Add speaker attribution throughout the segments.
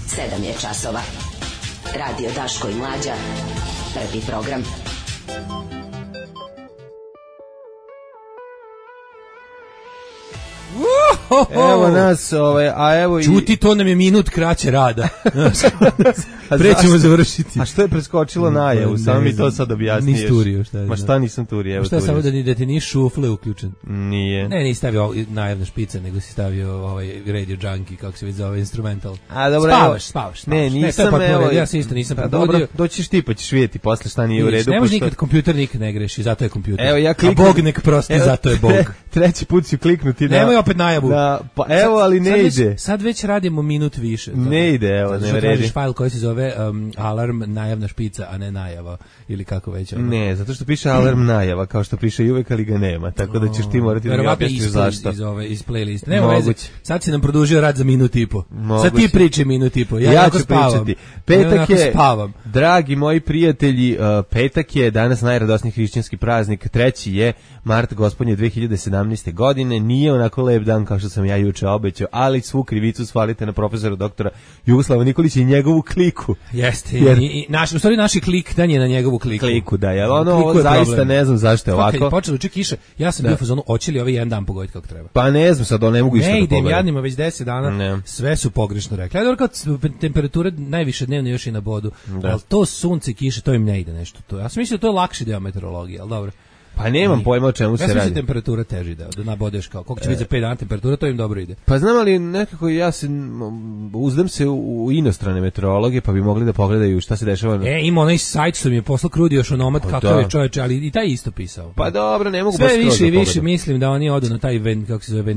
Speaker 1: 7 je časova. Radio Daško i Mlađa. Prvi program.
Speaker 2: Evo nas, a evo i...
Speaker 3: Čuti, to nam je minut kraće rada. Prećemo završiti.
Speaker 2: A što je preskočilo najavu? Samo mi to sad objasniješ.
Speaker 3: Nisi turio, šta je?
Speaker 2: Ma šta nisam turio? Evo,
Speaker 3: šta samo da ti nije šufle uključen?
Speaker 2: Nije.
Speaker 3: Ne, nisi stavio najavna špica, nego si stavio Radio Junkie, kako se vidi zove, instrumental.
Speaker 2: A dobro,
Speaker 3: spavaš.
Speaker 2: Ne, nisam,
Speaker 3: evo. Ja se isto nisam probudio.
Speaker 2: Dobro, doćiš ti pa ćeš vidjeti posle šta nije u redu.
Speaker 3: Ne može nikad, kompjuter nikad ne greši, zato je kompjuter.
Speaker 2: Evo, ja
Speaker 3: kliknem. A Bog nek prosti, zato je Bog.
Speaker 2: Treći put ću kliknuti da...
Speaker 3: Nemoj opet najavu.
Speaker 2: Pa evo, ali ne ide.
Speaker 3: Sad već radimo minut više.
Speaker 2: Ne ide, evo, ne vredi.
Speaker 3: Tražiš fajl koji se zove alarm, najavna špica, a ne najava, ili kako već.
Speaker 2: Ne, zato što piše alarm najava, kao što piše i uvek, ali ga nema, tako da ćeš ti morati da mi objasniš zašto.
Speaker 3: Iz playliste. Nema veze, sad si nam produžio rad za minut i po. Sad ti priči minut i po, ja ću pričati.
Speaker 2: Petak je, dragi moji prijatelji, petak je danas najradosniji hrišćanski praznik, 3. je mart gospodnje 2017. godine, nije onako lep dan kao što sam ja juče obećao, ali svu krivicu svalite na profesora doktora Jugoslava Nikolića i njegovu kliku.
Speaker 3: Jeste, i naši klik dan je na njegovu kliku.
Speaker 2: Da, jer ovo zaista problem. Ne znam zašto je ovako.
Speaker 3: Kad je počelo uče kiše, ja sam bio u fazonu, hoće li ovaj jedan dan pogoditi kako treba?
Speaker 2: Pa ne znam, sad ne mogu isto da pogledam.
Speaker 3: Ne idem jadnima već 10 dana, sve su pogrešno rekli. Ja dobro kad temperature najviše dnevno još i na bodu, ali to sunce i kiše, to im ne ide nešto. Ja sam mislio da to je lakši deo meteorologije, ali dobro.
Speaker 2: Pa nemam pojma o čemu se radi.
Speaker 3: Ja sam temperatura teži da nabodeš kao, koliko će biti za 5 dana temperatura, to im dobro ide.
Speaker 2: Pa znam, ali nekako ja se uzdam se u inostrane meteorologe, pa bi mogli da pogledaju šta se dešava.
Speaker 3: Ima onaj sajt što mi je poslao Krudi još onomat kakav je čoveče, ali i taj isto pisao.
Speaker 2: Pa dobro, ne mogu
Speaker 3: baš sve više i više mislim da oni odu na taj kako se zove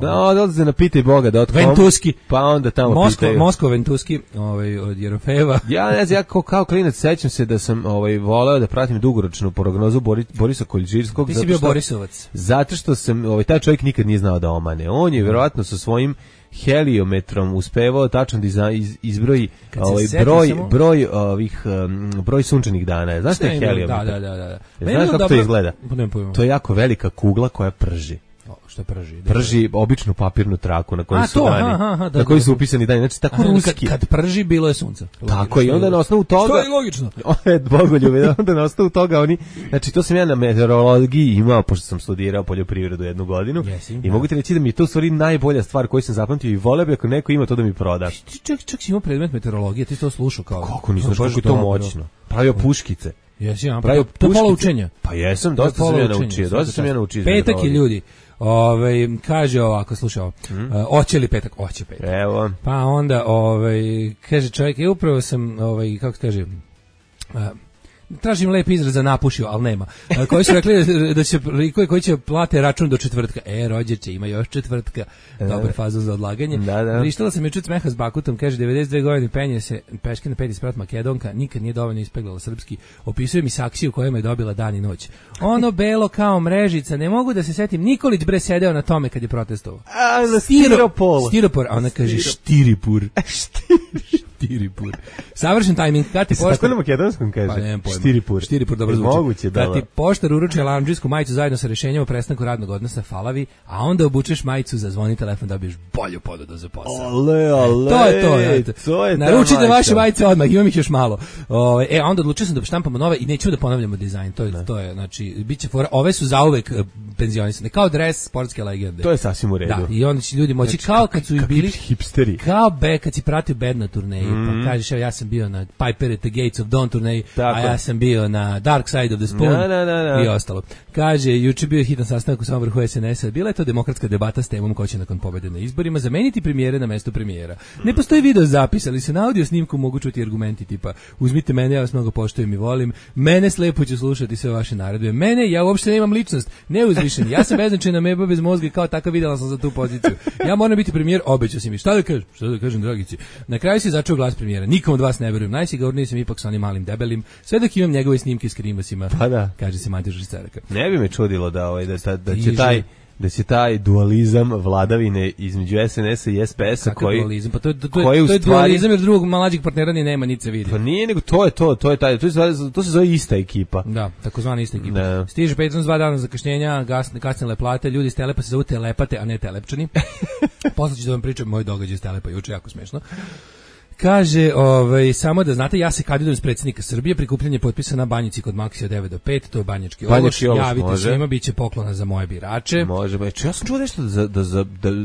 Speaker 2: odlaze na pitajboga.com.
Speaker 3: Ventuski.
Speaker 2: Pa onda tamo pitaju.
Speaker 3: Moskva Ventuski, od Jerofeva.
Speaker 2: Ja ne znam, ja kao klinac sećam se da sam voleo da pratim dugoročnu prognozu Borisa Koljžirskog.
Speaker 3: Ti si bio Borisovac.
Speaker 2: Zato što sam, taj čovjek nikad nije znao da omane. On je vjerovatno sa svojim heliometrom uspevao tačno da izbroji broj sunčanih dana. Znaš šta je heliometar?
Speaker 3: Da.
Speaker 2: Znaš kako to izgleda? To je jako velika kugla koja prži.
Speaker 3: Što prži?
Speaker 2: Prži običnu papirnu traku na kojoj su dani. Na kojoj su upisani dani. Znači, tako ruski.
Speaker 3: Kad prži, bilo je sunce.
Speaker 2: Tako je, i onda na osnovu toga...
Speaker 3: Što je logično.
Speaker 2: Bogoljube, onda na osnovu toga oni... Znači, to sam ja na meteorologiji imao, pošto sam studirao poljoprivredu 1 godinu. I mogu ti reći da mi je to u stvari najbolja stvar koju sam zapamtio i voleo bi ako neko ima to da mi proda.
Speaker 3: Čak si imao predmet meteorologije, ti to slušao kao...
Speaker 2: Kako nisam, kako je to moćno. Pravio puškice.
Speaker 3: Jesi, pravio pola učenja.
Speaker 2: Pa jesam, dosta sam ja naučio.
Speaker 3: Petak i ljudi. Kaže ovako, slušao, hoće li petak? Hoće petak.
Speaker 2: Evo.
Speaker 3: Pa onda, kaže čovjek, upravo sam, kako se kaže, tražim lep izraz za napušio, ali nema. Koji su rekli da će koji će plate račun do četvrtka. Rođeće, ima još četvrtka. Dobar fazon za odlaganje. Vrištala sam juče smeha s Bakutom, kaže 92 godine penje se peške na 5 sprat Makedonka, nikad nije dovoljno ispeglala srpski. Opisuje mi saksiju kojom je dobila dan i noć. Ono belo kao mrežica, ne mogu da se setim. Nikolić bre sedeo na tome kad je protestovao.
Speaker 2: Na
Speaker 3: stiropor, a ona kaže štiripur. Štiripur. Savršen tajming.
Speaker 2: Tako na makedonskom kaže?
Speaker 3: Pa nemam pojma.
Speaker 2: Štiripur,
Speaker 3: dobro zvuči.
Speaker 2: Moguće,
Speaker 3: kad ti poštar uruči alarmdžijsku majicu zajedno sa rešenjem o prestanku radnog odnosa, falavi, a onda obučeš majicu, zazvoni telefon da dobiješ bolju ponudu za posao. To je naručite vaše majice odmah, imam ih još malo. A onda odlučio sam da štampamo nove i neću da ponavljamo dizajn. To je, znači, biće fora. Ove su zauvek penzionisane, kao dres sportske legende.
Speaker 2: To je sasvim u redu.
Speaker 3: Da, i onda će ljudi moći, kao kad su bili
Speaker 2: hipsteri.
Speaker 3: Kao kad si pratio band na turneji, pa kažeš, ja sam bio na Piper at the Gates of Dawn turneji, a ja sam bio na Dark Side of the Spoon i ostalo. Kaže, juče bio hitan sastanak u samom vrhu SNS-a, bila je to demokratska debata s temom ko će nakon pobede na izborima zameniti premijere na mesto premijera. Ne postoji video zapis, ali se na audio snimku mogu čuti argumenti tipa, uzmite mene, ja vas mnogo poštujem i volim, mene slepo ću slušati sve vaše naredbe, mene, ja uopšte nemam ličnost, neuzvišen, ja sam beznačajna meba bez mozga i kao takav videla sam za tu poziciju. Ja moram biti premijer, obećao si mi. Šta da kažem, dragici? Na kraju se začeo glas premijera. Nikom od vas ne verujem. Najsigurniji sam ipak sa onim malim debelim. Sve dok imam njegove snimke s krimasima.
Speaker 2: Pa da.
Speaker 3: Kaže se Matija Žistaraka.
Speaker 2: Ne bi me čudilo da će taj dualizam vladavine između SNS-a i SPS-a koji
Speaker 3: dualizam? Pa to je dualizam jer drugog mlađeg partnera ni nema, niti se vidi.
Speaker 2: Pa nije, nego to se zove ista ekipa.
Speaker 3: Da, takozvana ista ekipa. Da. Stiže Patreon 2 dana zakašnjenja, kasnile plate, ljudi iz Telepa se zovu telepate, a ne telepčani. Posle ću da vam pričam moj događaj iz Telepa juče, jako smešno. Kaže, samo da znate, ja se kandidujem s predsjednika Srbije, prikupljanje potpisa na Banjici kod Maksija 9 do 5, to je Banjački ološ, javite svima, bit će poklona za moje birače.
Speaker 2: Može, ja sam čuo nešto da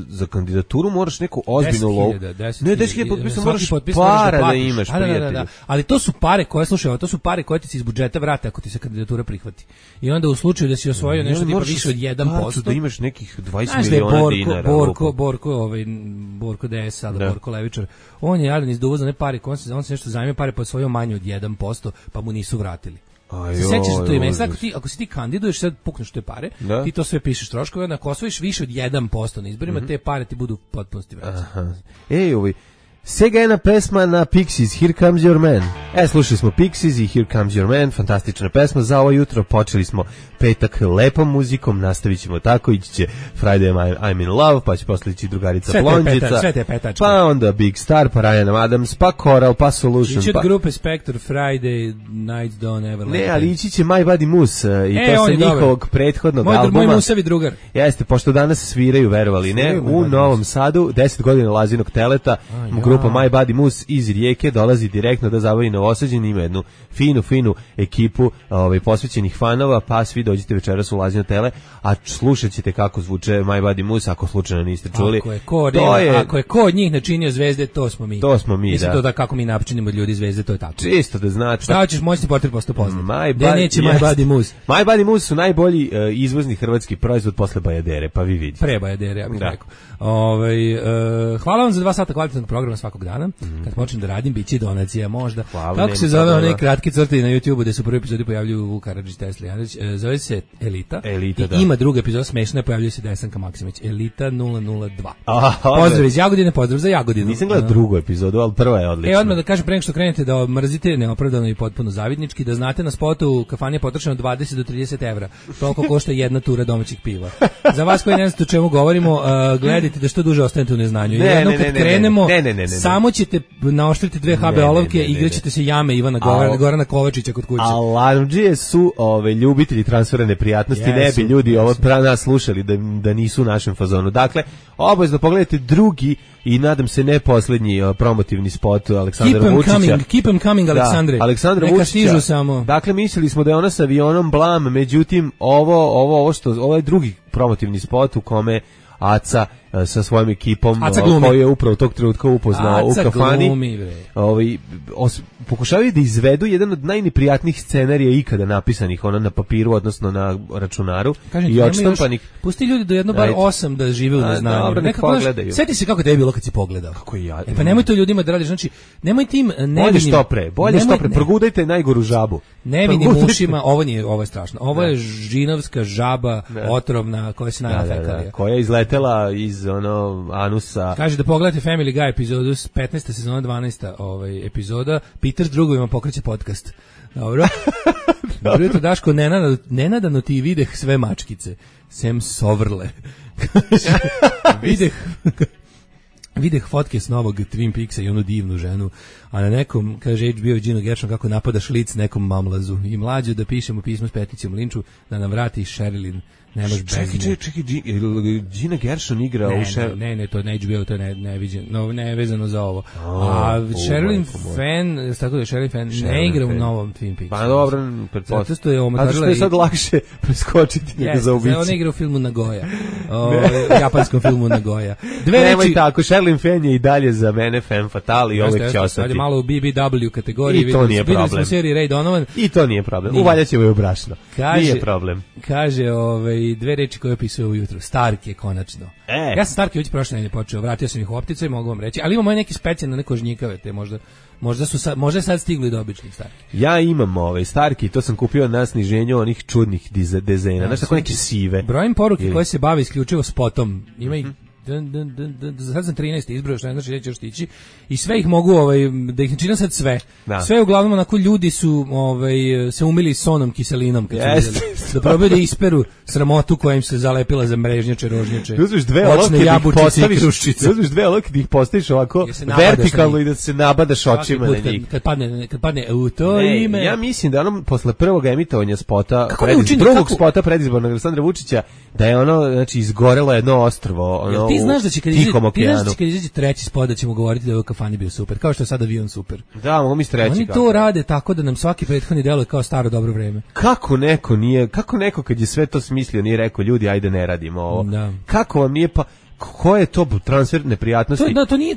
Speaker 2: za kandidaturu moraš neku ozbiljnu lovu. Ne, 10.000 potpisa moraš para da imaš, prijatelju.
Speaker 3: Da. Ali to su pare koje, slušaj, to su pare koje ti se iz budžeta vrate ako ti se kandidatura prihvati. I onda u slučaju da si osvojio nešto tipa više od 1%,
Speaker 2: da imaš nekih 20 miliona dinara.
Speaker 3: Borko DS, ali Borko Levičar, on je jadan iz uvoza ne pare, on se nešto zajmio pare po svojom manje od 1%, pa mu nisu vratili. Sećaš se to ime? Ako si ti kandiduješ, sad pukneš te pare, ti to sve pišeš troškove, onda ako osvojiš više od 1% na izborima, te pare ti budu potpunosti vraćane.
Speaker 2: Sega jedna pesma na Pixies, Here Comes Your Man. Slušali smo Pixies i Here Comes Your Man, fantastična pesma za ovo jutro. Počeli smo petak lepom muzikom, nastavit ćemo tako, ići će Friday I'm in Love, pa će posle ići drugarica Blondžica,
Speaker 3: sve te petačke.
Speaker 2: Pa onda Big Star, pa Ryan Adams, pa Coral, pa Solution.
Speaker 3: Ići od grupe Spector, Friday, Nights Don't Ever Let.
Speaker 2: Ne, ali ići će My Buddy Moose, i to sa njihovog prethodnog albuma.
Speaker 3: Moj musavi drugar.
Speaker 2: Jeste, pošto danas sviraju, verovali ne, u Novom Sadu, 10 godina Lazinog teleta, grupa My Buddy Moose iz Rijeke dolazi direktno da zabavi Novosađeni, ima jednu finu ekipu posvećenih fanova, pa svi dođite večeras u Lazino tele, a slušat ćete kako zvuče My Buddy Moose, ako slučajno niste čuli.
Speaker 3: Ako je ko od njih načinio zvezde, to smo mi. Mislim
Speaker 2: da.
Speaker 3: To da kako mi načinimo od ljudi zvezde, to je tako.
Speaker 2: Čisto da znate.
Speaker 3: Šta hoćeš, moćni portir posto poznat. Neće My Buddy Moose.
Speaker 2: My Buddy Moose su najbolji izvozni hrvatski proizvod posle Bajadere, pa vi vidite.
Speaker 3: Pre Bajadere, ja bih rekao. Hvala vam za 2 sata kvalitetnog programa svakog dana. Kad počnem da radim, bit će donacija možda. Kako se zove onaj kratki crti na YouTubeu gde se u prvoj epizodi pojavljuju Vuk Karadžić, Tesla Janović? Zove se Elita i
Speaker 2: da.
Speaker 3: Ima druga epizoda smešna, pojavljuje se Desanka Maksimović. Elita 002. Pozdrav iz Jagodine, pozdrav za Jagodinu.
Speaker 2: Nisam gledao drugu epizodu, ali prva je odlična.
Speaker 3: Odmah da kažem pre nego što krenete da mrzite neopravdano i potpuno zavidnički, da znate na spotu u kafani je potrošeno 20 do 30 evra. Toliko košta jedna tura domaćih piva. Za vas koji ne znate o čemu govorimo, gledajte da što duže ostanete u neznanju. Jednom kad krenemo, samo ćete naoštriti 2 HB olovke i igraćete se jame Ivana Gorana Kovačića kod kuće.
Speaker 2: Alarmdžije su ljubitelji transfera neprijatnosti, ne bi ljudi ovo nas slušali da nisu u našem fazonu. Dakle, obavezno pogledajte drugi i nadam se ne poslednji promotivni spot Aleksandra Vučića.
Speaker 3: Keep them coming, Aleksandre.
Speaker 2: Aleksandra Vučića. Dakle, mislili smo da je ona sa avionom blam, međutim, ovo je drugi promotivni spot u kome Aca sa svojom ekipom koju je upravo tog trenutka upoznao u kafani. Pokušavaju da izvedu jedan od najneprijatnijih scenarija ikada napisanih na papiru, odnosno na računaru.
Speaker 3: Kažem, i odštampanih. Pusti ljudi do jedno bar 8 da žive u neznanju.
Speaker 2: Dobro, nek pogledaju.
Speaker 3: Sjeti se kako je bilo kad si pogledao.
Speaker 2: Kako ja.
Speaker 3: Pa nemoj to ljudima da radiš, znači nemoj tim
Speaker 2: nevinim. Bolje što pre, progudajte najgoru žabu.
Speaker 3: Nevinim ušima, ovo je strašno. Ovo je žinovska žaba otrovna koja se najela fekalija.
Speaker 2: Koja je izletela iz anusa.
Speaker 3: Kaže da pogledate Family Guy epizodu 15. sezona 12. Epizoda. Peter s drugovima pokreće podcast. Dobro. Dobro jutro, Daško, nenadano ti videh sve mačkice. Sem sovrle. Videh fotke s novog Twin Peaksa i onu divnu ženu, a na nekom, kaže HBO Gino Gershon, kako napada šlic nekom mamlazu. I mlađu da pišemo pismo s peticijom linču, da nam vrati Sherilyn.
Speaker 2: Čekaj, Gina Gershon igra u
Speaker 3: Ne, to ne HBO, to je neviđeno, nevezano za ovo. A Sherilyn Fenn, tako da je Sherilyn Fenn ne igra u novom Twin Peaksu.
Speaker 2: Pa dobro, pretpostavljam.
Speaker 3: Zato što je omotarila.
Speaker 2: Zato što je sad lakše preskočiti nego zaobići.
Speaker 3: Ona igra u filmu Nagoya, japanskom filmu Nagoya.
Speaker 2: Nemoj tako, Sherilyn Fenn je i dalje za mene femme fatale i uvek će ostati.
Speaker 3: Sad je malo u BBW kategoriji.
Speaker 2: I to nije problem.
Speaker 3: Videli smo seriji Ray Donovan.
Speaker 2: I to nije problem. Uvaljaćemo je u brašno. Nije problem.
Speaker 3: Kaže, 2 reči koje opisuje ujutro. Stark je konačno. Ja sam Stark već prošle nedelje počeo, vratio sam ih u optice i mogu vam reći, ali imamo neki specijalne neko žnjikave, te možda sad stigli do običnih Starki.
Speaker 2: Ja imam Starki, to sam kupio na sniženju onih čudnih dizajna, znači tako neke sive.
Speaker 3: Brojim poruke koje se bave isključivo spotom. Ima ih sad sam 13 izbrojao, što ne znači da će još stići, i sve ih mogu, da ih načinam sad sve. Sve uglavnom onako ljudi su se umili sonom, kiselinom, kad su vidjeli, da probaju da isperu sramotu koja im se zalepila za mrežnjače, rožnjače, očne jabučice i kruščice.
Speaker 2: Uzmiš 2 olovke da ih postaviš ovako vertikalno i da se nabadaš očima na njih.
Speaker 3: Kad padne u to ime.
Speaker 2: Ja mislim da posle prvog emitovanja spota, drugog spota predizbornog Aleksandra Vučića, da je znači izgorelo jedno ostrvo,
Speaker 3: ti znaš da će kad izađe treći spot da ćemo govoriti da je u kafani bio super, kao što je sad avion super.
Speaker 2: Da, mogu mi treći.
Speaker 3: Oni to rade tako da nam svaki prethodni deluje kao staro dobro vreme.
Speaker 2: Kako neko kad je sve to smislio nije rekao ljudi ajde ne radimo ovo. Da. Kako vam nije pa ko je to transfer neprijatnosti?
Speaker 3: To nije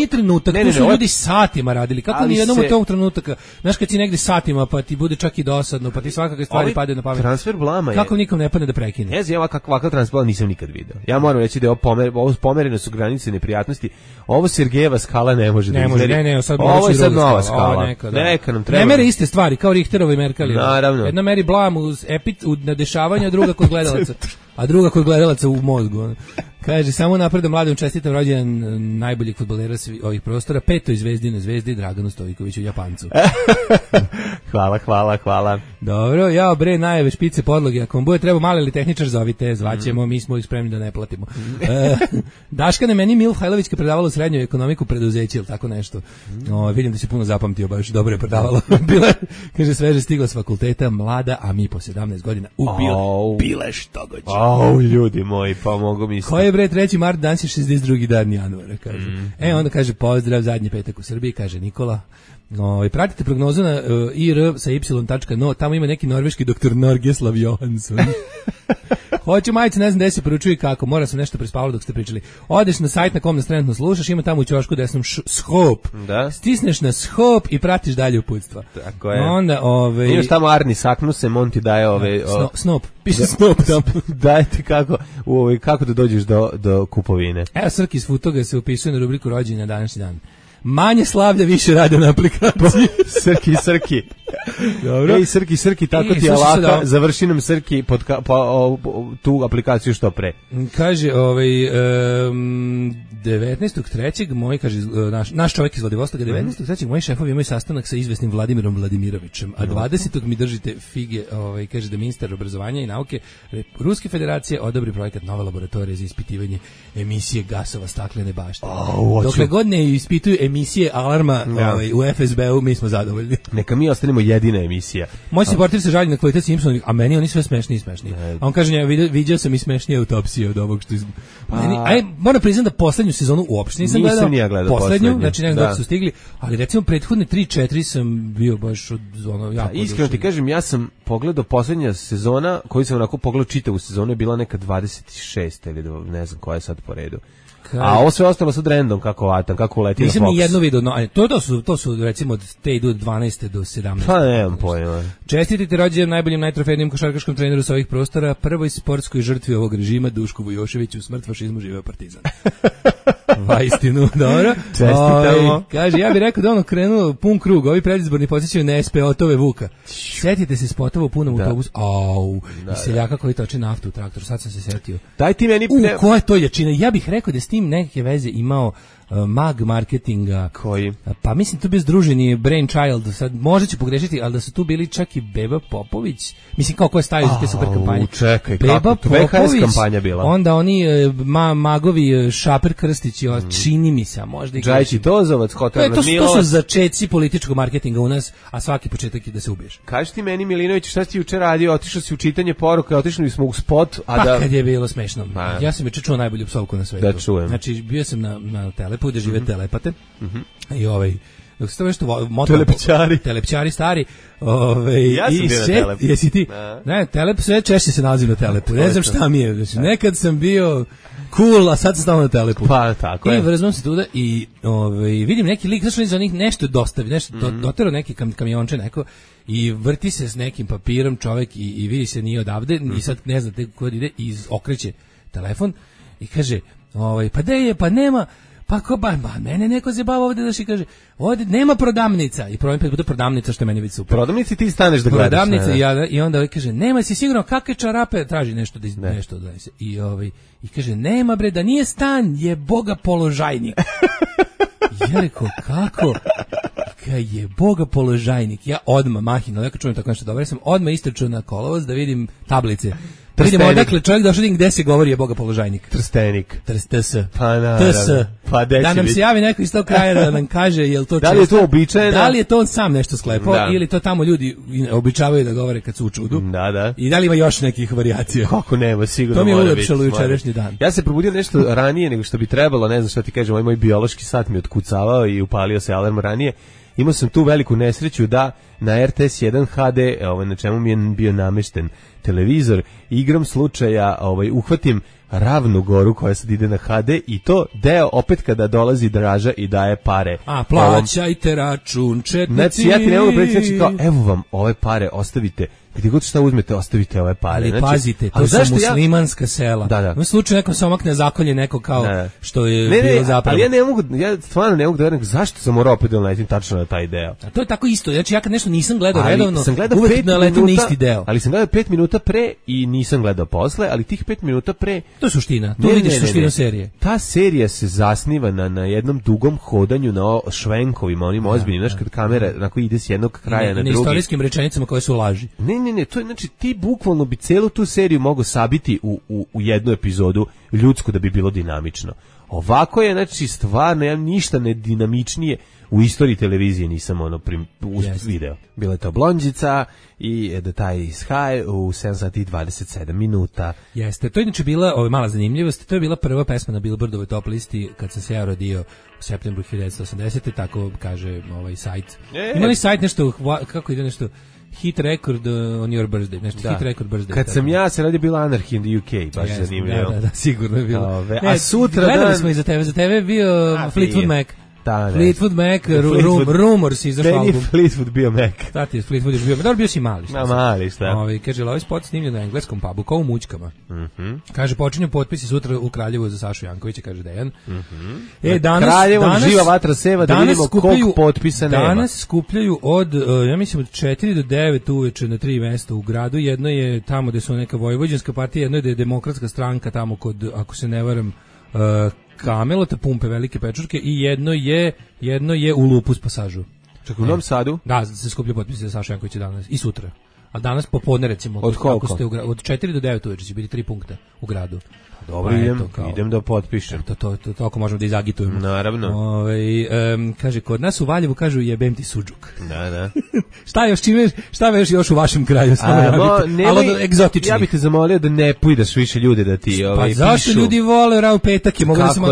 Speaker 3: trenutak, to su ljudi satima radili. Kako ni jednom u tom trenutaka, znaš kad si negde satima pa ti bude čak i dosadno, pa ti svakakve stvari padaju na pamet.
Speaker 2: Transfer blama je.
Speaker 3: Kako nikom ne padne da prekine?
Speaker 2: Ne znam, ovakav transfer blama nisam nikad video. Ja moram reći da je ovo pomerene su granice neprijatnosti. Ovo Sergejeva skala ne može da izmeri. Ovo je sad nova skala. Neka nam treba.
Speaker 3: Ne mere iste stvari, kao Richterova i Merkelova. Naravno. Jedna meri blam na dešavanja, druga kod gledalaca. A druga kod gledalaca u mozgu. Kaže, samo napredom mladom čestitam rođendan najboljih fudbalera ovih prostora, 5. Zvezdinoj zvezdi Draganu Stojkoviću, Japancu.
Speaker 2: Hvala.
Speaker 3: Dobro, ja bre najave špice podloge, ako vam bude treba mali ili tehničar zovite, zvaćemo, mi smo ih spremni da ne platimo. Daška na meni Milhajlovićka predavala u srednjoj ekonomiku preduzeće, ili tako nešto. Vidim da se puno zapamtio, baš dobro je predavala. Bila, kaže, sveže stigla s fakulteta, mlada, a mi po 17 godina bile što gođe.
Speaker 2: Ljudi moji, pa mogu misliti.
Speaker 3: Ko je bre 3. mart, danas je 62. dan januara, kaže. Onda kaže, pozdrav, zadnji petak u Srbiji, kaže Nikola. Pratite prognozu na ir sa y.no, tamo ima neki norveški doktor Norgeslav Johansson. Hoću majice, ne znam gde se poručuje kako, mora sam nešto prespavalo dok ste pričali. Odeš na sajt na kom nas trenutno slušaš, ima tamo u ćošku desnom shop. Da. Stisneš na shop i pratiš dalje uputstva.
Speaker 2: Tako je.
Speaker 3: Onda,
Speaker 2: imaš tamo Arni Saknuse, on ti daje
Speaker 3: Snop, piše Snop tamo.
Speaker 2: Dajte kako da dođeš do kupovine.
Speaker 3: Evo, Srki iz Futoga se upisuje na rubriku rođenja na današnji dan. Manje slavlja, više rade na aplikaciji.
Speaker 2: Srki. Dobro. Ej, Srki, tako ti je laka, završi nam Srki tu aplikaciju što pre.
Speaker 3: Kaže, 19.3. moj, kaže, naš čovjek iz Vladivostoka, 19.3. moji šefovi imaju sastanak sa izvesnim Vladimirom Vladimirovićem, a 20. mi držite fige, kaže da ministar obrazovanja i nauke Ruske federacije odobri projekat nove laboratorije za ispitivanje emisije gasova staklene bašte. Dokle god ne ispituju emisije alarma u FSB-u, mi smo zadovoljni.
Speaker 2: Neka mi ostanemo jedina emisija.
Speaker 3: Moj supporter se žali na kvalitet Simpsona, a meni oni sve smešniji. A on kaže, vidio sam i smešnije autopsije od ovog što moram priznati da poslednju sezonu uopšte nisam gledao. Poslednju, znači ne znam dok su stigli, ali recimo prethodne 3-4 sam bio baš od jako.
Speaker 2: Iskreno ti kažem, ja sam pogledao poslednja sezona, koju sam onako pogledao čitavu sezonu, je bila neka 26 ili ne znam koja je sad po redu. A ovo sve ostalo sad random kako uleti na Fox.
Speaker 3: Nisam ni jedno video, to su recimo od te idu od 12. do 17.
Speaker 2: Pa nemam pojma.
Speaker 3: Čestitite rođendan najboljim, najtrofejnijem košarkaškom treneru sa ovih prostora, prvoj sportskoj žrtvi ovog režima, Dušku Vujoševiću, smrt fašizmu, živeo Partizan. Vaistinu, dobro.
Speaker 2: Čestitamo.
Speaker 3: Kaže, ja bih rekao da ono krenuo pun krug, ovi predizborni podsjećaju na SPO-tove Vuka. Sjetite se spotova u punom autobusu. I seljaka koji toče naftu u traktoru, sad sam se setio.
Speaker 2: Daj ti meni...
Speaker 3: Koja je to jačina? Ja bih rekao da s tim neke veze imao mag marketinga.
Speaker 2: Koji?
Speaker 3: Pa mislim tu bio združeni Brainchild, sad možda ću pogrešiti, ali da su tu bili čak i Beba Popović. Mislim kao ko je stavio za te super kampanje.
Speaker 2: Čekaj,
Speaker 3: Beba
Speaker 2: kako? VHS kampanja bila.
Speaker 3: Onda oni magovi Šaper Krstić, čini mi se, možda i
Speaker 2: Džajić Tozovac, Hotel
Speaker 3: to su začeci političkog marketinga u nas, a svaki početak je da se ubiješ.
Speaker 2: Kaži ti meni, Milinović, šta si ti juče radio? Otišao si u čitanje poruka, otišli smo u spot,
Speaker 3: kad je bilo smešno. Ja sam juče čuo najbolju psovku na svetu.
Speaker 2: Da čujem.
Speaker 3: Znači, bio sam na Telepu gde žive telepate. I dok se to nešto telepčari stari,
Speaker 2: ja sam bio na Telepu.
Speaker 3: Jesi ti? Ne, Telep sve češće se nalazim na Telepu. Ne znam šta mi je. Znači, nekad sam bio cool, a sad sam stavio na Telepu.
Speaker 2: Pa, tako je.
Speaker 3: I vrzmam se tuda i vidim neki lik, zašto za njih nešto dostavi, nešto dotero neki kamionče neko i vrti se s nekim papirom čovek i vidi se nije odavde i sad ne znate kod ide i okreće telefon i kaže, pa gde je, pa nema. Pa ko mene neko zjebava ovdje da kaže, ovdje nema prodavnica. I problem bude prodavnica, što je meni već super.
Speaker 2: Prodavnici ti staneš da gledaš.
Speaker 3: Prodavnica i onda kaže, nema si sigurno kakve čarape, traži nešto da nešto donese. I kaže, nema bre, da nije stan, je Boga položajnik. Ja rekao, kako? Je Boga položajnik. Ja odmah mahino, ja kad čujem tako nešto dobro, ja sam odmah istrčao na kolovoz da vidim tablice. Vidimo odakle čovjek došao gde se govori je Boga položajnik.
Speaker 2: Trstenik.
Speaker 3: TS.
Speaker 2: Pa naravno. Pa
Speaker 3: da nam se javi neko iz tog kraja da nam kaže jel to
Speaker 2: da li je to običajno?
Speaker 3: Da li je to on sam nešto sklepao ili to tamo ljudi običavaju da govore kad su u čudu?
Speaker 2: Da.
Speaker 3: I da li ima još nekih varijacija?
Speaker 2: Kako nema, sigurno.
Speaker 3: To mi je ulepšalo jučerašnji dan.
Speaker 2: Ja se probudio nešto ranije nego što bi trebalo, ne znam šta ti kažem, moj biološki sat mi otkucavao i upalio se alarm ranije. Imao sam tu veliku nesreću da na RTS 1 HD, na čemu mi je bio namešten televizor, igram slučaja, uhvatim Ravnu Goru koja sad ide na HD i to deo opet kada dolazi Draža i daje pare.
Speaker 3: A plaćajte račun četnici.
Speaker 2: Znači ja ti ne mogu predstaviti kao evo vam ove pare, ostavite. Gdje god šta uzmete, ostavite ove pare.
Speaker 3: Ali pazite, to su muslimanska sela.
Speaker 2: Da.
Speaker 3: U slučaju nekom se omakne zakolje neko kao što je bilo zapravo.
Speaker 2: Ali ja stvarno ne mogu da verujem zašto sam morao opet da naletim tačno na taj deo.
Speaker 3: A to je tako isto. Znači ja kad nešto nisam gledao redovno,
Speaker 2: uvek
Speaker 3: naletim na isti deo.
Speaker 2: Ali sam gledao 5 minuta pre i nisam gledao posle, ali tih 5 minuta pre...
Speaker 3: To je suština. To vidiš suštinu serije.
Speaker 2: Ta serija se zasniva na jednom dugom hodanju na švenkovima, onim ozbiljnim, znaš kad kamera onako ide s jednog kraja na drugi.
Speaker 3: Na istorijskim rečenicama koje su laži.
Speaker 2: Ne, to je, znači, ti bukvalno bi celu tu seriju mogao sabiti u jednu epizodu ljudsku da bi bilo dinamično. Ovako je, znači, stvarno, ja ništa ne dinamičnije u istoriji televizije nisam video. Bila je to Blondžica i The Tie is High u 7 sati i 27 minuta.
Speaker 3: Jeste, to je inače bila mala zanimljivost, to je bila prva pesma na Billboardovoj top listi kad sam se ja rodio u septembru 1980. Tako kaže sajt. Ima li sajt nešto, kako ide nešto... Hit record on your birthday, nešto hit record birthday.
Speaker 2: Kad sam ja se radio bila Anarchy in the UK, baš zanimljivo.
Speaker 3: Da, sigurno je bilo.
Speaker 2: A sutra
Speaker 3: gledali smo i za tebe je bio Fleetwood Mac. Fleetwood Mac, Rumors izašao album.
Speaker 2: Meni Fleetwood bio Mac.
Speaker 3: Tati, Fleetwood je bio, dobro bio si mali.
Speaker 2: Mali, šta?
Speaker 3: Kaže, ovaj spot snimljen na engleskom pubu, kao u Mućkama. Kaže, počinju potpisi sutra u Kraljevu za Sašu Jankovića, kaže Dejan.
Speaker 2: Kraljevom živa vatra seva, da vidimo koliko potpisa nema.
Speaker 3: Danas skupljaju od, ja mislim, od 4 do 9 uveče na 3 mesta u gradu. Jedno je tamo gde su neka vojvođanska partija, jedno je da je demokratska stranka tamo kod, ako se ne varam, Kamelota, Pumpe, Velike Pečurke i jedno je u Lupus pasažu.
Speaker 2: Čak u Novom Sadu?
Speaker 3: Da, se skuplja potpisi za Saša Jankovića danas i sutra. A danas popodne recimo.
Speaker 2: Od koliko?
Speaker 3: Od 4 do 9 uveče će biti 3 punkta u gradu.
Speaker 2: Dobro, idem da potpišem.
Speaker 3: To ako možemo da izagitujemo.
Speaker 2: Naravno.
Speaker 3: Kaže, kod nas u Valjevu kažu jebem ti suđuk.
Speaker 2: Da.
Speaker 3: šta još u vašem kraju? Ali egzotični.
Speaker 2: Ja bih te zamolio da ne pujdeš više ljude da ti pišu.
Speaker 3: Pa zašto ljudi vole rao petak?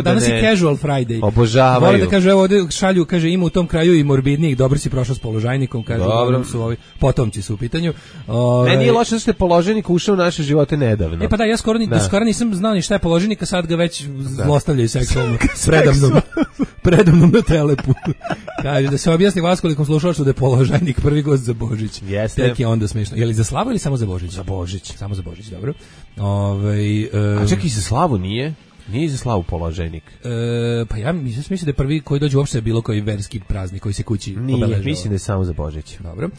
Speaker 3: Danas je casual Friday.
Speaker 2: Obožavaju.
Speaker 3: Vole da kaže, evo ovdje šalju, kaže, ima u tom kraju i morbidnijih, dobro si prošao s položajnikom, kaže, su ovi potomci su u pitanju.
Speaker 2: Ne, nije loše što je položajnik ušao u naše živote nedavno.
Speaker 3: Pa da, ja skoro nisam znao ni šta je položajnik, a sad ga već zlostavljaju seksualno predamnom na Telepu. Kaže da se objasni Vaskolikom slušalaštvu da je položajnik prvi gost za Božić.
Speaker 2: Jeste.
Speaker 3: Tek je onda smiješno. Je li za Slavu ili samo za Božić?
Speaker 2: Za Božić.
Speaker 3: Samo za Božić, dobro.
Speaker 2: A čak i za Slavu nije? Nije za Slavu položajnik.
Speaker 3: Pa ja mislim da je prvi koji dođe uopšte bilo koji verski praznik koji se kući obeležava.
Speaker 2: Nije, mislim da je samo za Božić.
Speaker 3: Dobro.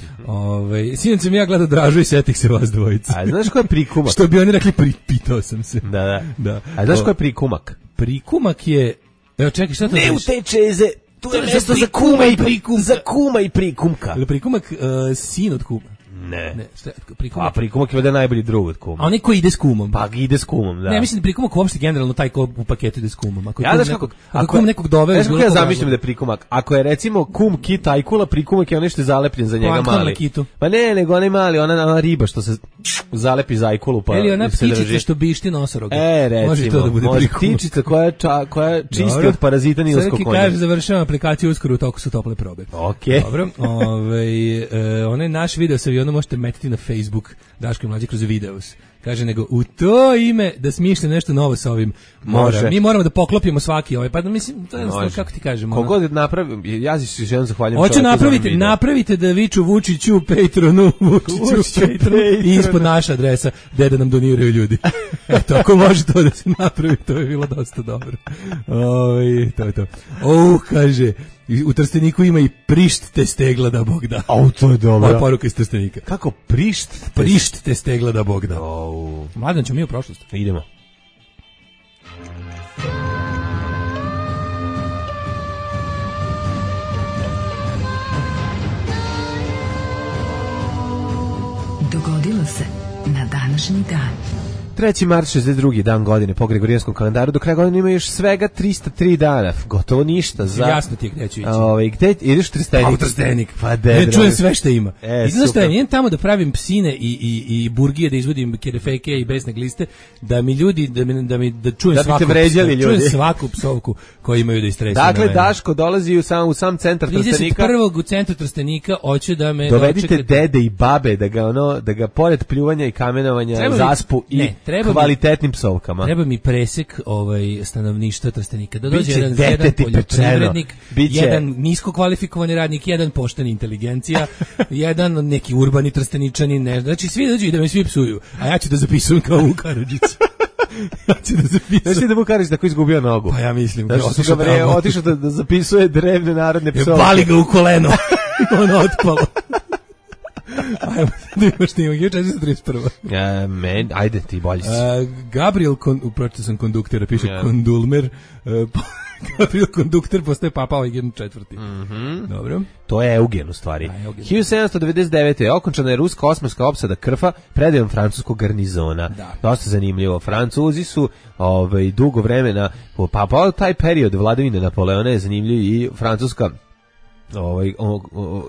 Speaker 3: Sinoć sam ja gledao Dražu i setih se vas dvojica.
Speaker 2: A znaš ko je prikumak?
Speaker 3: Što bi oni rekli, pitao sam se.
Speaker 2: Da. A znaš ko je prikumak?
Speaker 3: Prikumak je... Evo čekaj, šta to
Speaker 2: ne
Speaker 3: znaš?
Speaker 2: Ne utečeze, tu je mjesto za kuma i prikumka. Za kuma i prikumka.
Speaker 3: Ili prikumak sin od kuma?
Speaker 2: Ne.
Speaker 3: Šta, prikumak?
Speaker 2: A prikumak je valjda najbolji drug od kuma.
Speaker 3: A onaj ko ide s kumom?
Speaker 2: Pa ide s kumom, da.
Speaker 3: Ne, mislim da prikumak uopšte generalno taj ko u paketu ide s kumom. Ako
Speaker 2: ja znaš
Speaker 3: ako kum nekog doveo...
Speaker 2: Znaš kako ja zamišljam da je prikumak? Ako je recimo kum kit ajkula, prikumak je onaj što je zalepljen za njega mali. Pa ne, nego onaj mali, ona riba što se zalepi za ajkulu pa
Speaker 3: ili ona ptičica što bišti nosoroga.
Speaker 2: Recimo, može to da bude ptičica koja čisti od parazita nilskog konja.
Speaker 3: Kaže, završavam aplikaciju uskoro, u toku su tople probe.
Speaker 2: Okej.
Speaker 3: Dobro, onaj naš video sa avionom možete metiti na Facebook Daško i Mlađe kroz videos. Kaže, nego u to ime da smišljam nešto novo sa ovim. Može. Mi moramo da poklopimo svaki ovaj. Pa da mislim, to je jednostavno, kako ti kažem.
Speaker 2: Kogod napravi, ja se želim zahvaljujem.
Speaker 3: Hoću napravite da viču Vučiću, Patronu, Vučiću, Patronu i ispod naša adresa gde da nam doniraju ljudi. Eto, ako može to da se napravi, to je bilo dosta dobro. To je to. Kaže, u Trsteniku ima i prišt te stegla da Bog da.
Speaker 2: To je dobro.
Speaker 3: Ovo poruka iz Trstenika.
Speaker 2: Kako prišt?
Speaker 3: Prišt te stegla da Bog da. Mladen, ćemo mi u prošlost.
Speaker 2: Idemo.
Speaker 1: Dogodilo se na današnji dan.
Speaker 2: 3. mart 62. dan godine po Gregorijanskom kalendaru, do kraja godine ima još svega 303 dana, gotovo ništa za...
Speaker 3: Jasno ti je gde ću ići.
Speaker 2: Gde ideš u Trstenik?
Speaker 3: U Trstenik.
Speaker 2: Pa
Speaker 3: čujem sve što ima.
Speaker 2: Idem
Speaker 3: što idem tamo da pravim psine i burgije, da izvodim kerefeke i besne gliste, da mi ljudi, da čujem svaku psovku koju imaju da istresu.
Speaker 2: Dakle, Daško dolazi u sam centar Trstenika.
Speaker 3: 31. u centru Trstenika hoću da me
Speaker 2: dovedite dede i babe da ga pored pljuvanja i kamenovanja zaspu i kvalitetnim psovkama.
Speaker 3: Treba mi presek stanovništva Trstenika. Da dođe jedan poljoprivrednik, jedan nisko kvalifikovani radnik, jedan pošten inteligencija, jedan neki urbani Trsteničanin, ne znam. Znači svi dođu i da me svi psuju, a ja ću da zapisujem kao Vuk Karadžić. Ja ću da zapisujem.
Speaker 2: Znači da Vuk Karadžić tako izgubio nogu.
Speaker 3: Pa ja mislim.
Speaker 2: Otišao da zapisuje drevne narodne psovke.
Speaker 3: Bali ga u koleno. Ono otpalo. Ajmo, da imaš snima, 1431.
Speaker 2: Ajde, ti bolji si.
Speaker 3: Gabriel, upročito sam konduktera, piše Kondulmer, Gabriel Kondukter postaje papa Eugen IV. Dobro.
Speaker 2: To je Eugen u stvari. 1799. okončana je ruska osmanska opsada Krfa predajom francuskog garnizona. Dosta zanimljivo. Francuzi su dugo vremena, pa taj period vladavine Napoleona je zanimljiv i francuska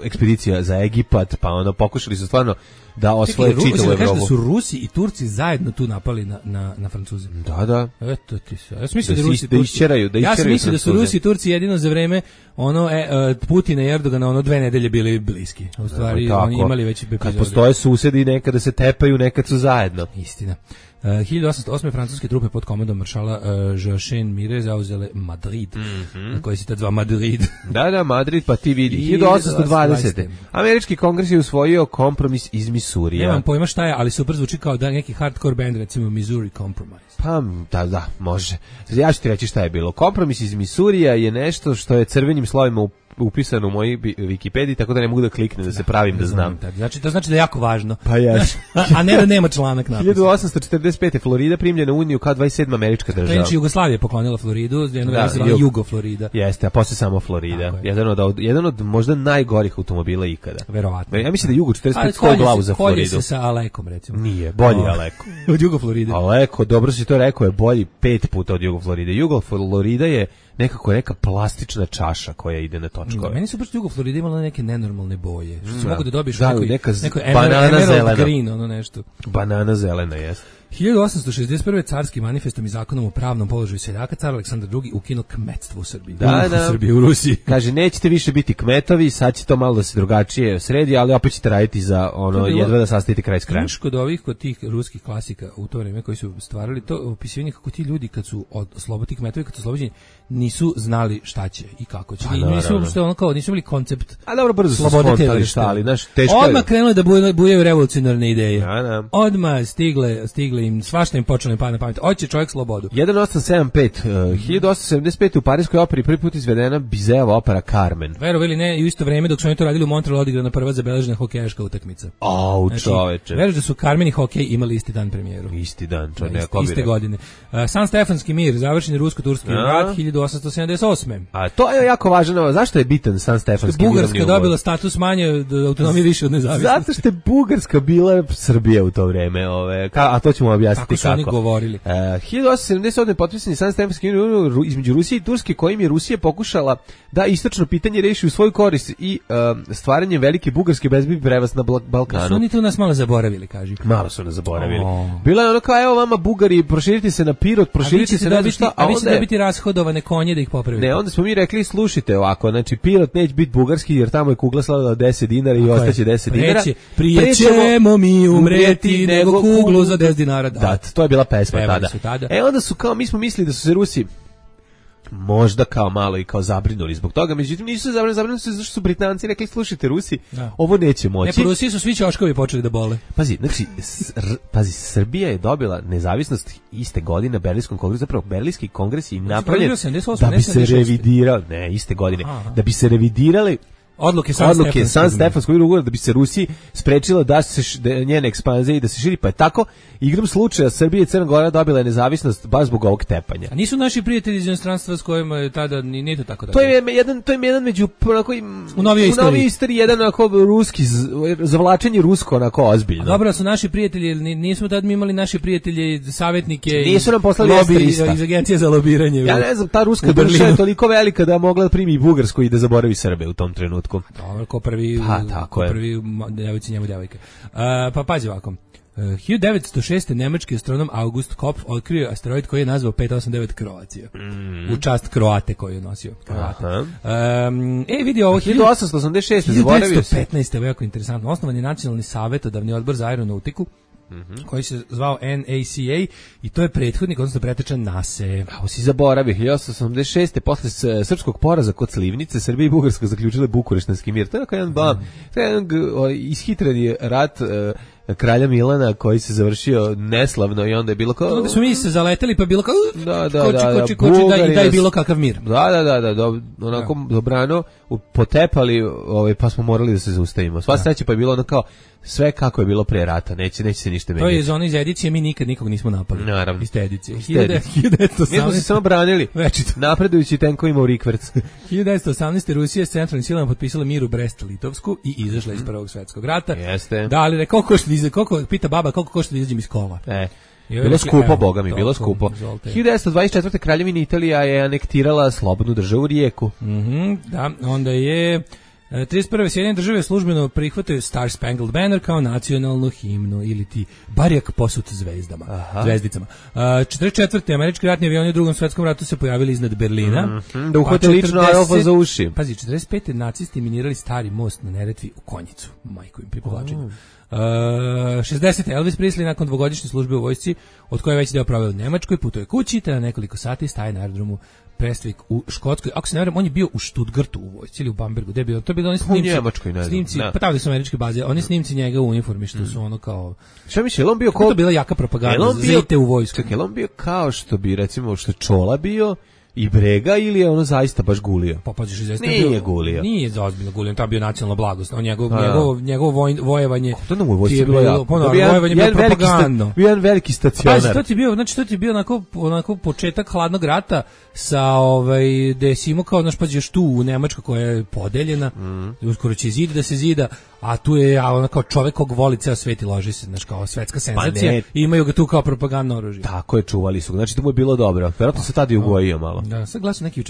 Speaker 2: ekspedicija za Egipat, pa pokušali su stvarno da osvoje čitavu Evropu.
Speaker 3: Da su Rusi i Turci zajedno tu napali na Francuze.
Speaker 2: Da.
Speaker 3: Eto ti se. Ja sam mislio da su Rusi i Turci jedino za vreme Putina i Erdogana 2 nedelje bili bliski. U stvari oni imali već epizode.
Speaker 2: Kad postoje susedi, nekada se tepaju, nekad su zajedno.
Speaker 3: Istina. 1808. francuske trupe pod komandom maršala Joachim Mire zauzele Madrid, na koji se tad zva Madrid.
Speaker 2: Da, Madrid, pa ti vidi. 1820. Američki kongres je usvojio kompromis iz Misurija.
Speaker 3: Nemam pojma šta je, ali super zvuči kao da neki hardcore band, recimo Missouri Compromise.
Speaker 2: Pa, da, može. Ja ću ti reći šta je bilo. Kompromis iz Misurija je nešto što je crvenim slovima upisano u mojoj Wikipediji, tako da ne mogu da kliknem da se pravim da znam.
Speaker 3: Znači, to znači da je jako važno.
Speaker 2: Pa jes.
Speaker 3: A ne da nema članak napisan.
Speaker 2: 1845. Florida primljena u Uniju kao 27. američka država.
Speaker 3: Znači, Jugoslavija je poklonila Floridu, jedno vreme se zvala Jugo-Florida.
Speaker 2: Jeste, a posle samo Florida. Jedan od možda najgorih automobila ikada.
Speaker 3: Verovatno.
Speaker 2: Ja mislim da Jugo 45 stoji glavu za Floridu.
Speaker 3: Kolje se sa Alekom, recimo.
Speaker 2: Nije, bolji Aleko.
Speaker 3: Od Jugo-Floride.
Speaker 2: Aleko, dobro si to rekao, je bolji 5 puta od Jugo-Floride. Jugo-Florida je nekako neka plastična čaša koja ide na točkove.
Speaker 3: Meni su baš Jugo-Florida imala neke nenormalne boje. Što se mogu da dobiješ neko
Speaker 2: banana zelena.
Speaker 3: Green, ono nešto.
Speaker 2: Banana zelena, jes.
Speaker 3: 1861. carskim manifestom i zakonom o pravnom položaju seljaka car Aleksandar II ukinuo kmetstvo u Srbiji.
Speaker 2: U
Speaker 3: Srbiji, u Rusiji.
Speaker 2: Kaže, nećete više biti kmetovi, sad će to malo da se drugačije sredi, ali opet ćete raditi za jedva da sastavite kraj s krajem.
Speaker 3: Kod tih ruskih klasika u to vreme koji su stvarali to opisivanje kako ti ljudi kad su ti kmetovi kad su oslobođeni nisu znali šta će i kako će. Nisu imali koncept.
Speaker 2: A dobro, brzo su spontali štali, znaš, teško je.
Speaker 3: Odmah krenuli da bujaju revolucionarne ideje. Odmah stigle im, svašta im počelo im pada na pamet. Hoće čovjek slobodu.
Speaker 2: 1875. 1875. u Parijskoj operi prvi put izvedena Bizeova opera Carmen.
Speaker 3: Verovali ne, u isto vrijeme dok su oni to radili u Montrealu odigrana prva zabeležena hokejaška utakmica.
Speaker 2: Čoveče.
Speaker 3: Veruš da su Carmen i hokej imali isti dan premijeru.
Speaker 2: Isti dan,
Speaker 3: iste godine. San Stefanski mir, završen rusko-turski rat 1878.
Speaker 2: A to je jako važno. Zašto je bitan San Stefanski mir?
Speaker 3: Bugarska dobila status manje autonomije više od nezavisnosti.
Speaker 2: Zato što je Bugarska bila Srbija u to vrijeme, a to ćemo objasniti kako.
Speaker 3: Tako su oni govorili.
Speaker 2: 1878. potpisan je San Stefanski mir između Rusije i Turske, kojim je Rusija pokušala da istočno pitanje reši u svoju korist i stvaranjem velike Bugarske bezbedni prevaz na Balkanu.
Speaker 3: Su oni tu nas malo zaboravili, kaži.
Speaker 2: Malo su nas zaboravili. Bila je ono kao, evo vama Bugari, proširite se na Pirot, proširite se na šta,
Speaker 3: a vi ćete dobiti rashodovane konje da ih popravite.
Speaker 2: Ne, onda smo mi rekli, slušajte ovako, znači Pirot neće biti bugarski jer tamo je kugla slavila 10 dinara i ostaće 10 dinara.
Speaker 3: Prije ćemo mi umreti nego kuglu za 10 dinara.
Speaker 2: Da, to je bila pesma tada. Onda su kao, mi smo mislili da su se Rusi možda kao malo i kao zabrinuli zbog toga, međutim nisu se zabrinuli su zašto su Britanci rekli, slušajte Rusi, ovo neće moći.
Speaker 3: Ne, po Rusiji su svi ćoškovi počeli da bole.
Speaker 2: Pazi, Srbija je dobila nezavisnost iste godine na Berlinskom kongresu, zapravo Berlinski kongres je napravljen da bi se revidirali, iste godine, da bi se revidirali
Speaker 3: Odluke San
Speaker 2: Stefanskog ugovora da bi se Rusiji sprečila da se njene ekspanzije i da se širi, pa je tako igrom slučaja Srbija i Crna Gora dobila je nezavisnost baš zbog ovog tepanja.
Speaker 3: A nisu naši prijatelji iz inostranstva s kojima je tada nije to tako da.
Speaker 2: To je jedan među onako
Speaker 3: u novijoj
Speaker 2: istoriji jedan onako ruski zavlačenje rusko onako ozbiljno.
Speaker 3: Dobro, su naši prijatelji, nismo tad mi imali naši prijatelji, savjetnike,
Speaker 2: nisu nam poslali
Speaker 3: iz agencije za lobiranje.
Speaker 2: Ja ne znam, ta ruska država je toliko velika da mogla da primi i Bugarsku i da zaboravi Srbe u tom trenutku.
Speaker 3: Dobro, ko prvi devojci njemu devojka. Pa pazi ovako. 1906. nemački astronom August Kopf otkrio asteroid koji je nazvao 589 Kroacija. U čast Kroate koju je nosio. Vidi ovo
Speaker 2: 1886. zaboravio se.
Speaker 3: 1915. Ovo je jako interesantno. Osnovan je Nacionalni savjetodavni odbor za aeronautiku koji se zvao NACA i to je prethodnik, odnosno pretečan NASE.
Speaker 2: Ovo si zaboravio, 1886. posle srpskog poraza kod Slivnice, Srbija i Bugarska zaključile Bukureštanski mir. To je jedan ishitreni rat kralja Milana koji se završio neslavno i onda je bilo kao...
Speaker 3: Onda su mi se zaleteli pa bilo kao...
Speaker 2: koči,
Speaker 3: da je bilo kakav mir.
Speaker 2: Onako dobrano potepali, pa smo morali da se zaustavimo. Sva sreća pa je bilo ono kao sve kako je bilo pre rata, neće se ništa menjati.
Speaker 3: To je iz one iz edicije, mi nikad nikog nismo napali.
Speaker 2: Naravno.
Speaker 3: Iz te edicije.
Speaker 2: 1918. Mi smo se samo branili, napredujući tenkovima u rikverc.
Speaker 3: 1918. Rusija s centralnim silama potpisala mir u Brest-Litovsku i izašla iz Prvog svjetskog rata.
Speaker 2: Jeste.
Speaker 3: Da, ali pita baba koliko košta da izađem iz kova.
Speaker 2: Bilo skupo, boga mi, bilo skupo. 1924. Kraljevina Italija je anektirala slobodnu državu Rijeku.
Speaker 3: Da, onda je 31. Sjedinjene države službeno prihvataju Star Spangled Banner kao nacionalnu himnu ili ti barjak posut zvezdicama. 44. američki ratni avioni u Drugom svjetskom ratu se pojavili iznad Berlina.
Speaker 2: Da uhvate lično Adolfa za uši.
Speaker 3: Pazi, 45. nacisti minirali stari most na Neretvi u Konjicu. Majko im pri povlačenju. 60. Elvis Presley nakon dvogodišnje službe u vojsci, od koje je već deo proveo u Nemačkoj, putuje kući, te na nekoliko sati staje na aerodromu Prestwick u Škotskoj. Ako se ne varam, on je bio u Stuttgartu u vojsci ili u Bambergu. Gde je bio? To je bilo oni snimci.
Speaker 2: U Njemačkoj, ne znam.
Speaker 3: Snimci, pa tamo su američke baze. Oni snimci njega u uniformi što su ono kao...
Speaker 2: Šta misli, on bio
Speaker 3: to bila jaka propaganda za ite u vojsku.
Speaker 2: Čekaj, on bio kao što bi, recimo, što Čola bio i Brega ili je ono zaista baš gulio?
Speaker 3: Pa paziš, zaista
Speaker 2: nije gulio.
Speaker 3: Nije zaozbiljno gulio, to je bio nacionalna blagost. On njegovo vojevanje.
Speaker 2: To nam u vojsci bilo jako.
Speaker 3: Vojevanje bilo propagandno.
Speaker 2: Bio jedan veliki stacionar.
Speaker 3: Pazi, to ti je bio onako početak hladnog rata sa gde si imao kao, znaš, pazi, još tu u Nemačkoj koja je podeljena, uskoro će zid da se zida, a tu je ono kao čovek kog voli ceo svet i loži se, znaš, kao svetska senzacija, i imaju ga tu kao propagandno oružje.
Speaker 2: Tako je, čuvali su ga, znači to mu je bilo dobro. Verovatno se tada i ugojio malo.
Speaker 3: Da, sad gledam neke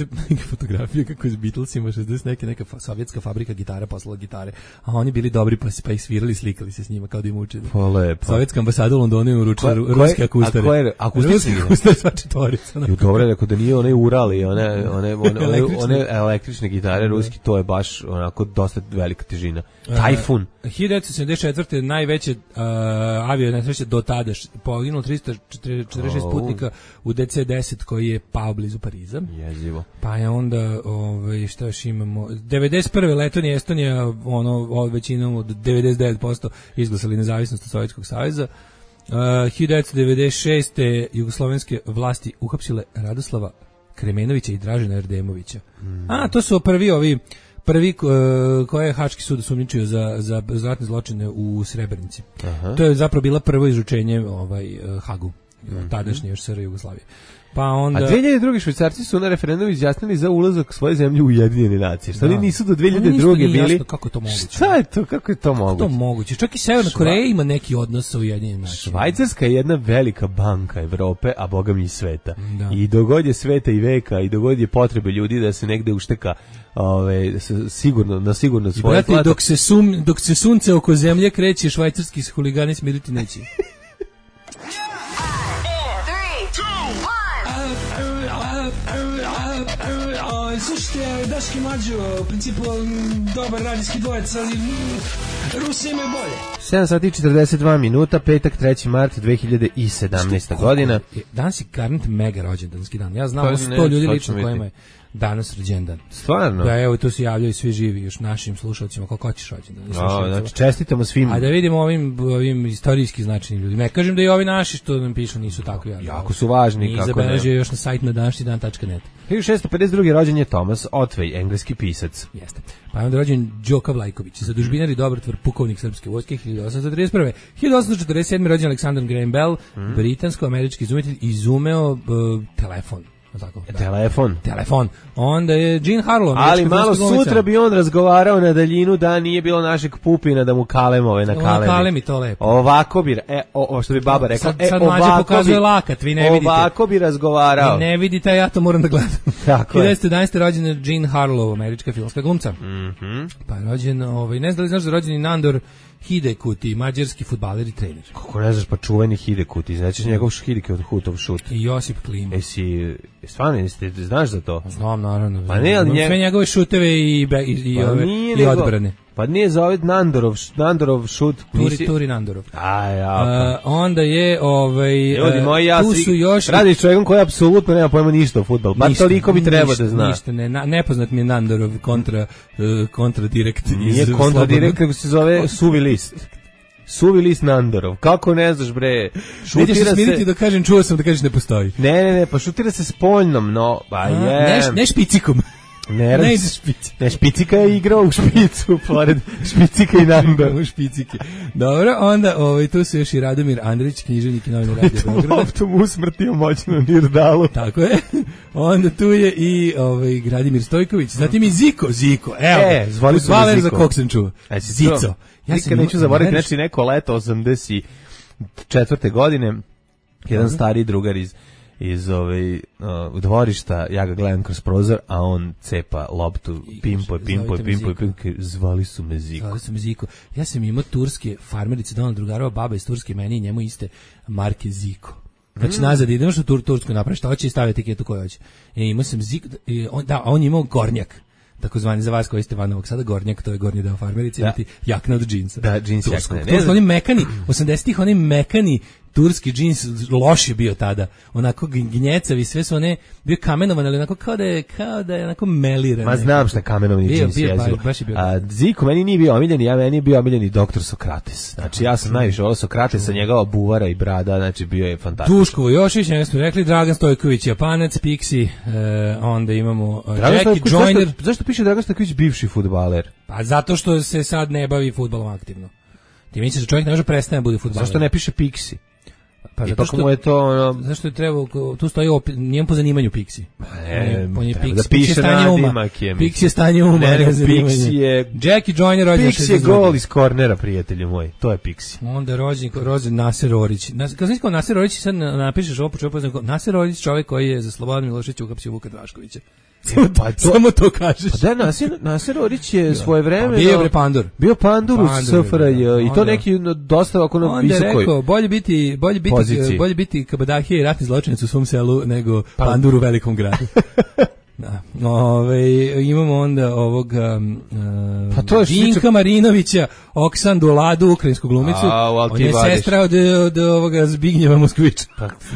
Speaker 3: fotografije kako je s Beatlesima 60 neka sovjetska fabrika gitara poslala gitare, a oni bili dobri pa ih svirali, slikali se s njima kao da im učili.
Speaker 2: Pa lepo.
Speaker 3: Sovjetska ambasada u Londonu je uručila ruske akustare.
Speaker 2: A ko je akustični?
Speaker 3: Akustare sva četvorica.
Speaker 2: Dobro je rekao da nije onaj Ural i one električne gitare ruski, to je baš onako dosta velika težina. Tajfun.
Speaker 3: 1974. najveće avio nesreće do tada, poginulo 346 putnika u DC-10 koji je pao blizu Pariza.
Speaker 2: Jezivo.
Speaker 3: Pa je onda, šta još imamo, 91. Letonija i Estonija, većinom od 99% izglasali nezavisnost od Sovjetskog saveza. 1996. jugoslovenske vlasti uhapsile Radoslava Kremenovića i Dražena Erdemovića. To su prvi koje je Haški sud osumnjičio za ratne zločine u Srebrenici. To je zapravo bila prvo izručenje Hagu, tadašnje još SR Jugoslavije. Pa onda... A
Speaker 2: 2002. Švajcarci su na referendumu izjasnili za ulazak svoje zemlje u Ujedinjene nacije. Šta li nisu do 2002. bili?
Speaker 3: Jasno, kako je to moguće?
Speaker 2: Šta je to? Kako je to moguće?
Speaker 3: To moguće. Čak i Severna Koreja ima neki odnos sa Ujedinjenim nacijama.
Speaker 2: Švajcarska je jedna velika banka Evrope, a boga mi i sveta. Da. I dogod je sveta i veka, i dogod je potrebe ljudi da se negde ušteka sigurno svoje
Speaker 3: plata. Dok se sunce oko zemlje kreće, švajcarski huligani smiriti neće. Slušajte, Daški Mađo, u principu dobar radijski dvojec, ali Rusi imaju bolje.
Speaker 2: 7 sati 42 minuta, petak 3. mart 2017. godina.
Speaker 3: Danas je garant mega rođendanski dan. Ja znam 100 ljudi lično kojima je. danas rođendan.
Speaker 2: Stvarno?
Speaker 3: Da, evo, tu se javljaju svi živi, još našim slušalcima, kako hoćeš rođendan.
Speaker 2: Znači, čestitamo svim.
Speaker 3: A da vidimo ovim istorijski značajnim ljudima. Ne kažem da i ovi naši što nam pišu nisu tako javni.
Speaker 2: Jako su važni.
Speaker 3: I zabeležio još na sajt na današnjidan.net.
Speaker 2: 1652. rođen je Thomas Otway, engleski pisac.
Speaker 3: Jeste. Pa je onda rođen Đoka Vlajković, zadužbinar i dobrotvor, pukovnik srpske vojske, 1831. 1847. rođen Alexander Graham Bell, britansko-američki izumitelj, izumeo telefon. Tako, da. Telefon. Onda je Jean Harlow.
Speaker 2: Ali malo sutra bi on razgovarao na daljinu da nije bilo našeg Pupina da mu kalemove na kalemi.
Speaker 3: Kalemi to lepo.
Speaker 2: Ovako bi, što bi baba rekla.
Speaker 3: Sad mlađe pokazuje lakat, vi ne vidite.
Speaker 2: Ovako bi razgovarao.
Speaker 3: Vi ne vidite, ja to moram da gledam.
Speaker 2: Tako je.
Speaker 3: 1911. rođena Jean Harlow, američka filmska glumca. Pa je rođen, ne znam da li znaš da je rođen i Nandor Hidekuti, mađarski fudbaler i trener.
Speaker 2: Kako ne znaš, pa čuveni Hidekuti, znači njegov Hidekutov šut.
Speaker 3: I Josip Klima.
Speaker 2: Stvarno, znaš za to?
Speaker 3: Znam, naravno.
Speaker 2: Pa ne, ali
Speaker 3: sve njegove šuteve i odbrane.
Speaker 2: Pa nije za ovaj Nandorov šut.
Speaker 3: Turi Nandorov. Onda je,
Speaker 2: ljudi moji, ja
Speaker 3: tu su još...
Speaker 2: Radiš čovjekom koji apsolutno nema pojma ništa o fudbalu. Pa toliko bi treba da zna.
Speaker 3: Ništa, nepoznat mi je Nandorov kontra direkt.
Speaker 2: Nije kontra direkt, nego se zove suvi list. Suvi list Nandorov. Kako ne znaš, bre?
Speaker 3: Nećeš se smiriti da kažem, čuo sam da kažeš ne postoji.
Speaker 2: Ne, pa šutira se spoljnom, no,
Speaker 3: ne špicikom.
Speaker 2: Ne ide špici. Ne, špicika je igrao u špicu, pored špicika i Nandor.
Speaker 3: U špicike. Dobro, onda tu su još i Radomir Andrić, književnik i novinar Radio Beograda.
Speaker 2: Loptom usmrtio moćno Nirdalu.
Speaker 3: Tako je. Onda tu je i Gradimir Stojković, zatim i Ziko, evo.
Speaker 2: Zvali su me
Speaker 3: za kog sam čuo. Zico.
Speaker 2: Nikad neću zaboraviti, znači neko leto 84. godine, jedan stariji drugar iz dvorišta, ja ga gledam kroz prozor, a on cepa loptu, pimpoj, zvali su me Ziko.
Speaker 3: Ja sam imao turske farmerice, donala drugarova baba iz Turske, meni i njemu iste marke Ziko. Znači nazad idemo što Tursku napravi, šta hoće i stavi etiketu koju hoće. Imao sam Ziko, on je imao Gornjak, takozvani za vas koji ste van Novog Sada, Gornjak, to je gornji deo farmerice, imati jakna od džinsa.
Speaker 2: Da, džins jakna.
Speaker 3: Oni mekani, 80-ih oni mekani turski džins, loš je bio tada, onako gnjecavi, sve su one, bio kamenovan, ali onako kao da je onako meliran.
Speaker 2: Ma znam šta kamenovani džins jezu. Ziko meni nije bio omiljeni, meni je bio omiljeni doktor Sokrates. Znači ja sam najviše volio Sokratesa, njegova buvara i brada, znači bio je fantastičan.
Speaker 3: Duško Vojošić, njega smo rekli, Dragan Stojković, Japanac, Pixi, onda imamo Jackie Joyner.
Speaker 2: Zašto piše Dragan Stojković bivši fudbaler?
Speaker 3: Pa zato što se sad ne bavi fudbalom aktivno. Ti misliš da čovjek ne može prestane da bude fudbaler?
Speaker 2: Zašto ne piše Pixi?
Speaker 3: Pa zato što mu je to zašto je trebao, tu stoji njemu po zanimanju Pixi.
Speaker 2: Da piše nadimak je.
Speaker 3: Pixi je stanje uma.
Speaker 2: Pixi je
Speaker 3: Jackie Joyner rođen.
Speaker 2: Pixi je gol iz kornera, prijatelju moj. To je Pixi.
Speaker 3: Onda rođen Naser Orić. Kad znaš kao Naser Orić, sad napišeš ovo počeo poznam kao Naser Orić, čovjek koji je za Slobodan Miloševića uhapsio Vuka Draškovića. Samo to kažeš.
Speaker 2: Pa da, Naser Orić je svoje vreme
Speaker 3: bio
Speaker 2: pandur u SFRJ i to neki dosta ovako na visokoj.
Speaker 3: Onda rekao, bolje biti kabadahija i ratni zločinac u svom selu nego pandur u velikom gradu. Da. Imamo onda ovog Vinka Marinovića, Oksandu Ladu, ukrajinsku glumicu. On je sestra od ovoga Zbignjeva Moskvića.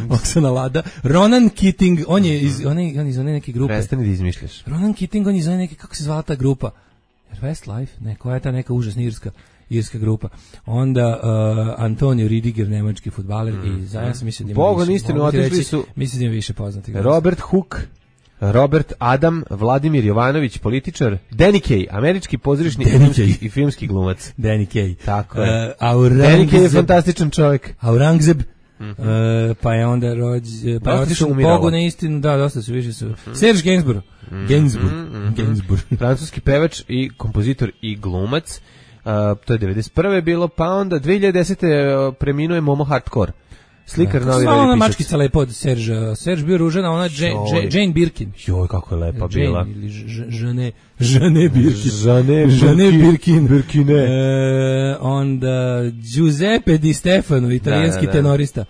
Speaker 3: Oksana Lada. Ronan Keating, on je iz one neke grupe.
Speaker 2: Prestani da izmišljaš.
Speaker 3: Ronan Keating, on je iz one neke, kako se zvala ta grupa? Westlife? Ne, koja je ta neka užasna irska grupa. Onda Antonio Ridiger, nemački fudbaler i ja sam mislim da ima
Speaker 2: Boga istinu, otišli su.
Speaker 3: Mislim da ima više poznatih.
Speaker 2: Robert Hooke, Robert Adam, Vladimir Jovanović, političar, Danny Kaye, američki pozorišni i filmski glumac.
Speaker 3: Danny Kaye.
Speaker 2: Tako je. Danny Kaye je fantastičan čovjek.
Speaker 3: Aurangzeb. Pa je onda pa je otišao Bogu na istinu, da, dosta su više su. Serge Gainsbourg.
Speaker 2: Francuski pevač i kompozitor i glumac. To je 91. bilo, pa onda 2010. preminuo je Momo Hardcore. Slikar, novinar i pisac.
Speaker 3: Ona mačkica lepo od Serge. Serge bio ružena, ona Jane Birkin.
Speaker 2: Joj, kako je lepa bila.
Speaker 3: Jane ili Žane Birkin. Žane
Speaker 2: Birkine.
Speaker 3: Onda Giuseppe Di Stefano, italijanski tenorista.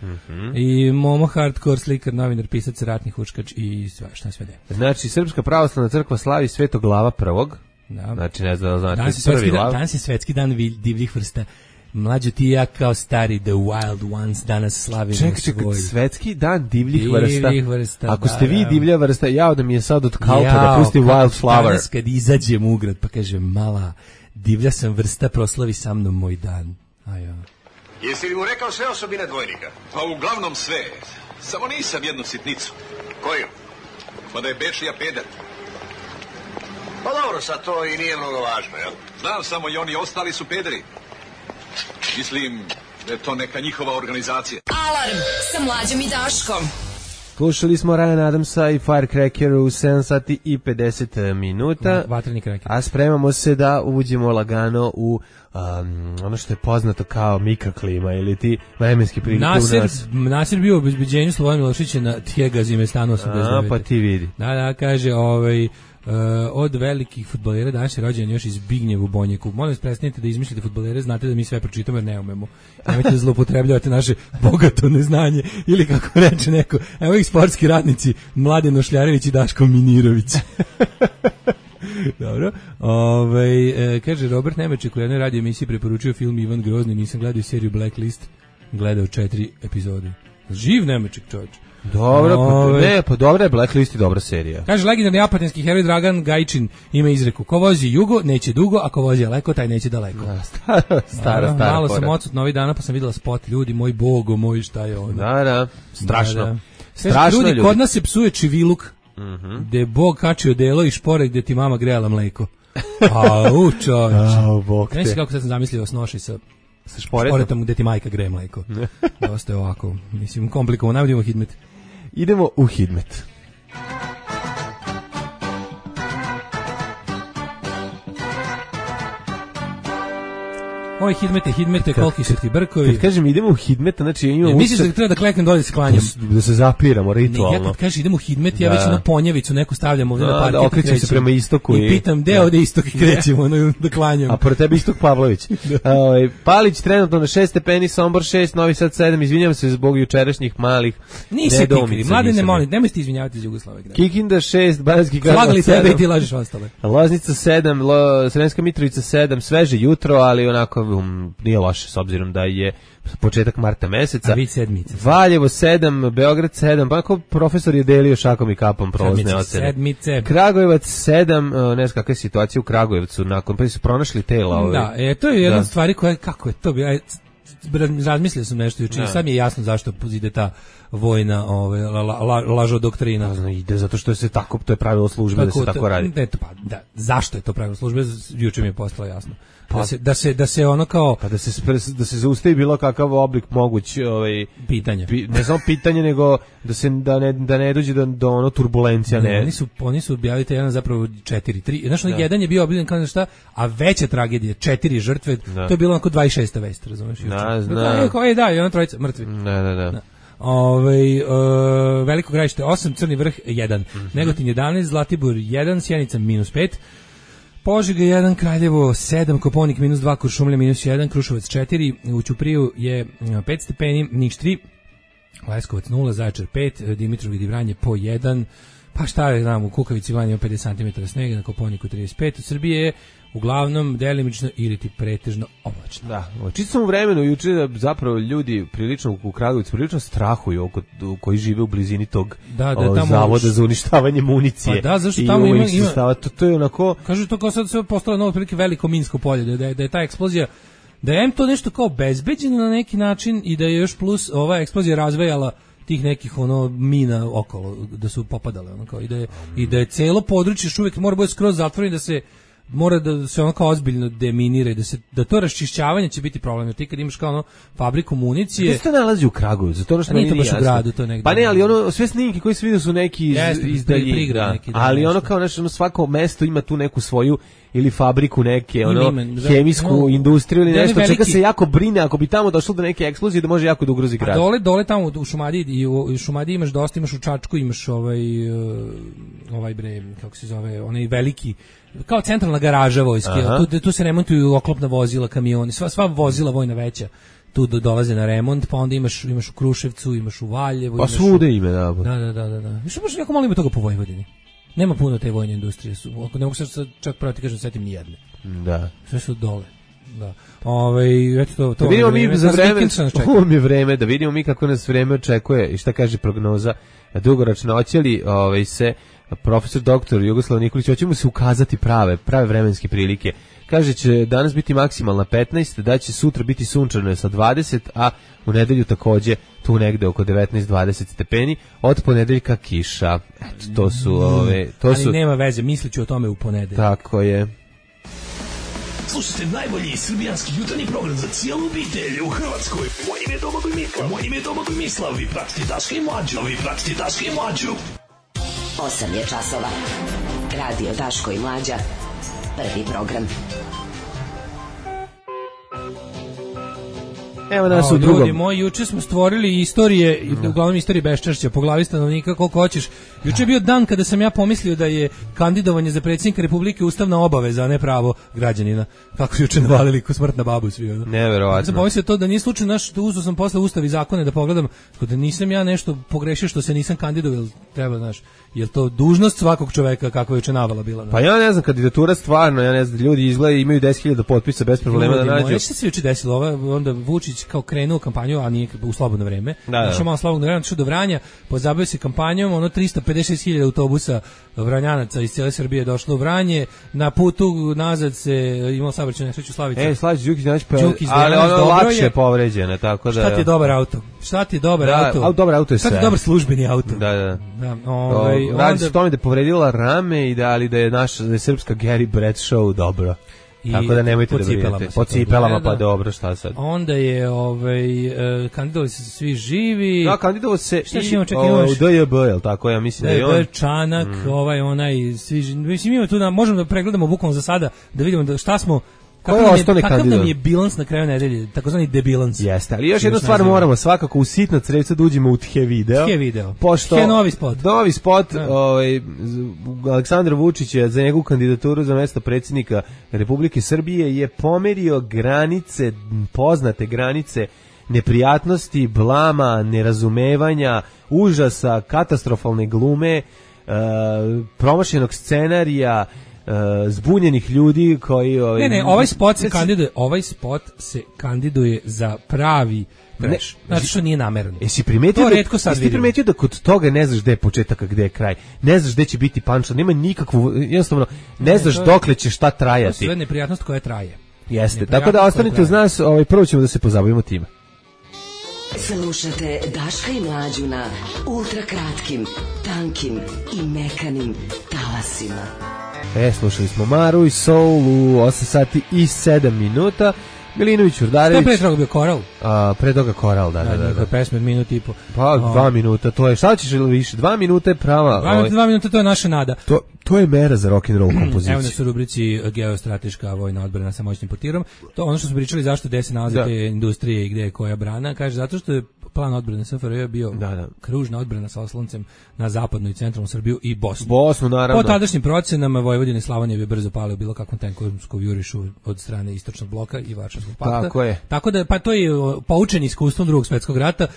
Speaker 3: I Momo Hardcore, slikar, novinar, pisac, ratni huškač i šta sve ne.
Speaker 2: Znači, Srpska pravoslavna crkva slavi Svetog Glava prvog.
Speaker 3: Da.
Speaker 2: Znači, ne znam, znači prvi lav.
Speaker 3: Danas je svetski dan divljih vrsta Mlađo ti ja kao stari The Wild Ones danas slavimo
Speaker 2: svoj. Svetski dan divljih vrsta. Ako ste vi divlja vrsta, jao da mi je sad od kauta da pusti Wildflower.
Speaker 3: Danas kad izađem u grad pa kažem, mala, divlja sam vrsta, proslavi sa mnom moj dan. Ajo.
Speaker 4: Jesi li mu rekao sve osobine dvojnika?
Speaker 5: Pa uglavnom sve. Samo nisam jednu sitnicu.
Speaker 4: Koju?
Speaker 5: Pa da je Bečija peder.
Speaker 4: Pa dobro, sad to i nije mnogo važno, jel?
Speaker 5: Znam samo i oni ostali su pederi. Mislim da je to neka njihova organizacija.
Speaker 1: Alarm sa Mlađom i Daškom.
Speaker 2: Slušali smo Ryan Adamsa i Firecracker u 7 sati i 50 minuta.
Speaker 3: Vatreni kraker.
Speaker 2: A spremamo se da uđemo lagano u ono što je poznato kao mikroklima ili ti vremenski prilike u nas.
Speaker 3: Nasir bio u obezbeđenju Slobodan Milošića na Tijega Zimestanu 89.
Speaker 2: Pa ti vidi.
Speaker 3: Da, kaže, od velikih fudbalera danas je rođen još iz Bignjev u Bonjeku. Molim vas, prestanite da izmišljate fudbalere, znate da mi sve pročitamo jer ne umemo. Nemojte da zloupotrebljavate naše bogato neznanje ili kako reče neko. Evo ih sportski radnici, Mladen Ošljarević i Daško Minirović. Dobro. Kaže Robert Nemeček u jednoj radio emisiji preporučio film Ivan Grozni, nisam gledao seriju Blacklist, gledao 4 epizode. Živ Nemeček, čovječ.
Speaker 2: Dobro, pa dobra je Blacklist i dobra serija.
Speaker 3: Kaže legendarni apatinski heroj Dragan Gajčin ima izreku: ko vozi jugo neće dugo, a ko vozi daleko taj neće daleko.
Speaker 2: Stara.
Speaker 3: Malo sam odsutno ovih dana pa sam videla spot, ljudi, moj bogo, moj šta je ono.
Speaker 2: Da, strašno.
Speaker 3: Da. Strašno ljudi. Kod nas se psuje čiviluk, gde je Bog kačio delo i špore gde ti mama grejala mleko. Čovječ. Ne si kako sad sam zamislio snoši sa šporetom gde ti majka greje mleko. Dosta je ovako, mislim, komplikovano. Najbolje idemo u Hidmet.
Speaker 2: Idemo u Hidmet.
Speaker 3: Oj, Hidmete, koliki su ti brkovi.
Speaker 2: Kad kažem idemo u Hidmet, znači ja imam...
Speaker 3: Misliš da treba da kleknem dolje se klanjam?
Speaker 2: Da se zapiramo ritualno.
Speaker 3: Ne, ja kad kažem idemo u Hidmet, ja već na ponjevicu neku stavljam ovdje na parket.
Speaker 2: Da, okrećem se prema istoku.
Speaker 3: I pitam, gde ovdje istok i krećemo da klanjam.
Speaker 2: A pored tebe Istok Pavlović. Palić trenutno na 6 stepeni, Sombor 6, Novi Sad 7, izvinjam se zbog jučerašnjih malih
Speaker 3: nedomica. Mlade ne molim, nemoj se izvinjavati iz Jugoslavije.
Speaker 2: Kikinda 6, Banatski Karlovac 7.
Speaker 3: Slagali tebe i ti lažeš ostale.
Speaker 2: Loznica 7, Sremska Mitrovica 7, sveže jutro, ali onako nije loše s obzirom da je početak marta meseca.
Speaker 3: A vi sedmice.
Speaker 2: Valjevo 7, Beograd 7, pa ako profesor je delio šakom i kapom prolazne ocene.
Speaker 3: Sedmice.
Speaker 2: Kragujevac 7, ne znam kakva je situacija u Kragujevcu, nakon pa su pronašli tela.
Speaker 3: Da, to je jedna stvari koja, kako je to bilo, razmislio sam nešto juče, sad mi je jasno zašto ide ta vojna lažo doktrina.
Speaker 2: Ide zato što se tako, to je pravilo službe da se tako radi.
Speaker 3: Zašto je to pravilo službe, juče mi je postalo jasno. Da se ono kao
Speaker 2: da se zaustavi bilo kakav oblik moguć
Speaker 3: pitanja.
Speaker 2: Ne samo pitanje nego da ne dođe do ono turbulencija.
Speaker 3: Oni su objavili jedan zapravo 4-3. Znaš, jedan je bio objavljen kao šta, a veća tragedija 4 žrtve, to je bilo onako 26. vest, razumeš? Da, i ona trojica mrtvi.
Speaker 2: Da.
Speaker 3: Veliko Gradište 8, Crni Vrh 1, Negotin 11, Zlatibor 1, Sjenica -5, Požega 1, Kraljevo 7, Koponik -2, Kuršumlija -1, Kruševac 4, u Ćupriju je 5 stepeni, Niš 3, Leskovac 0, Zaječar 5, Dimitrov i Vranje po 1, pa šta je, znam, u Kukavici Vanje 50 cm snega, na Koponiku 35, u Srbiji je uglavnom delimično ili ti pretežno oblačno.
Speaker 2: Da, čitao sam u vremenu juče da zapravo ljudi prilično u Kragujevcu prilično strahuju koji žive u blizini tog zavoda za uništavanje municije.
Speaker 3: Pa da, zašto tamo ima
Speaker 2: to je onako...
Speaker 3: Kažu to kao sad sve postalo novo prilike veliko minsko polje, da je ta eksplozija, da je to nešto kao bezbeđeno na neki način i da je još plus ova eksplozija razvejala tih nekih mina okolo, da su popadale i da je celo područje još uvijek mora biti skroz zatvoreno, da se mora da se ono kao ozbiljno deminira i da to raščišćavanje će biti problem. Jer ti kad imaš kao fabriku municije...
Speaker 2: Gdje se to nalazi u Kragujevcu? To što nije
Speaker 3: baš u gradu, to negdje.
Speaker 2: Pa ne, ali sve snimke koji se vidio su neki iz daljine. Ali ono kao svako mesto ima tu neku svoju ili fabriku neke, hemijsku industriju ili nešto, čeka se jako brine ako bi tamo došlo do neke eksplozije da može jako da ugrozi grad.
Speaker 3: Dole tamo u Šumadiji i u Šumadiji imaš dosta, imaš u Čačku, imaš ovaj bre, kako se zove, onaj veliki, kao centralna garaža vojske, tu se remontuju oklopna vozila, kamioni, sva vozila vojna veća tu dolaze na remont, pa onda imaš u Kruševcu, imaš u Valjevu.
Speaker 2: Pa svude ime, da.
Speaker 3: Da. Što baš jako malo ima toga po Vojvodini. Nema puno te vojne industrije. Ne mogu se čak pravo ti kažem setim ni jedne.
Speaker 2: Da.
Speaker 3: Sve su dole. Da. Eto to.
Speaker 2: Da vidimo mi za vreme, ovo mi je vreme, da vidimo mi kako nas vreme očekuje i šta kaže prognoza dugoročno. Hoće li se profesor doktor Jugoslav Nikolić, hoće mu se ukazati prave vremenske prilike. Kaže će danas biti maksimalna 15, da će sutra biti sunčano sa 20, a u nedelju takođe tu negde oko 19-20 stepeni, od ponedeljka kiša. Eto, to su
Speaker 3: ali nema veze, misliću o tome u ponedeljak.
Speaker 2: Tako je.
Speaker 6: Slušajte najbolji srbijanski jutarnji program za cijelu obitelj u Hrvatskoj. Moje ime je Domagoj Mislav. Vi pratite Daška i Mlađu.
Speaker 1: 8 je časova. Radio Daško i Mlađa. Prvi program.
Speaker 2: Evo nas u drugom.
Speaker 3: Ljudi moji, juče smo stvorili istorije, uglavnom istorije beščašća, po glavi stanovnika koliko hoćeš. Juče je bio dan kada sam ja pomislio da je kandidovanje za predsjednika Republike ustavna obaveza, a ne pravo građanina. Kako su juče navalili ko smrt na babu svi.
Speaker 2: Neverovatno.
Speaker 3: Sam pomislio to da nije slučajno uzeo sam posle Ustav i zakone da pogledam, da nisam ja nešto pogrešio što se nisam kandidovao, treba, znaš, je to dužnost svakog čoveka kako je juče navala bila.
Speaker 2: Pa ja ne znam, kandidatura stvarno, ja ne znam, ljudi izgleda imaju 10.000 potpisa bez problema da nađu.
Speaker 3: Šta se juče desilo? Onda Vučić kao krenuo kampanju, a nije u slobodno vreme. Znači malo slobodno vreme, došao do Vranja, pozabavio se kampanjom, 356.000 autobusa Vranjanaca iz cijele Srbije došlo u Vranje, na putu nazad se imao saobraćajnu nesreću Slavica.
Speaker 2: Slavić Đukić, ali ono lakše povređena, tako da.
Speaker 3: Šta ti je dobar auto? Dobar
Speaker 2: auto je sve.
Speaker 3: Šta ti je dobar službeni auto?
Speaker 2: Da. Radi se o tome da je povredila rame i da je srpska Gary Bradshaw dobro. Tako da nemojte da brinete. Po cipelama, pa dobro, šta sad?
Speaker 3: Onda je kandidovali se svi živi.
Speaker 2: Da, kandidovao se i u DJB, je li tako? Ja mislim da je on.
Speaker 3: Čanak, mislim ima tu da možemo da pregledamo bukvalno za sada, da vidimo šta smo. Kakav nam je bilans na kraju nedelje, takozvani debilans.
Speaker 2: Jeste, ali još jednu stvar moramo svakako u sitna crevca da uđemo u The video. Pošto novi spot Aleksandar Vučić je za njegovu kandidaturu za mesto predsjednika Republike Srbije je pomerio granice, poznate granice neprijatnosti, blama, nerazumevanja, užasa, katastrofalne glume, promašenog scenarija, zbunjenih ljudi koji
Speaker 3: ovaj spot se kandiduje za pravi trash. Znači što nije namerno.
Speaker 2: Jesi primetio da kod toga ne znaš gde je početak, a gde je kraj. Ne znaš gde će biti punchline, nema nikakvu, jednostavno ne znaš dokle će šta trajati.
Speaker 3: To je neprijatnost koja traje.
Speaker 2: Jeste. Tako da ostanite uz nas, prvo ćemo da se pozabavimo time.
Speaker 1: Slušate Daška i Mlađu na ultrakratkim, tankim i mekanim talasima.
Speaker 2: Slušali smo Maru i Soul u 8 sati i 7 minuta. Milinović, Urdarević.
Speaker 3: Šta pre toga bio Koral?
Speaker 2: Pre toga Koral, da.
Speaker 3: Njihove pesme od minut i po.
Speaker 2: Pa 2 minuta, to je, šta ćeš ili više? 2 minuta je prava.
Speaker 3: 2 minuta, to je naša nada.
Speaker 2: To je mera za rock'n'roll kompoziciju.
Speaker 3: Evo nas u rubrici geostrateška vojna odbrana sa moćnim portirom. To ono što smo pričali zašto gde se nalaze te industrije i gde je koja brana. Kaže, zato što je plan odbrane SFRJ bio kružna odbrana sa osloncem na zapadnu i centralnu Srbiju i Bosnu.
Speaker 2: Bosnu, naravno.
Speaker 3: Po tadašnjim procenama Vojvodina i Slavonija bi brzo pale u bilo kakvom tenkovskom jurišu od strane Istočnog bloka i Varšavskog pakta.
Speaker 2: Tako je.
Speaker 3: Tako da, pa to je poučen iskustvom Drugog svjetskog rata,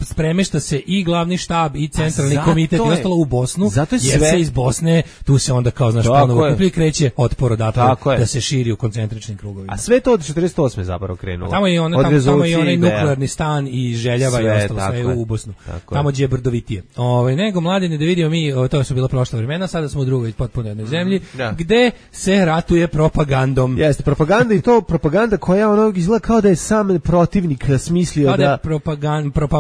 Speaker 3: spremešta se i glavni štab i centralni komitet i ostalo u Bosnu, jer se iz Bosne, tu se onda kao, znaš, ponovo kuplji kreće otpor odatle da se širi u koncentričnim krugovima.
Speaker 2: A sve to od 48. zapravo krenulo.
Speaker 3: Tamo je onaj nuklearni stan i Željava i ostalo sve u Bosnu. Tamo gdje je brdovitije. Nego, mladine, da vidimo mi, to su bila prošla vremena, sada smo u drugoj potpuno jednoj zemlji, gde se ratuje propagandom.
Speaker 2: Jeste, propaganda i to propaganda koja izgleda kao da je sam protivnik smislio
Speaker 3: kao da je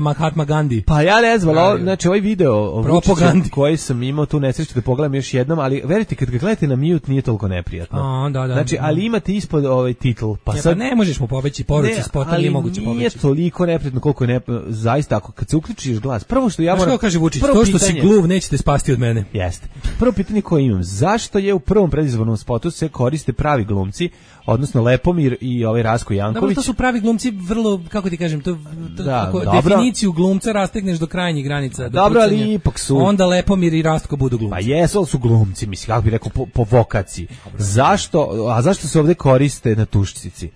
Speaker 3: Mahatma Gandhi.
Speaker 2: Pa ja ne znam, znači ovaj video koji sam imao tu nesreću da pogledam još jednom, ali verite, kad ga gledate na mute nije toliko neprijatno. Znači, ali imate ispod ovaj titl.
Speaker 3: Pa ne možeš mu pobeći poruci spota, nije moguće pobeći.
Speaker 2: Nije toliko neprijatno koliko je zaista, ako kad se uključiš glas. Prvo što ja moram...
Speaker 3: kaže Vučić, to što si gluv nećete spasti od mene.
Speaker 2: Jeste. Prvo pitanje koje imam, zašto je u prvom predizbornom spotu se koriste pravi glumci, odnosno Lepomir i ovaj Rasko Janković?
Speaker 3: To su pravi glumci vrlo, kako ti kažem, definiciju glumca rastegneš do krajnjih granica.
Speaker 2: Dobro, ali ipak su...
Speaker 3: Onda Lepomir i Rastko budu glumci.
Speaker 2: Pa jesu, ali su glumci, mislim, kako bih rekao, po vokaciji. Zašto se ovdje koriste na tušcici?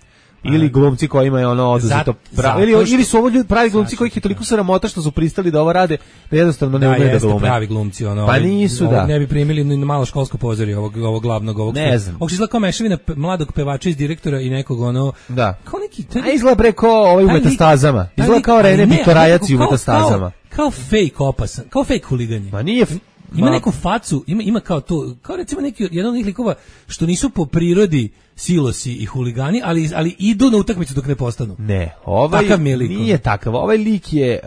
Speaker 2: ili glumci kojima je ono oduzeto pravo, ili su ovo ljudi pravi glumci kojih je toliko sramota što su pristali da ovo rade, da jednostavno ne umeju da glume.
Speaker 3: Pravi glumci, ono.
Speaker 2: Pa nisu, da.
Speaker 3: Ne bi primili ni na malo školsko pozorje ovog glavnog,
Speaker 2: ne znam.
Speaker 3: Ovo izgleda kao mešavina mladog pevača iz direktora i nekog ono, kao neki...
Speaker 2: A izgleda bre kao u metastazama. Izgleda kao Rene Bitorajac u metastazama.
Speaker 3: Kao fake opasan, kao fake huliganje.
Speaker 2: Ma nije...
Speaker 3: Ima neku facu, ima kao to, kao recimo neki jedan od njih likova što nisu po prirodi silosi i huligani, ali idu na utakmicu dok ne postanu.
Speaker 2: Ne, ovaj nije takav. Ovaj lik je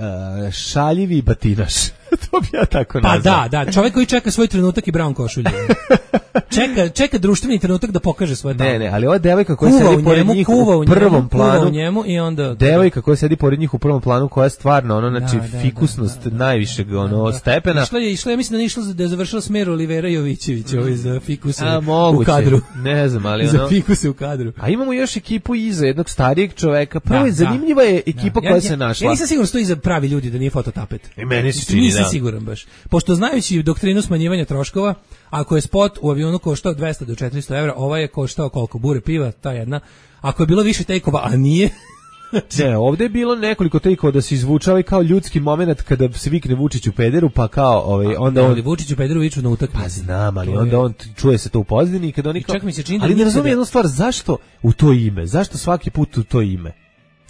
Speaker 2: šaljivi batinaš. To bi ja tako nazvao.
Speaker 3: Pa da, čovjek koji čeka svoj trenutak i brown košulju. Čeka društveni trenutak da pokaže svoje talent.
Speaker 2: Ne, ali ova devojka koja sedi pored njih u prvom planu,
Speaker 3: i onda
Speaker 2: devojka koja sedi pored njih u prvom planu, koja je stvarno ono, znači fikusnost najvišeg ono stepena.
Speaker 3: Išla je, mislim da je išla da je završila smer Olivera Jovićević, ovaj za fikuse
Speaker 2: u
Speaker 3: kadru.
Speaker 2: Ne znam, ali
Speaker 3: za fikuse u kadru.
Speaker 2: A imamo još ekipu iza jednog starijeg čoveka. Prvo je zanimljiva je ekipa koja se našla.
Speaker 3: Ja nisam siguran što iza pravi ljudi, da nije fototapet.
Speaker 2: I meni se čini,
Speaker 3: nisam siguran baš. Pošto znajući doktrinu smanjivanja troškova, ako je spot u avionu koštao 200 do 400 evra, ovaj je koštao koliko? Bure piva, ta jedna. Ako je bilo više tejkova, a nije...
Speaker 2: Ne, ovdje je bilo nekoliko tejkova da se izvučava kao ljudski moment kada se vikne Vučiću pederu, pa kao onda on...
Speaker 3: Vučiću pederu viču na utakmici.
Speaker 2: Pa znam, ali onda on čuje se to u pozadini i kada oni kao...
Speaker 3: Čak mi se čini da
Speaker 2: ali ne razumijem jednu stvar, zašto u to ime? Zašto svaki put u to ime?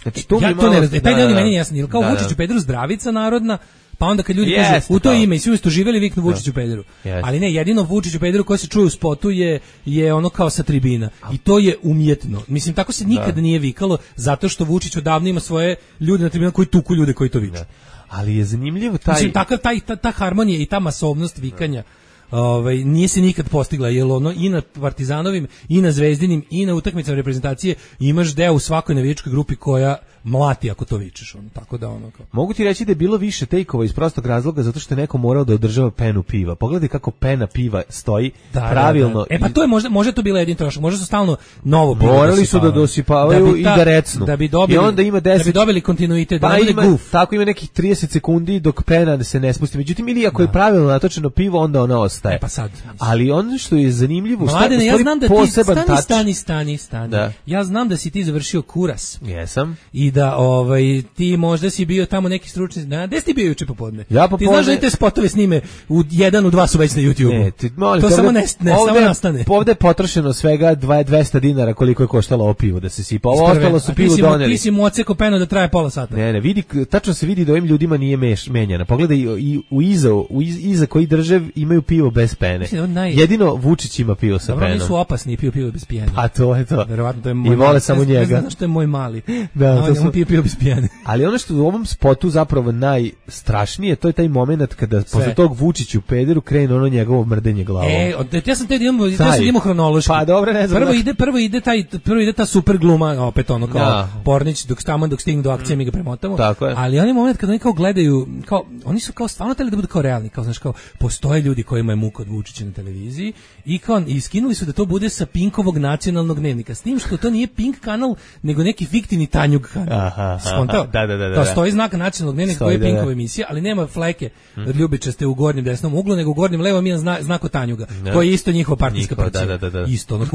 Speaker 3: Znači, to ja to ne razumijem. Taj deo mi meni jasno. Kao Vučiću pederu zdravica narodna, pa onda kad ljudi kažu u to ime i svi su živjeli viknu Vučiću pederu. Ali ne, jedino Vučiću pederu koji se čuje u spotu je ono kao sa tribina. I to je umjetno. Mislim, tako se nikada nije vikalo, zato što Vučić odavno ima svoje ljude na tribina koji tuku ljude koji to viču.
Speaker 2: Ali je zanimljivo taj...
Speaker 3: Mislim, ta harmonija i ta masovnost vikanja nije se nikad postigla, jer ono i na Partizanovim, i na Zvezdinim, i na utakmicama reprezentacije imaš deo u svakoj navijačkoj grupi koja mlati ako to vičeš, tako da ono kao.
Speaker 2: Mogu ti reći da je bilo više tejkova iz prostog razloga zato što je neko morao da održava penu piva. Pogledaj kako pena piva stoji pravilno.
Speaker 3: Pa to je možda to bilo jedin trošak, možda su stalno novo pivo.
Speaker 2: Morali su da dosipavaju i da recnu.
Speaker 3: Da bi dobili,
Speaker 2: i onda ima 10,
Speaker 3: da bi dobili kontinuitet,
Speaker 2: pa tako ima nekih 30 sekundi dok pena se ne spusti. Međutim, ili ako je pravilno natočeno pivo, onda ona ostaje.
Speaker 3: Pa sad.
Speaker 2: Ali ono što je zanimljivo,
Speaker 3: Mladene, ja znam da ti stani.
Speaker 2: Da.
Speaker 3: Ja znam da si ti završio Kuras.
Speaker 2: Jesam.
Speaker 3: I da ti možda si bio tamo neki stručni. Gde si ti bio juče popodne?
Speaker 2: Ja popodne.
Speaker 3: Ti znaš da te spotove snime u 1 u 2 su već na YouTubeu.
Speaker 2: Ne, ti molim,
Speaker 3: to samo samo nastane.
Speaker 2: Ovde je potrošeno svega 200 dinara koliko je koštalo ovo pivo da se sipa. Ovo ostalo su pivo doneli.
Speaker 3: Ti si mu oceko penu da traje pola sata.
Speaker 2: Ne, vidi, tačno se vidi da ovim ljudima nije menjana. Pogledaj i iza koji drže imaju pivo bez pene. Jedino Vučić ima pivo sa penom.
Speaker 3: Oni su opasni, piju bez pijene.
Speaker 2: A to je to.
Speaker 3: Verovatno to je moj.
Speaker 2: I vole samo njega.
Speaker 3: Ne znam što je moj mali.
Speaker 2: Da, to su
Speaker 3: piju bez pijene.
Speaker 2: Ali ono što u ovom spotu zapravo najstrašnije, to je taj moment kada posle tog Vučiću pederu krene ono njegovo mrdenje glavom.
Speaker 3: Ja sam te idemo hronološki.
Speaker 2: Pa dobro, ne znam.
Speaker 3: Prvo ide ta super gluma, opet ono kao Pornić dok stignu do akcije mi ga premotamo. Ali onaj moment kada oni kao gledaju, kao oni su kao stvarno hteli da budu kao realni, kao znaš kao postoje ljudi kojima je muka od Vučića na televiziji i iskinuli su da to bude sa Pinkovog nacionalnog dnevnika. S tim što to nije Pink kanal, nego neki fiktivni Tanjug kanal. Skontao?
Speaker 2: Da.
Speaker 3: Stoji znak nacionalnog dnevnika koji je Pinkova emisija, ali nema fleke ljubičaste u gornjem desnom uglu, nego u gornjem levom ima znak od Tanjuga, koji je isto njihova partijska partija. Isto, ono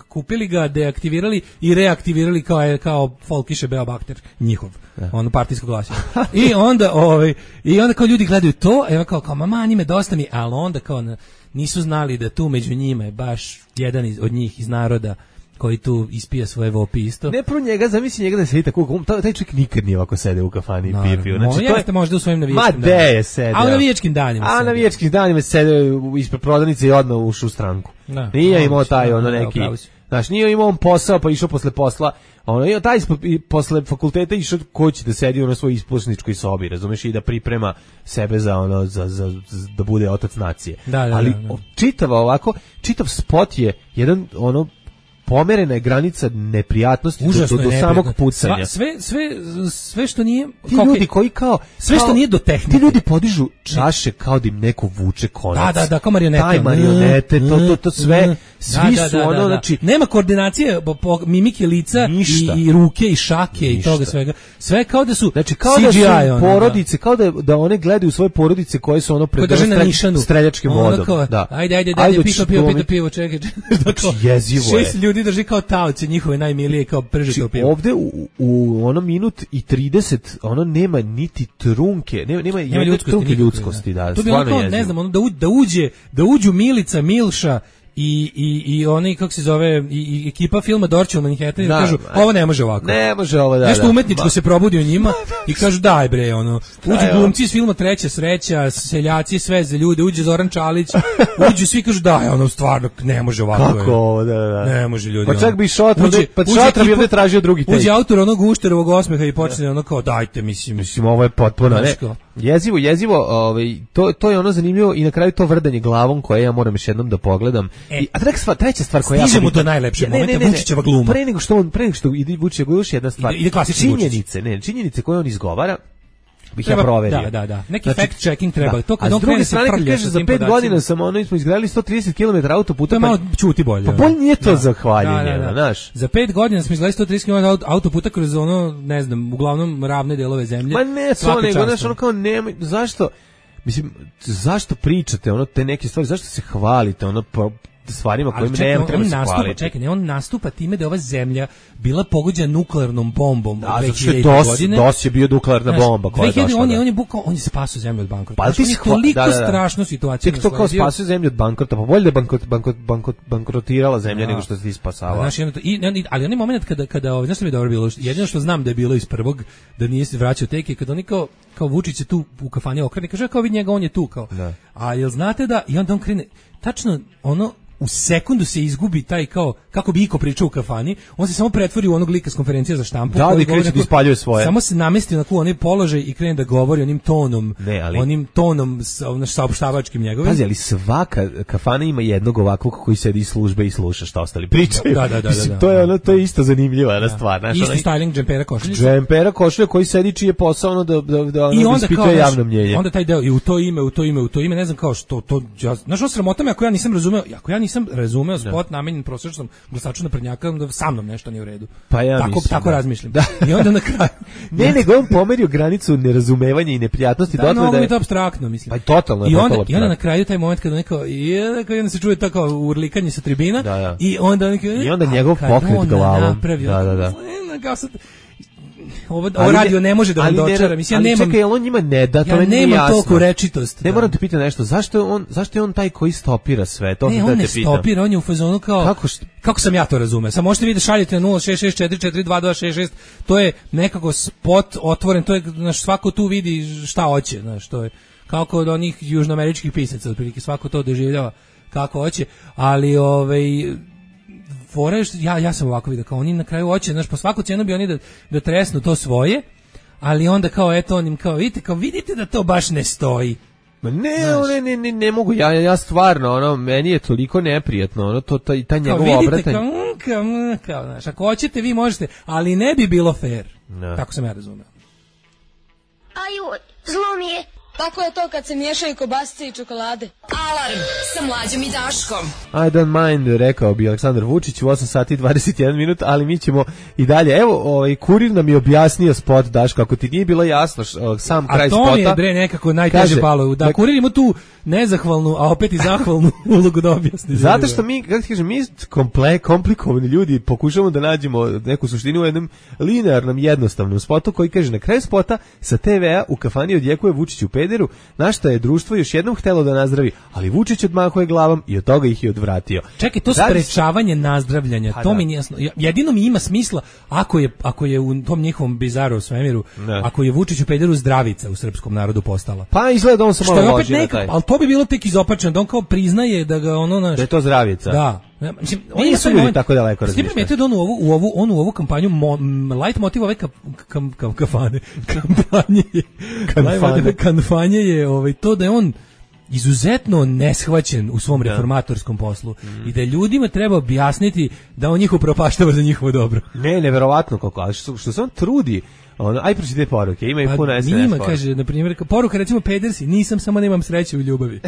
Speaker 3: kupili ga, deaktivirali i reaktivirali kao Folkiše Beobakter, njihov, ono partijsko glasilo. I onda kao ljudi gledaju to, evo kao mama, njime dosta mi, ali onda kao nisu znali da tu među njima je baš jedan od njih iz naroda koji tu ispija svoje vopi isto.
Speaker 2: Ne pro njega, zamisli njega da sedi tako, taj čovjek nikad nije ovako sede u kafani i pije pivo. Znači,
Speaker 3: to je možda u svojim navijačkim danima.
Speaker 2: Ma de je sedeo.
Speaker 3: A u navijačkim danima.
Speaker 2: A u navijačkim danima sede ispred prodavnice i odmah ušao u stranku. Nije imao taj neki, znaš, nije imao on posao pa išao posle posla. Ono, taj posle fakulteta išao ko će da sedi u svojoj ispušničkoj sobi, razumeš, i da priprema sebe za ono, da bude otac nacije. Ali čitav spot je jedan ono pomerena je granica neprijatnosti do samog pucanja.
Speaker 3: Sve što nije...
Speaker 2: Ti ljudi koji kao...
Speaker 3: Sve što nije do tehnike.
Speaker 2: Ti ljudi podižu čaše kao da im neko vuče konac.
Speaker 3: Da, kao marionete.
Speaker 2: Taj marionete, to sve, svi su ono, znači...
Speaker 3: Nema koordinacije, mimike lica i ruke i šake i toga svega. Sve kao da su
Speaker 2: znači, kao CGI. Da su porodice, kao da one gledaju svoje porodice koje su ono pred streljačkim vodom.
Speaker 3: Ajde, pivo, čekaj.
Speaker 2: Znači, jezivo je.
Speaker 3: ljudi drži kao taoci njihove najmilije, kao pržito pivo.
Speaker 2: Ovde u ono minut i 30, ono nema niti trunke, nema ljudskosti, da.
Speaker 3: To bi ono kao, ne znam, ono da uđu Milica, Milša i oni, kako se zove, i ekipa filma Dorće u Manhattanu, da, kažu, ovo ne može ovako.
Speaker 2: Ne može ovo, da.
Speaker 3: Nešto umetničko se probudi u njima i kažu, daj bre, ono, uđu glumci iz filma Treća sreća, seljaci, sve za ljude, uđe Zoran Čalić, uđu svi, kažu, daj, ono, stvarno, ne može ovako.
Speaker 2: Kako ovo, da.
Speaker 3: Ne može ljudi.
Speaker 2: Pa čak bi Šotra bi ovdje tražio drugi take.
Speaker 3: Uđe autor onog Ušterovog osmeha i počne ono kao, dajte, mislim,
Speaker 2: ovo je potpuno, ne. Jezivo, to je ono zanimljivo i na kraju to vrdanje glavom koje ja moram još jednom da pogledam. A treća stvar koja
Speaker 3: stižemo do najlepšeg momenta, Vučićeva gluma.
Speaker 2: Pre nego što ide Vučićeva gluma, još jedna stvar. Činjenice koje on izgovara, bih ja proverio.
Speaker 3: Da. Neki fact checking treba. To
Speaker 2: kad on krene se kaže za 5 godina smo izgradili 130 km autoputa.
Speaker 3: To malo čuti bolje.
Speaker 2: Pa bolje nije to zahvaljenje, znaš.
Speaker 3: Za 5 godina smo izgradili 130 km autoputa kroz ono, ne znam, uglavnom ravne delove zemlje.
Speaker 2: Ma ne, to nego, znaš, ono kao nemoj, zašto? Mislim, zašto pričate ono te neke stvari, zašto se hvalite ono stvarima kojima ne treba se hvaliti.
Speaker 3: Čekaj, on nastupa time da je ova zemlja bila pogođena nuklearnom bombom u
Speaker 2: 2000 godine. DOS je bio nuklearna bomba koja je došla.
Speaker 3: On je spasio zemlju od bankrota. Pa on je toliko strašnu situaciju.
Speaker 2: Tek to kao spasio zemlju od bankrota, pa bolje da bankrotirala zemlja nego što se ti spasava.
Speaker 3: Ali onaj moment kada znaš što mi je dobro bilo, jedino što znam da je bilo iz prvog, da nije se vraćao teke, kada oni kao Vučić je tu u kafani okrene, kaže kao vidi njega, on je tu kao. A jel znate da, i onda on krene, tačno ono, u sekundu se izgubi taj kao, kako bi Iko pričao u kafani, on se samo pretvori u onog lika s konferencije za štampu.
Speaker 2: Da, i kreće da ispaljuje svoje.
Speaker 3: Samo se namesti na onaj položaj i krene da govori onim tonom, saopštavačkim njegovim.
Speaker 2: Pazi, ali svaka kafana ima jednog ovakvog koji sedi iz službe i sluša šta ostali pričaju.
Speaker 3: Da.
Speaker 2: To je isto zanimljiva stvar.
Speaker 3: Isto styling džempera košuljica.
Speaker 2: Džempera košulja koji sedi čiji je posao ono da ispituje javno mnjenje.
Speaker 3: Onda taj deo i u to ime, ne znam kao što to, znaš, o sramotama ako ja nisam razumeo spot namenjen prosječnom glasaču naprednjaka, da sa mnom nešto nije u redu.
Speaker 2: Pa ja
Speaker 3: tako razmišljam. I onda na kraju
Speaker 2: nego on pomerio granicu nerazumevanja i neprijatnosti
Speaker 3: dotle da je to apstraktno, mislim.
Speaker 2: Pa totalno.
Speaker 3: I onda na kraju taj moment kada neko onda se čuje tako urlikanje sa tribina i onda
Speaker 2: njegov pokret glavom. Da.
Speaker 3: Ovo radio ne može da vam dočara. Mislim, ja nemam.
Speaker 2: Čekaj, on njima ne da, to
Speaker 3: ja nemam toliko rečitost.
Speaker 2: Ne moram te pitati nešto, zašto je on taj koji stopira sve? To
Speaker 3: ne, on ne stopira, on je u fazonu kao kako sam ja to razumeo. Samo možete vi da šaljete na 0664422266. To je nekako spot otvoren, to je svako tu vidi šta hoće, znaš, to je kao kod onih južnoameričkih pisaca, otprilike svako to doživljava kako hoće, ali ja sam ovako vidio, kao oni na kraju hoće, znaš, po svaku cijenu bi oni da tresnu to svoje, ali onda kao eto onim kao vidite da to baš ne stoji.
Speaker 2: Ne mogu, ja stvarno, meni je toliko neprijatno, taj njegov obratanje.
Speaker 3: Kao, znaš, ako hoćete vi možete, ali ne bi bilo fair. Tako sam ja razumeo.
Speaker 7: Aju, zlo mi je. Tako je to kad se miješaju kobasice i čokolade.
Speaker 1: Alarm sa Mlađom i Daškom.
Speaker 2: I don't mind, rekao bi Aleksandar Vučić u 8 sati i 21 minut, ali mi ćemo i dalje. Evo, Kurir nam je objasnio spot, Daško, ako ti nije bilo jasno sam kraj spota.
Speaker 3: A to mi je, bre, nekako najteže palo. Da, Kurir ima tu nezahvalnu, a opet i zahvalnu ulogu da objasni.
Speaker 2: Zato što mi, kako ti kažem, mi komplikovani ljudi pokušamo da nađemo neku suštinu u jednom linearnom, jednostavnom spotu koji kaže na kraju spota sa TV-a u kafani odjekuje Vučić u pederu, na što je društvo još jednom htelo da nazdravi, ali Vučić odmahuje glavom i od toga ih je odvratio.
Speaker 3: Čekaj, to sprečavanje nazdravljanja, to mi nije jasno. Jedino mi ima smisla ako je u tom njihovom bizaru svemiru, ako je Vučić u pederu zdravica u srpskom narodu postala.
Speaker 2: Pa izgleda on se malo loži na taj.
Speaker 3: Ali to bi bilo tek izopačeno, da on kao priznaje da ga
Speaker 2: da je to zdravica.
Speaker 3: Da.
Speaker 2: Mislim, oni su ljudi tako daleko razmišljaju.
Speaker 3: Svi primetio da on u ovu kampanju light motiv ove kampanje je to da je on izuzetno neshvaćen u svom reformatorskom poslu i da ljudima treba objasniti da on njih upropaštava za njihovo dobro.
Speaker 2: Neverovatno kako, ali što se on trudi. Aj pročite poruke, ima i puno SNS
Speaker 3: poruke. Kaže, na primjer, poruka recimo pedersi, nisam, samo nemam sreće u ljubavi.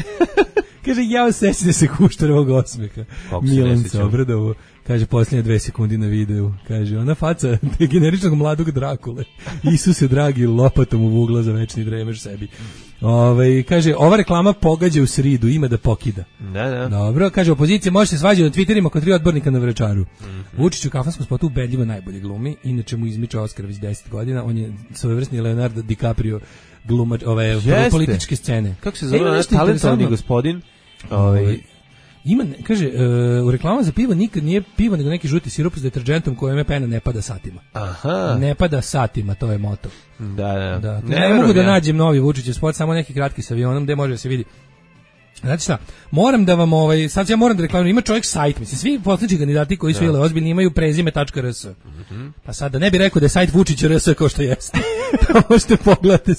Speaker 3: Kaže, ja sećam se Kuštarovog osmeha. Milan se obradovo. Kaže, posljednje 2 sekundi na videu. Kaže, ona faca generičnog mladog Drakule. Isuse dragi, lopatom u vugla za večni dremež sebi. Kaže, ova reklama pogađa u sridu, ima da pokida.
Speaker 2: Da.
Speaker 3: Dobro, kaže, opozicija može se svađati na Twitterima kod 3 odbornika na Vračaru. Vučić u kafanskom spotu ubedljivo najbolje glumi, inače mu izmiče Oskar već 10 godina, on je svojevrsni Leonardo DiCaprio glumač ove političke scene.
Speaker 2: Kako se zove talentovani gospodin?
Speaker 3: Ima, kaže, u reklamama za pivo nikad nije pivo, nego neki žuti sirup s deterđentom kojem pena ne pada satima.
Speaker 2: Aha.
Speaker 3: Ne pada satima, to je moto.
Speaker 2: Da.
Speaker 3: Ne mogu da nađem novi Vučićev spot, samo neki kratki sa avionom gde može da se vidi. Znači šta, moram da vam sad ja moram da reklamiram, ima čovjek sajt, mislim, svi politički kandidati koji su ili ozbiljni imaju prezime.rs. Pa sad da ne bi rekao da je sajt Vučić.rs kao što jeste. Možete pogledati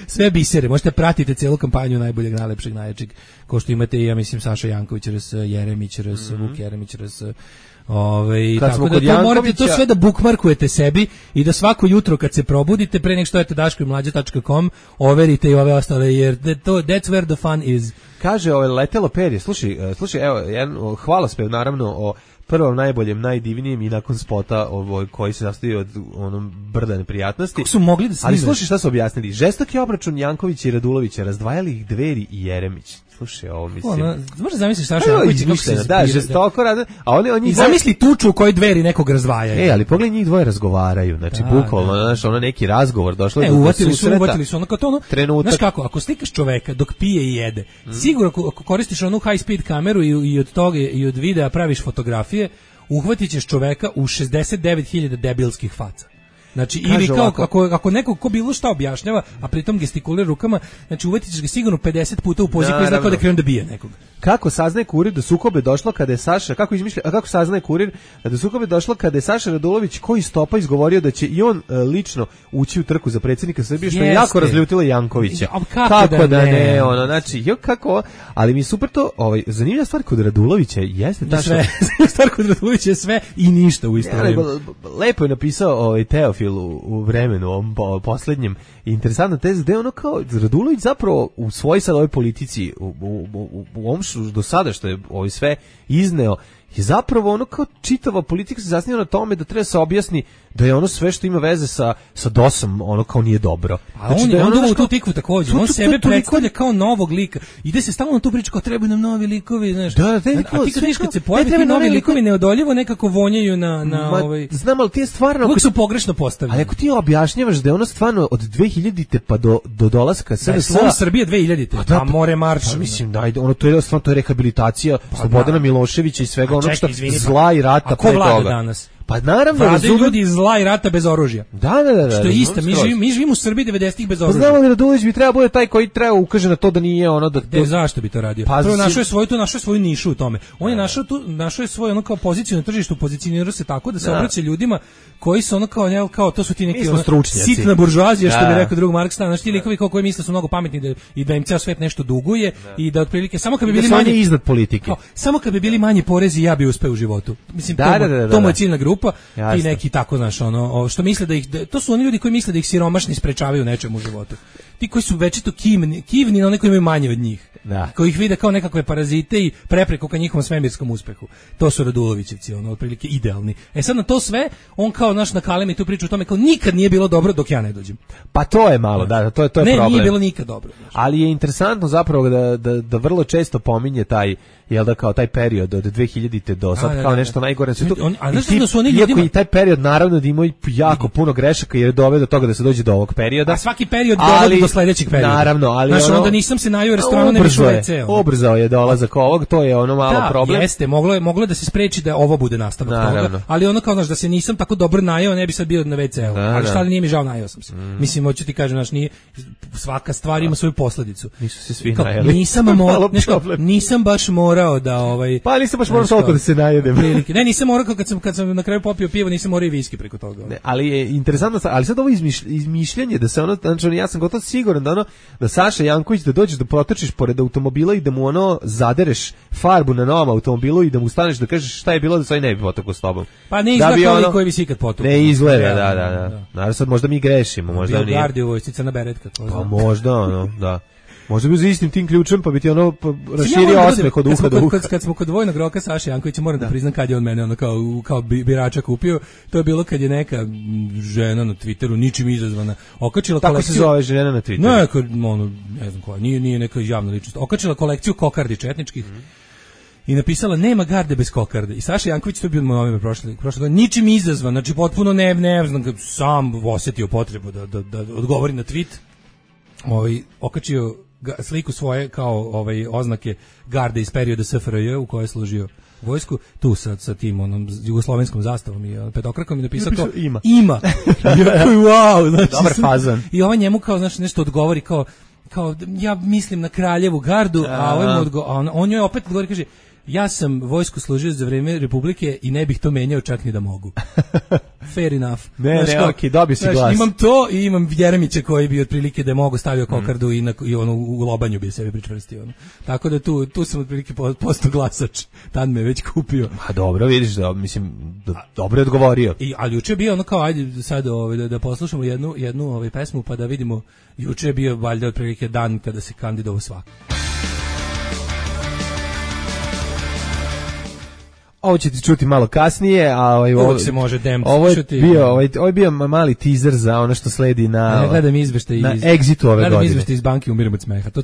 Speaker 3: sve bisere, možete pratiti celu kampanju najboljeg, najlepšeg, najjačeg, kao što imate i, ja mislim, Saša Janković.rs, Jeremić.rs, Vuk Jeremić.rs. Tako da to morate to sve da bookmarkujete sebi i da svako jutro kad se probudite pre nego što idete daškomlađa.com overite i ove ostale, jer that's where the fun is.
Speaker 2: Kaže letelo perje, slušaj, evo, jedan hvalospev naravno o prvom najboljem, najdivnijem i nakon spota koji se sastoji od onom brda neprijatnosti.
Speaker 3: Kako su mogli da se
Speaker 2: ali slušaj šta su objasnili. Žestoki obračun Jankovića i Radulovića, razdvajali ih Dveri i Jeremić. Slušaj, ovo mislim.
Speaker 3: Možda zamisliš Saša Janković kako se
Speaker 2: da, žestoko rade, a oni
Speaker 3: i zamisli tuču u kojoj Dveri nekog razdvajaju.
Speaker 2: Ali pogledaj, njih dvoje razgovaraju, znači bukvalno, znaš, ono neki razgovor došlo do
Speaker 3: uvatili su ono kao to ono. Znaš kako, ako slikaš čoveka dok pije i jede, sigurno ako koristiš onu high speed kameru i od toga i od videa praviš fotografije, uhvatit ćeš čoveka u 69.000 debilskih faca. Znači, ili kao, ako neko ko bilo šta objašnjava, a pritom gestikulira rukama, znači uvatit ćeš ga sigurno 50 puta u poziciju koji zna kao da krenu da bije nekog.
Speaker 2: Kako saznaje kurir da sukobe došlo kada je Saša, kako saznaje kurir da sukobe došlo kada je Saša Radulović koji stopa izgovorio da će i on lično ući u trku za predsjednika Srbije, što je jako razljutilo Jankovića. Kako da ne, ono, znači, kako, ali mi je super to, zanimljiva stvar kod Radulovića jeste
Speaker 3: da sve, stvar kod Radulovića je sve i ništa u isto vreme.
Speaker 2: Lepo je napisao Teofil u vremenu, ovom poslednjem, interesantna teza, da je ono kao Radulović zapravo u svojoj sad ovoj politici, u ovom do sada što je sve izneo, je zapravo ono kao čitava politika se zasniva na tome da treba se objasni da je ono sve što ima veze sa DOS-om ono kao nije dobro.
Speaker 3: A znači, on duma u tu tikvu također, on sebe predstavlja kao novog lika. Ide se stalno na tu priču kao trebaju nam novi likovi, znaš.
Speaker 2: A
Speaker 3: ti kad se pojavi ti novi likovi neodoljivo nekako vonjaju na
Speaker 2: znam, ali ti je stvarno
Speaker 3: uvijek su pogrešno postavljeni.
Speaker 2: Ali ako ti objašnjavaš da je ono stvarno od 2000-te pa do dolaska
Speaker 3: Srbije 2000-te, pa more marš.
Speaker 2: Mislim, ono to je stvarno rehabilitacija Slobodana Miloševića i svega onog što zla i rata
Speaker 3: pre toga. Vlada danas?
Speaker 2: Pa naravno,
Speaker 3: vladaju ljudi iz zla i rata bez oružja.
Speaker 2: Da.
Speaker 3: Što je isto, mi živimo u Srbiji 90-ih bez oružja.
Speaker 2: Pa znamo li Radulović bi trebao bude taj koji treba ukaže na to da nije ono da...
Speaker 3: Zašto bi to radio? Prvo našao je svoju nišu u tome. On je našao je svoju ono kao poziciju na tržištu, pozicionirao se tako da se obraća ljudima koji su ono kao to su ti neki sitna buržoazija, što bi rekao drug Marks, znači ti likovi koji misle su mnogo pametni i da im ceo svet nešto duguje i da otprilike samo kad bi bili manje
Speaker 2: iznad politike.
Speaker 3: Samo kad bi bili manje porezi ja bi uspeo u životu. Mislim to mu je ciljna grupa. Ti neki tako, znaš, ono, što misle to su oni ljudi koji misle da ih siromašni sprečavaju nečemu u životu. Ti koji su večito kivni na one koji imaju manje od njih. Koji ih vide kao nekakve parazite i prepreku ka njihovom svemirskom uspehu. To su Radulovićevci, ono, otprilike idealni. Sad na to sve, on kao naš nakalemi tu priču o tome kao nikad nije bilo dobro dok ja ne dođem.
Speaker 2: Pa to je malo, to je problem.
Speaker 3: Ne, nije bilo nikad dobro.
Speaker 2: Znaš. Ali je interesantno zapravo da vrlo često pominje taj kao taj period od 2000-te do sad kao nešto najgore. Iako i taj period naravno da ima jako puno grešaka jer je doveo do toga da se dođe do ovog perioda.
Speaker 3: A svaki period dovodi do sledećeg perioda.
Speaker 2: Naravno, ali
Speaker 3: znaš, onda nisam se najao u restoranu, ne više u WC.
Speaker 2: Ubrzao je dolazak ovog, to je ono malo problem.
Speaker 3: Jeste, moglo da se spreči da ovo bude nastavak toga, ali ono kao, znaš, da se nisam tako dobro najao, ne bi sad bio na WC-u. Ali šta li nije mi žao, najao sam se. Mislim, hoću ti kažem, znaš, svaka stvar ima svoju posledicu.
Speaker 2: Nisu se svi najali.
Speaker 3: Nisam baš morao da
Speaker 2: pa nisam baš morao toliko da se najedem.
Speaker 3: Ne, nisam morao kad sam na kraju popio pivo, nisam morao i viski preko toga.
Speaker 2: Ne, ali je interesantno, ali sad ovo izmišljanje da se ono, znači ja sam gotovo siguran da Saša Janković da dođeš da protrčiš pored automobila i da mu zadereš farbu na novom automobilu i da mu staneš da kažeš šta je bilo da se ne bi potekao s tobom.
Speaker 3: Pa ne izgleda kao koji bi si ikad potukao.
Speaker 2: Ne izgleda, da. Naravno sad možda mi grešimo, možda nije.
Speaker 3: Gardi u vojsci, crna beretka.
Speaker 2: Pa možda, da. Možda bi za istim tim ključem, pa bi ti ono raširio osmeh od uha do uha.
Speaker 3: Kad smo kod dvojnog roka Saše Jankovića, moram da priznam kad je on mene ono kao birača kupio, to je bilo kad je neka žena na Twitteru, ničim izazvana, okačila kolekciju...
Speaker 2: Tako se zove žena na Twitteru?
Speaker 3: Ne znam koja, nije neka javna ličnost. Okačila kolekciju kokardi četničkih, i napisala nema garde bez kokarde. I Saša Janković, to je bio moj novembar prošle ničim izazvan, znači potpuno ne znam, sam osjetio potrebu da odgovori na tweet. Okačio sliku svoje kao oznake garde iz perioda SFRJ u kojoj je služio vojsku, tu sa tim onom jugoslovenskom zastavom i petokrakom i napisao kao ima. Wow, znači,
Speaker 2: dobar fazan.
Speaker 3: I ovaj njemu kao znači nešto odgovori kao ja mislim na Kraljevu gardu, a on joj opet odgovori, kaže ja sam vojsku služio za vreme Republike i ne bih to menjao čak ni da mogu. Fair enough.
Speaker 2: Okej, dobio si glas.
Speaker 3: Imam to i imam Jeremića koji bi otprilike da mogu stavio kokardu i ono u lobanju bi sebi pričvrstio. Tako da tu sam otprilike postao glasač. Tad me već kupio.
Speaker 2: A dobro, vidiš da mislim dobro je odgovorio.
Speaker 3: Ali juče je bio ono kao ajde sad da poslušamo jednu pesmu pa da vidimo. Juče je bio valjda otprilike dan kada se kandidovao svako.
Speaker 2: Ovo ćete čuti malo kasnije, a
Speaker 3: ovo se može
Speaker 2: ovo je bio mali teaser za ono što sledi na
Speaker 3: gledam izveštaj iz
Speaker 2: Exitu ove godine.
Speaker 3: Gledam izveštaj iz banke, umiram od smeha. To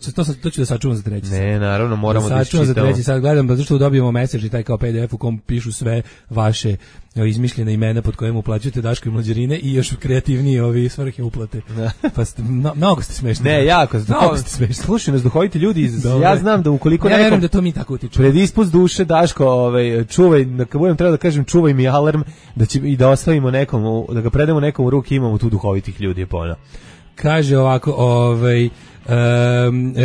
Speaker 3: ću da sačuvam za treći.
Speaker 2: Ne, naravno, moramo da
Speaker 3: sačuvam za treći sad. Gledam zato što dobijemo message i taj kao PDF u kom pišu sve vaše izmišljena imena pod kojim uplaćujete Daško i Mlađarine i još kreativnije svrhe uplate. Pa mnogo ste smešni.
Speaker 2: Ne, jako ste
Speaker 3: smešni.
Speaker 2: Slušaju nas duhoviti ljudi. Ja znam da ukoliko
Speaker 3: ja verujem da to mi tako utiče.
Speaker 2: Predispust duše Daško, čuvaj, kad budem trebao da kažem čuvaj mi alarm, da će i da ostavimo nekom, da ga predamo nekom u ruke, imamo tu duhovitih ljudi po ona.
Speaker 3: Kaže ovako,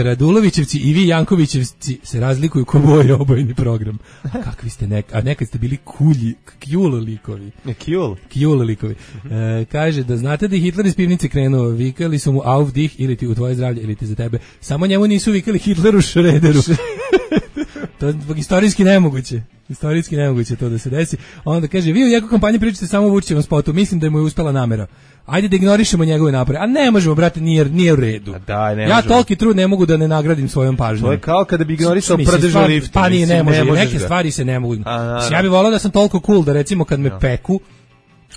Speaker 3: Radulovićevci i vi Jankovićevci se razlikuju ko moj obojni program. Kakvi ste a nekad ste bili kjul likovi. Kjul likovi. Kaže da znate da je Hitler iz pivnice krenuo, vikali su mu auf dich ili ti u tvoje zdravlje ili ti za tebe. Samo njemu nisu vikali Hitleru Šrederu. To je istorijski nemoguće to da se desi. Onda kaže, vi u nekoj kampanji pričate samo o Vučićevom spotu, mislim da mu je uspela namera. Ajde da ignorišemo njegove napore. A ne možemo, brate, nije u redu. Ja toliki trud ne mogu da ne nagradim svojom pažnjom.
Speaker 2: To je kao kada bi ignorisao prdežu lift.
Speaker 3: Pa ne može, neke stvari se ne mogu. Ja bih volao da sam toliko cool da recimo kad me peku,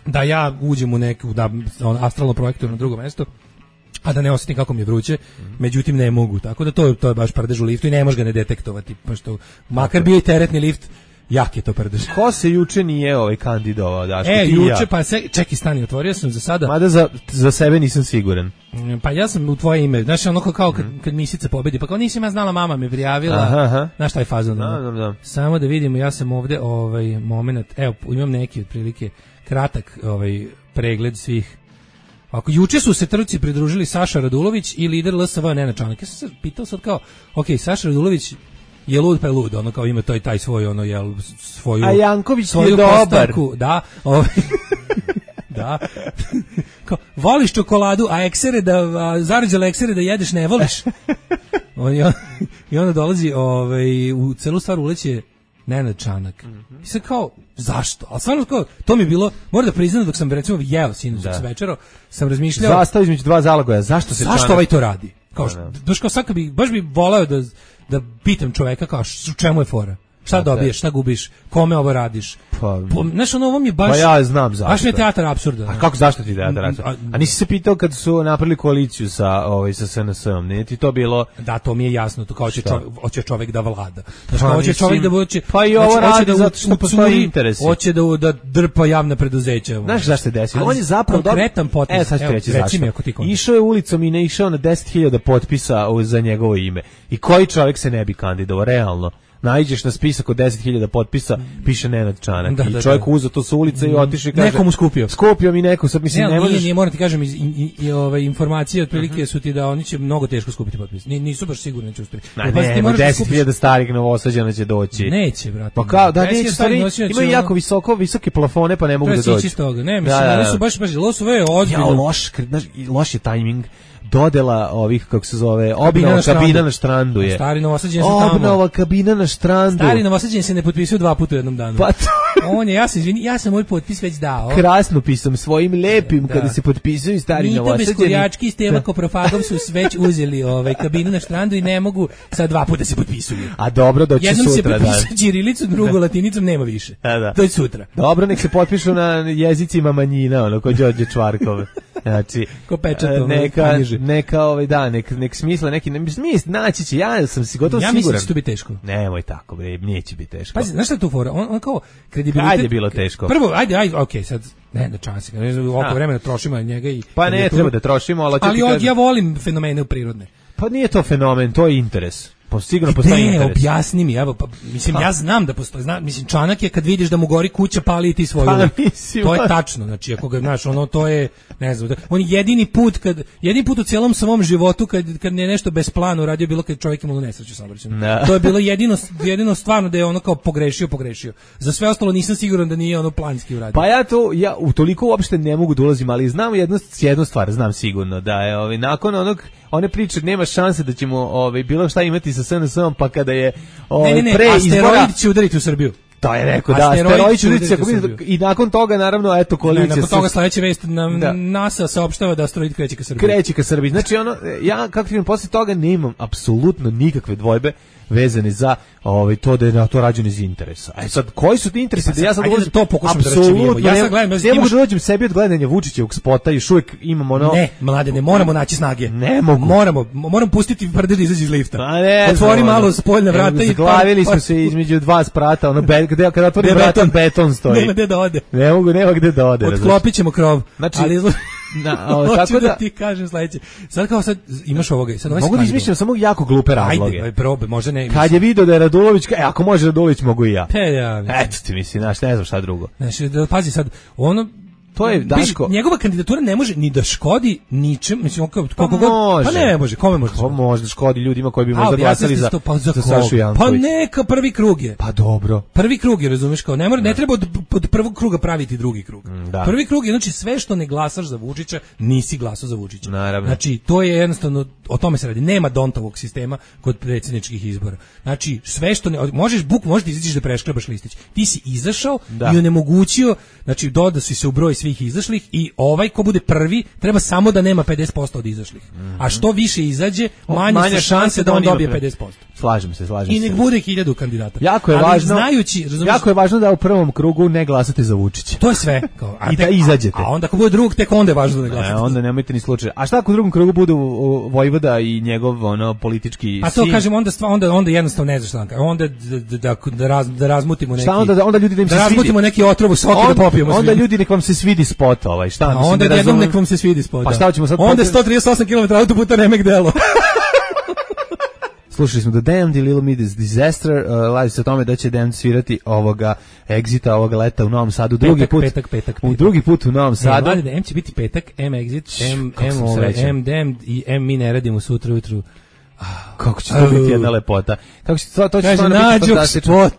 Speaker 3: da ja uđem u neku astralno projektor na drugo mesto, a da ne osjetim kako mi je vruće, međutim ne mogu. Tako da to je baš prdež u liftu i ne može ga ne detektovati. Pa što, makar bio i teretni lift, jak je to prdež.
Speaker 2: Ko se juče nije kandidovao, Daško?
Speaker 3: Juče, pa čekaj, stani, otvorio sam za sada.
Speaker 2: Mada za sebe nisam siguran.
Speaker 3: Pa ja sam u tvoje ime, znaš, ono kao kad Misica pobedi, pa kao nisam ja znala, mama me prijavila, znaš taj fazon.
Speaker 2: Da.
Speaker 3: Samo da vidimo, ja sam ovde moment, evo, imam neki otprilike kratak pregled svih. Ako juče su se trci pridružili Saša Radulović i lider LSV Nenad Čanak. Ja sam se pitao sad kao, Saša Radulović je lud pa je lud, ono kao ima taj svoj svoju.
Speaker 2: A Janković je dobar.
Speaker 3: Da, da. Kao, voliš čokoladu, a zarđale eksere da jedeš ne voliš. I onda dolazi u celu stvar uleće Nenad Čanak. I sad kao, zašto? Ali stvarno kao, to mi je bilo, moram da priznam dok sam recimo jeo sinoć s večero, sam razmišljao.
Speaker 2: Zastao između dva zalogaja, zašto
Speaker 3: ovaj to radi? Kao, baš bi voleo da pitam čoveka kao, u čemu je fora? Šta dobiješ, šta gubiš, kome ovo radiš? Znaš, ovo mi je baš...
Speaker 2: Pa ja znam zašto.
Speaker 3: Baš mi je teatar apsurda.
Speaker 2: A kako zašto ti teatar apsurda? A nisi se pitao kad su napravili koaliciju sa SNS-om, nije ti to bilo...
Speaker 3: Da, to mi je jasno, to kao hoće čovek da vlada. Znaš, kao hoće čovek da hoće...
Speaker 2: Pa i ovo radi zato što postoji interesi.
Speaker 3: Hoće da drpa javna preduzeća.
Speaker 2: Znaš zašto se desi? On je zapravo...
Speaker 3: Konkretan potpis.
Speaker 2: Sad ću reći zašto. Išao je ulicom i ne išao na 10.000 potpisa za njegovo ime. I koji čovek se ne bi kandidovao, realno? Naiđeš na spisak od 10.000 potpisa, piše Nenad Čanak. I čovjek uzeo to sa ulice i otišao i kaže...
Speaker 3: Nekomu skupio.
Speaker 2: Skupio mi neko, sad mislim ne možeš...
Speaker 3: Nije, moram ti kažem, informacije otprilike su ti da oni će mnogo teško skupiti potpis. Nisu baš sigurni da će uspjeti.
Speaker 2: Ne, 10.000 starih Novosađana će doći.
Speaker 3: Neće, brate.
Speaker 2: Pa kao, da neće, stvari, imaju jako visoke plafone, pa ne mogu da doći.
Speaker 3: Ne, mislim, oni su baš, loš je tajming.
Speaker 2: dodela ovih, kako se zove, obnova kabina na štrandu je.
Speaker 3: Stari Novosađeni su tamo.
Speaker 2: Obnova kabina na štrandu.
Speaker 3: Stari Novosađeni se ne potpisuju 2 puta u jednom danu.
Speaker 2: Pa
Speaker 3: on je, ja sam moj potpis već dao.
Speaker 2: Krasno pisam svojim lepim kada se potpisuju stari Novosađeni.
Speaker 3: Mita Beskurjački i Steva Koprofagov su već uzeli kabinu na štrandu i ne mogu sad 2 puta se potpisuju.
Speaker 2: A dobro, doći
Speaker 3: jednom
Speaker 2: sutra.
Speaker 3: Jednom se potpisuje ćirilicom, drugo latinicom, nema više. Doći sutra.
Speaker 2: Dobro, nek se potpišu na jezicima manjina, ono, ko Đorđe Čvarkov. Znači,
Speaker 3: ko pečatom,
Speaker 2: nek smisla neki, naći će, ja sam si gotovo siguran.
Speaker 3: Ja mislim da će to biti teško.
Speaker 2: Nemoj tako, bre, neće biti teško.
Speaker 3: Pazi, znaš šta je tu fora? On kao kredibilitet.
Speaker 2: Ajde, bilo teško.
Speaker 3: Prvo, ajde, okej, sad, ne da čansi, oko vremena trošimo njega i...
Speaker 2: Pa ne, treba da trošimo,
Speaker 3: ali ja volim fenomene prirodne.
Speaker 2: Pa nije to fenomen, to je interes. Sigurno postoji interes.
Speaker 3: Objasni mi, evo, mislim, ja znam da postoji, mislim, Čanak je kad vidiš da mu gori kuća, pali i ti svoju. To je tačno, znači, ako ga, znaš, ono, to je, ne znam, on jedini put u cijelom svom životu, kad je nešto bez plana uradio, bilo kad čovjek imao nesreću saobraćajnu. To je bilo jedino stvarno da je ono kao pogrešio. Za sve ostalo nisam siguran da nije ono planski uradio.
Speaker 2: Pa ja u toliko uopšte ne mogu da ulazim, ali znam jednu stvar, znam sigurno, da je nakon one priče nema šanse da ćemo bilo šta imati sa SNS-om, pa kada je pre izbora...
Speaker 3: Asteroid će udariti u Srbiju.
Speaker 2: To je rekao, da, asteroid će udariti i nakon toga, naravno, eto, koalicija...
Speaker 3: Nakon toga sledeća vest NASA saopštava da asteroid kreće ka Srbiji.
Speaker 2: Kreće ka Srbiji. Znači, ja, kako ti posle toga, nemam apsolutno nikakve dvojbe vezane za to da je na to rađeno iz interesa. A sad, koji su ti interesi? Da ja sad
Speaker 3: ulazim, to pokušam da računimo. Ja sad gledam,
Speaker 2: ne mogu da dođem sebi od gledanja Vučićevog spota, još uvijek imam ono...
Speaker 3: Ne, mladene, moramo naći snage.
Speaker 2: Ne mogu.
Speaker 3: Moram pustiti prde da izađe iz lifta.
Speaker 2: Otvori
Speaker 3: malo spoljna vrata i...
Speaker 2: Zaglavili smo se između 2 sprata, kada otvorim vrata, beton stoji.
Speaker 3: Nema gde da ode.
Speaker 2: Nema gde da ode.
Speaker 3: Otklopit ćemo krov.
Speaker 2: Znači...
Speaker 3: Hoću da ti kažem sledeće. Sad kao sad imaš ovoga.
Speaker 2: Mogu da izmišljam samo jako glupe razloge.
Speaker 3: Ajde, probe, možda ne.
Speaker 2: Kad je video da je Radulović, ako može Radulović, mogu i ja.
Speaker 3: Eto
Speaker 2: ti mislim, ne znam šta drugo.
Speaker 3: Znači, pazi sad, ono...
Speaker 2: To je Daško.
Speaker 3: Njegova kandidatura ne može ni da škodi ničem, mislim koliko god. Pa ne može, kome može?
Speaker 2: Ko može da škodi ljudima koji bi možda glasali za Sašu Janković?
Speaker 3: Pa neka prvi krug je.
Speaker 2: Pa dobro.
Speaker 3: Prvi krug je, razumeš, kao ne treba od prvog kruga praviti drugi krug. Prvi krug je, znači sve što ne glasaš za Vučića, nisi glasao za Vučića.
Speaker 2: Naravno.
Speaker 3: Znači to je jednostavno, o tome se radi. Nema Dontovog sistema kod predsjedničkih izbora. Znači sve što možeš da izađeš da preškrebaš listić. Ti si izašao i onemogućio, znači dodao si se u broj svih izašlih i ko bude prvi treba samo da nema 50% od izašlih. A što više izađe, manje su šanse da on dobije 50%.
Speaker 2: Slažem se.
Speaker 3: I nek bude 1000 kandidata.
Speaker 2: Jako je važno da u prvom krugu ne glasate za Vučića.
Speaker 3: To je sve.
Speaker 2: I da izađete.
Speaker 3: A onda ako bude drugog, tek onda je važno da ne glasate.
Speaker 2: Onda nemojte ni slučaj. A šta ako u drugom krugu budu Vojvoda i njegov politički sin?
Speaker 3: A to kažem, onda jednostavno ne znaš šta. Onda da razmutimo neki...
Speaker 2: Šta onda ljudi da im se svidi?
Speaker 3: Da razmutimo neki otrov u soke da popijemo.
Speaker 2: Onda ljudi nek vam se svidi spot šta mislim.
Speaker 3: Onda jednom nek vam se svidi spot.
Speaker 2: Pa šta ćemo sad?
Speaker 3: Onda 138 km autoputa Remek Delo.
Speaker 2: Slušali smo The Damned i Little Miss Disaster, live se o tome da će Damned svirati ovoga Exita ovoga leta u Novom Sadu, drugi put u Novom Sadu.
Speaker 3: M će biti petak, M Exit, M Damned i M mi ne radimo sutra ujutru.
Speaker 2: Kako će to biti jedna lepota. Kako će to će stvarno biti
Speaker 3: fantastično.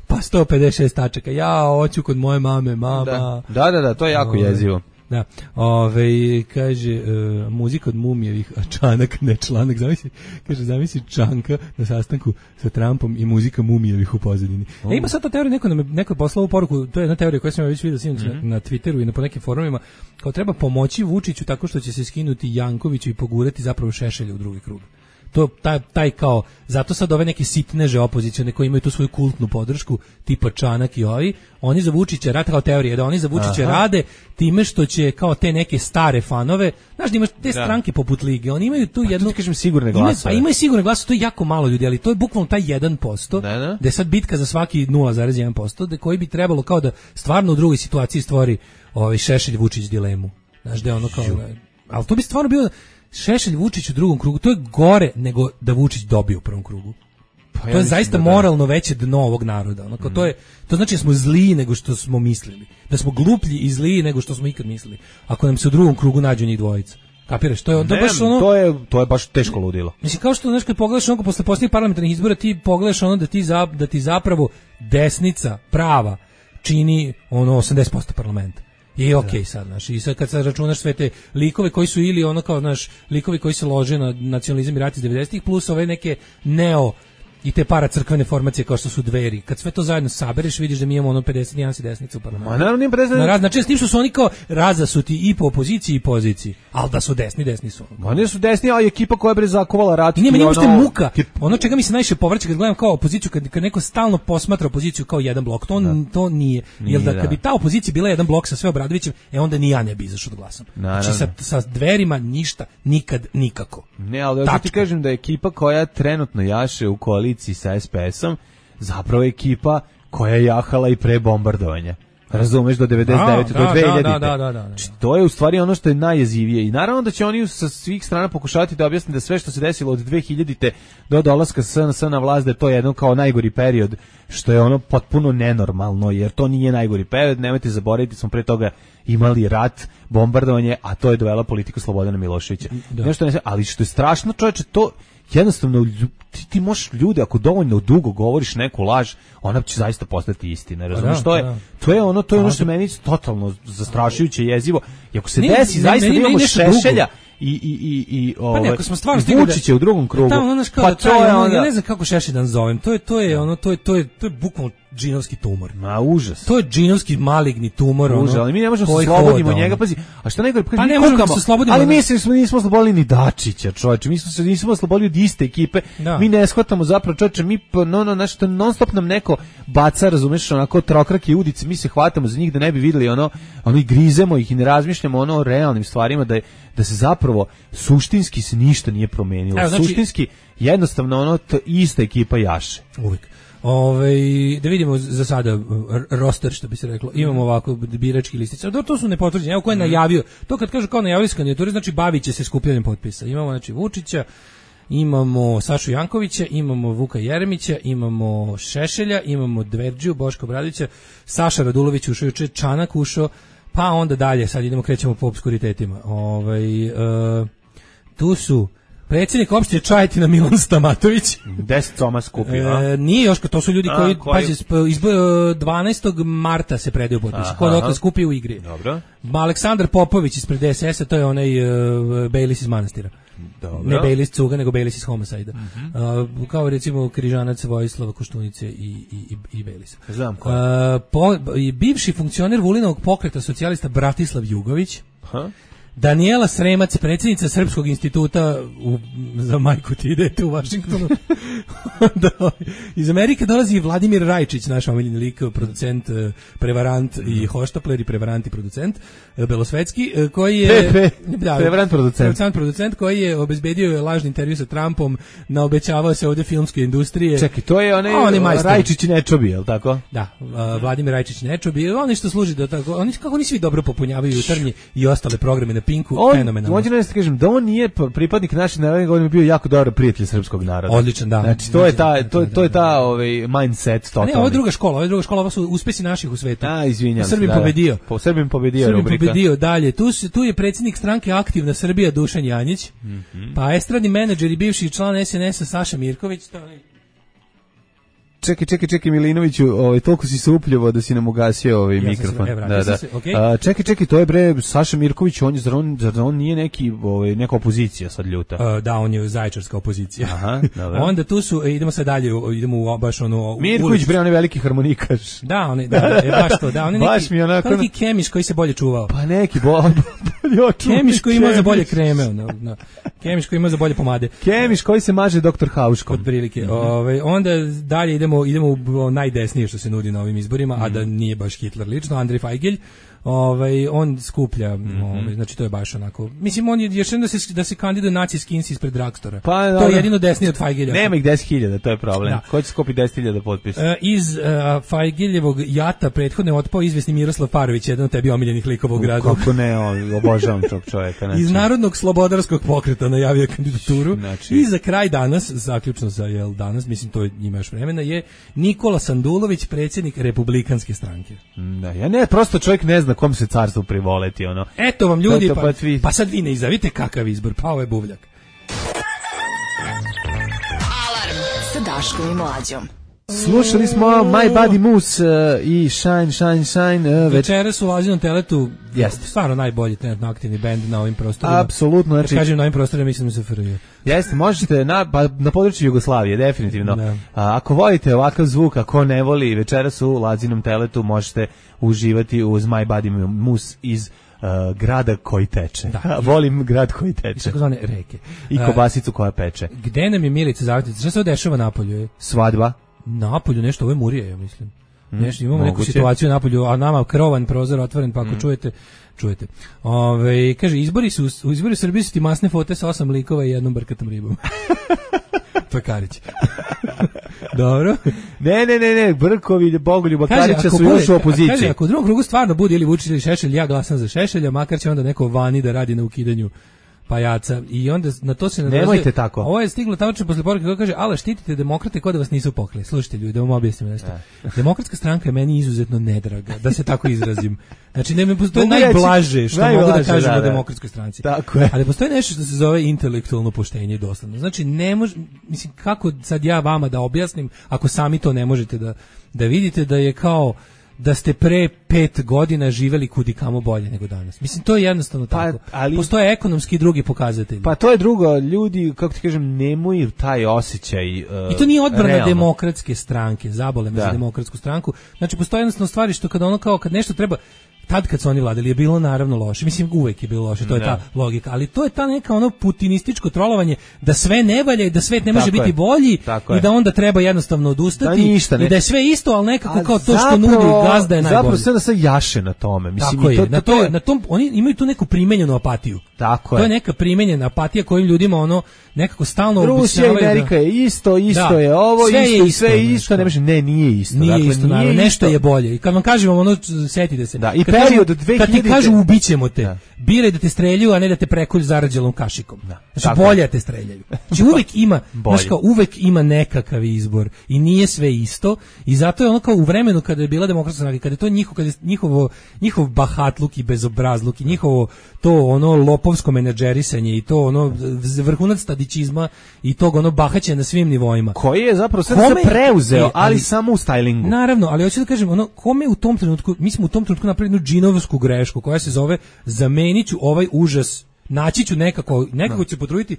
Speaker 3: Pa 156 tačaka. Ja hoću kod moje mama.
Speaker 2: Da, to je jako jezivo.
Speaker 3: Da, kaže, muzika od Mumijevih, a Čanak, ne Članak, zamisli Čanka na sastanku sa Trumpom i muzika Mumijevih u pozadini. Ima sad to teorija, neko je poslao poruku, to je jedna teorija koja sam ja već vidio na Twitteru i na po nekim forumima, kao treba pomoći Vučiću tako što će se skinuti Jankoviću i pogurati zapravo Šešelja u drugi krug. To taj kao, zato sad ove neke sitneže opozicione koji imaju tu svoju kultnu podršku, tipa Čanak i oni za Vučića rade, kao teorije, da oni za Vučića rade time što će kao te neke stare fanove, znaš da imaš te stranke poput Lige, oni imaju tu jednu...
Speaker 2: Pa kažem sigurne glasove.
Speaker 3: Imaju sigurne glasove, to je jako malo ljudi, ali to je bukvalno taj 1%, da je sad bitka za svaki 0,1%, da koji bi trebalo kao da stvarno u drugoj situaciji stvori Šešelj Vučić dilemu. Znaš da je ono kao... Ali to bi stvarno bilo... Šešelj Vučić u drugom krugu, to je gore nego da Vučić dobije u prvom krugu. To je zaista moralno veće dno ovog naroda. To znači da smo zliji nego što smo mislili. Da smo gluplji i zliji nego što smo ikad mislili. Ako nam se u drugom krugu nađu njih dvojica. Kapiraš? To je baš ono...
Speaker 2: To je baš teško ludilo.
Speaker 3: Mislim, kao što kad pogledaš ono posle posljednjih parlamentarnih izbora, ti pogledaš ono da ti zapravo desnica prava čini 80% parlamenta. I okej sad, znaš, i sad kad sad računaš sve te likove koji su ili ono kao, znaš, likovi koji se lože na nacionalizam i rat iz 90-ih, plus ove neke neo i te paracrkvene formacije kao što su Dveri. Kad sve to zajedno sabereš, vidiš da mi imamo ono 51 desnica u parlamentu.
Speaker 2: Ma naravno nije 50.
Speaker 3: Znači, s tim što su oni kao razasuti i po opoziciji i poziciji, ali da su desni su.
Speaker 2: Oni su desni, ali ekipa koja je zakovala rat.
Speaker 3: Nije mi uopšte muka. Ono čega mi se najviše povrće kad gledam kao opoziciju, kad neko stalno posmatra opoziciju kao jedan blok, to nije. Jer da kad bi ta opozicija bila jedan blok sa sve Obradovićem, onda ni ja ne bi izašao da glasam. Znači sa Dverima ništa, nikad, nikako.
Speaker 2: Ne, ali ja ti kažem da je ekipa koja trenutno jaše u koaliciji sa SPS-om zapravo ekipa koja je jahala i pre bombardovanja. Razumeš, do 99. do 2000.
Speaker 3: Da.
Speaker 2: To je u stvari ono što je najjezivije i naravno da će oni sa svih strana pokušavati da objasne da sve što se desilo od 2000. do dolaska SNS na vlast da je to jedno kao najgori period, što je ono potpuno nenormalno, jer to nije najgori period, nemojte zaboraviti, smo pre toga imali rat, bombardovanje, a to je dovela politiku Slobodana Miloševića. Nešto ne, ali što je strašno, čoveče, to jednostavno ti možeš ljude, ako dovoljno dugo govoriš neku laž, ona će zaista postati istina, razumiješ? To je ono što meni totalno zastrašujuće, jezivo. I ako se desi zaista da imamo Šešelja i Vučića u drugom krugu,
Speaker 3: pa to je onda... Ja ne znam kako Šešeljan zovem, to je bukvalno džinovski tumor.
Speaker 2: Ma užas.
Speaker 3: To je džinovski maligni tumor.
Speaker 2: Užas, ali mi ne možemo se slobodimo njega, pazi. A šta nego,
Speaker 3: pa ne možemo se slobodimo.
Speaker 2: Ali mi nismo slobodili ni Dačića, čoveče. Mi smo nismo slobodili od iste ekipe. Mi ne shvatamo zapravo, čoveče, mi nešto non stop nam neko baca, razumeš, onako trokrake udice, mi se hvatamo za njih da ne bi videli ono i grizemo ih i ne razmišljamo o realnim stvarima da se zapravo suštinski se ništa nije promenilo. Suštinski jednostavno ista ekipa jaše.
Speaker 3: Uvijek. Da vidimo za sada roster, što bi se reklo. Imamo ovako birački listić. To su nepotvrđeni. Evo ko je najavio. To kad kažu kao najavili su kandidature, znači bavit će se skupljanjem potpisa. Imamo znači Vučića, imamo Sašu Jankovića, imamo Vuka Jeremića, imamo Šešelja, imamo Dverđiju, Boška Obradovića, Saša Radulović ušao juče, Čanak ušao, pa onda dalje, sad krećemo po obskuritetima. Tu su predsjednik opštine Čajetina Milan Stamatović.
Speaker 2: 10 coma skupio.
Speaker 3: Nije još, to su ljudi koji 12. marta se predaju potpisi. Ko dokle skupi u igri.
Speaker 2: Dobro.
Speaker 3: Aleksandar Popović ispred DSS-a, to je onaj Bejlis iz manastira.
Speaker 2: Dobro.
Speaker 3: Ne Bejlis Cuga, nego Bejlis iz Homicida. Kao recimo Križanac Vojislava Koštunice i Bejlisa.
Speaker 2: Znam ko.
Speaker 3: Bivši funkcioner Vulinovog pokreta socijalista Bratislav Jugović. Daniela Sremac, predsjednica Srpskog instituta za majku ti idete u Vašingtonu. Iz Amerike dolazi Vladimir Rajčić, naš omiljeni lik, producent, prevarant i hoštapler i prevarant i producent, belosvetski, koji je...
Speaker 2: prevarant
Speaker 3: producent koji je obezbedio lažni intervju sa Trumpom, naobećavao se ovdje filmske industrije.
Speaker 2: Čekaj, to je onaj Rajčić Nečobi, je li tako?
Speaker 3: Da, Vladimir Rajčić Nečobi, oni što služi do tako, kako oni svi dobro popunjavaju jutarnji i ostale programe na Pinku, fenomenalno.
Speaker 2: Hoću da kažem da on nije pripadnik našeg naroda, on je bio jako dobar prijatelj srpskog naroda.
Speaker 3: Odličan, da.
Speaker 2: Znači to je ta mindset totalni.
Speaker 3: Ne, ovo je druga škola, ovo su uspesi naših u svetu.
Speaker 2: Izvinjam se.
Speaker 3: Srbim pobedio.
Speaker 2: Rubrika.
Speaker 3: Pobedio dalje. Tu je predsjednik stranke Aktivna Srbija Dušan Janjić. Pa estradni menadžer i bivši član SNS-a Saša Mirković, to je...
Speaker 2: Čekaj Milinoviću, toliko si se upljivo da si nam ugasio mikrofon. Čekaj, to je bre Saša Mirković, zar on nije neka opozicija sad ljuta.
Speaker 3: Da, on je zaječarska opozicija.
Speaker 2: Aha, dobro.
Speaker 3: Onda tu su, idemo sad dalje, idemo u baš
Speaker 2: Mirković bre, on je veliki harmonikaš.
Speaker 3: Da, on je baš to, da, on je neki Kemiš koji se bolje čuvao.
Speaker 2: Pa neki bolje
Speaker 3: Kemiš koji ima za bolje kreme, Kemiš koji ima za bolje pomade.
Speaker 2: Kemiš koji se maže doktor Hauškom.
Speaker 3: Od prilike. Onda dalje idemo u najdesnije što se nudi na ovim izborima, a da nije baš Hitler lično, Andrej Fajgelj. On skuplja, znači to je baš onako. Mislim, on je još jedno da se kandiduje nacijski ins ispred Dragstora. To je jedino desnije od Fajgelja.
Speaker 2: Nema ih 10.000, to je problem. Ko će skupi 10.000 potpisa?
Speaker 3: Iz Fajgeljevog jata prethodne otpao izvesni Miroslav Parović, jedan od tebi omiljenih likova u gradu.
Speaker 2: Kako ne, obožavam tog čovjeka.
Speaker 3: Iz Narodnog slobodarskog pokreta najavio kandidaturu. I za kraj danas, zaključno za danas, mislim to ima još vremena, je Nikola Sandulović, predsjednik Republikanske stranke.
Speaker 2: Da, ja ne, prosto čovjek ne zna kom se carstvo privoleti,
Speaker 3: Eto vam ljudi, pa sad vi ne izavite kakav izbor, pa ovo je buvljak.
Speaker 1: Alarm sa Daškom i Mlađom.
Speaker 2: Slušali smo My Body Moose i Shine.
Speaker 3: Večeras u Lazinom teletu jeste stvarno najbolji trenutno aktivni bend na ovim prostorima.
Speaker 2: Apsolutno. Znači,
Speaker 3: kažem na ovim prostorima, mislim se FRJ.
Speaker 2: Jeste, možete na području Jugoslavije, definitivno. Ako volite ovakav zvuk, ako ne voli, večeras u Lazinom teletu možete uživati uz My Body Moose iz grada koji teče. Da. Volim grad koji teče.
Speaker 3: Takozvane reke.
Speaker 2: I kobasicu koja peče.
Speaker 3: Gde nam je Milica Zavetnica? Šta se dešava napolju?
Speaker 2: Svadba.
Speaker 3: Napolju nešto, ovo je Murija, ja mislim. Nešto, imamo neku situaciju napolju, a nama krovan prozor otvoren, pa ako čujete. Kaže, u izbori Srbije su ti masne fote sa 8 likova i jednom brkatom ribom. To je Karić. Dobro.
Speaker 2: Ne, Brkovi, Bogoljuba, Karića su još u opoziciji.
Speaker 3: Kaže, ako u drugom krugu stvarno bude ili Vučić ili Šešelj, ja glasam za Šešelja, makar će onda neko vani da radi na ukidanju pajaca. I onda na to se
Speaker 2: nadovezuje. Nemojte tako.
Speaker 3: Ovo je stiglo tačno posle poruke koja kaže, ale štitite demokrate kao da vas nisu pokli. Slušajte ljudi, da vam objasnim nešto. Demokratska stranka je meni izuzetno nedraga, da se tako izrazim. Znači, to je najblaže što mogu da kažem o demokratskoj stranci.
Speaker 2: Tako je.
Speaker 3: Ali postoji nešto što se zove intelektualno poštenje i dosledno. Znači, ne može, mislim, kako sad ja vama da objasnim, ako sami to ne možete da vidite, da je kao da ste pre 5 godina živeli kudikamo bolje nego danas. Mislim, to je jednostavno tako. Ali postoje ekonomski i drugi pokazatelji.
Speaker 2: Pa to je drugo, ljudi, kako ti kažem, nemaju taj osjećaj
Speaker 3: i to nije odbrana demokratske stranke, zabole me za demokratsku stranku. Znači, postoje jednostavno stvari što kad nešto treba, tad kad su oni vladali je bilo naravno loše. Mislim, uvek je bilo loše, to je ta logika. Ali to je ta neka putinističko trolovanje da sve ne valja i da svet ne može biti bolji i da onda treba jednostavno odustati i da je sve isto, ali nekako kao to što nudi gazda je najbolje.
Speaker 2: Zapravo sve da se jaše na tome. Mislim,
Speaker 3: tako je. Na tom, oni imaju tu neku primenjenu apatiju.
Speaker 2: Tako
Speaker 3: je. To je neka primenjena apatija kojim ljudima nekako stalno
Speaker 2: Rusija i Amerika je isto je ovo, sve je isto. Nije isto.
Speaker 3: Nije isto, nešto je bolje. I kad vam kažem setite se.
Speaker 2: Da, i period od 2000.
Speaker 3: Kad ti kažu ubićemo te, biraj da te streljaju, a ne da te prekolju zarađelom kašikom. Znači, bolje te streljaju. Znači, uvek ima nekakav izbor i nije sve isto i zato je kao u vremenu kada je bila demokratska stranka, kada je to njihov bahatluk i bezobrazluk i njihovo to lopovsko menadžerisanje i to vrhunac stadićizma i tog bahaćenja na svim nivoima.
Speaker 2: Koji je zapravo sve preuzeo, ali samo u stylingu.
Speaker 3: Naravno, ali hoću da kažem, kome u tom trenutku, mi smo u tom trenutku napravili jednu džinovsku grešku koja se zove zamenit ću ovaj užas, naći ću nekako ću potruditi.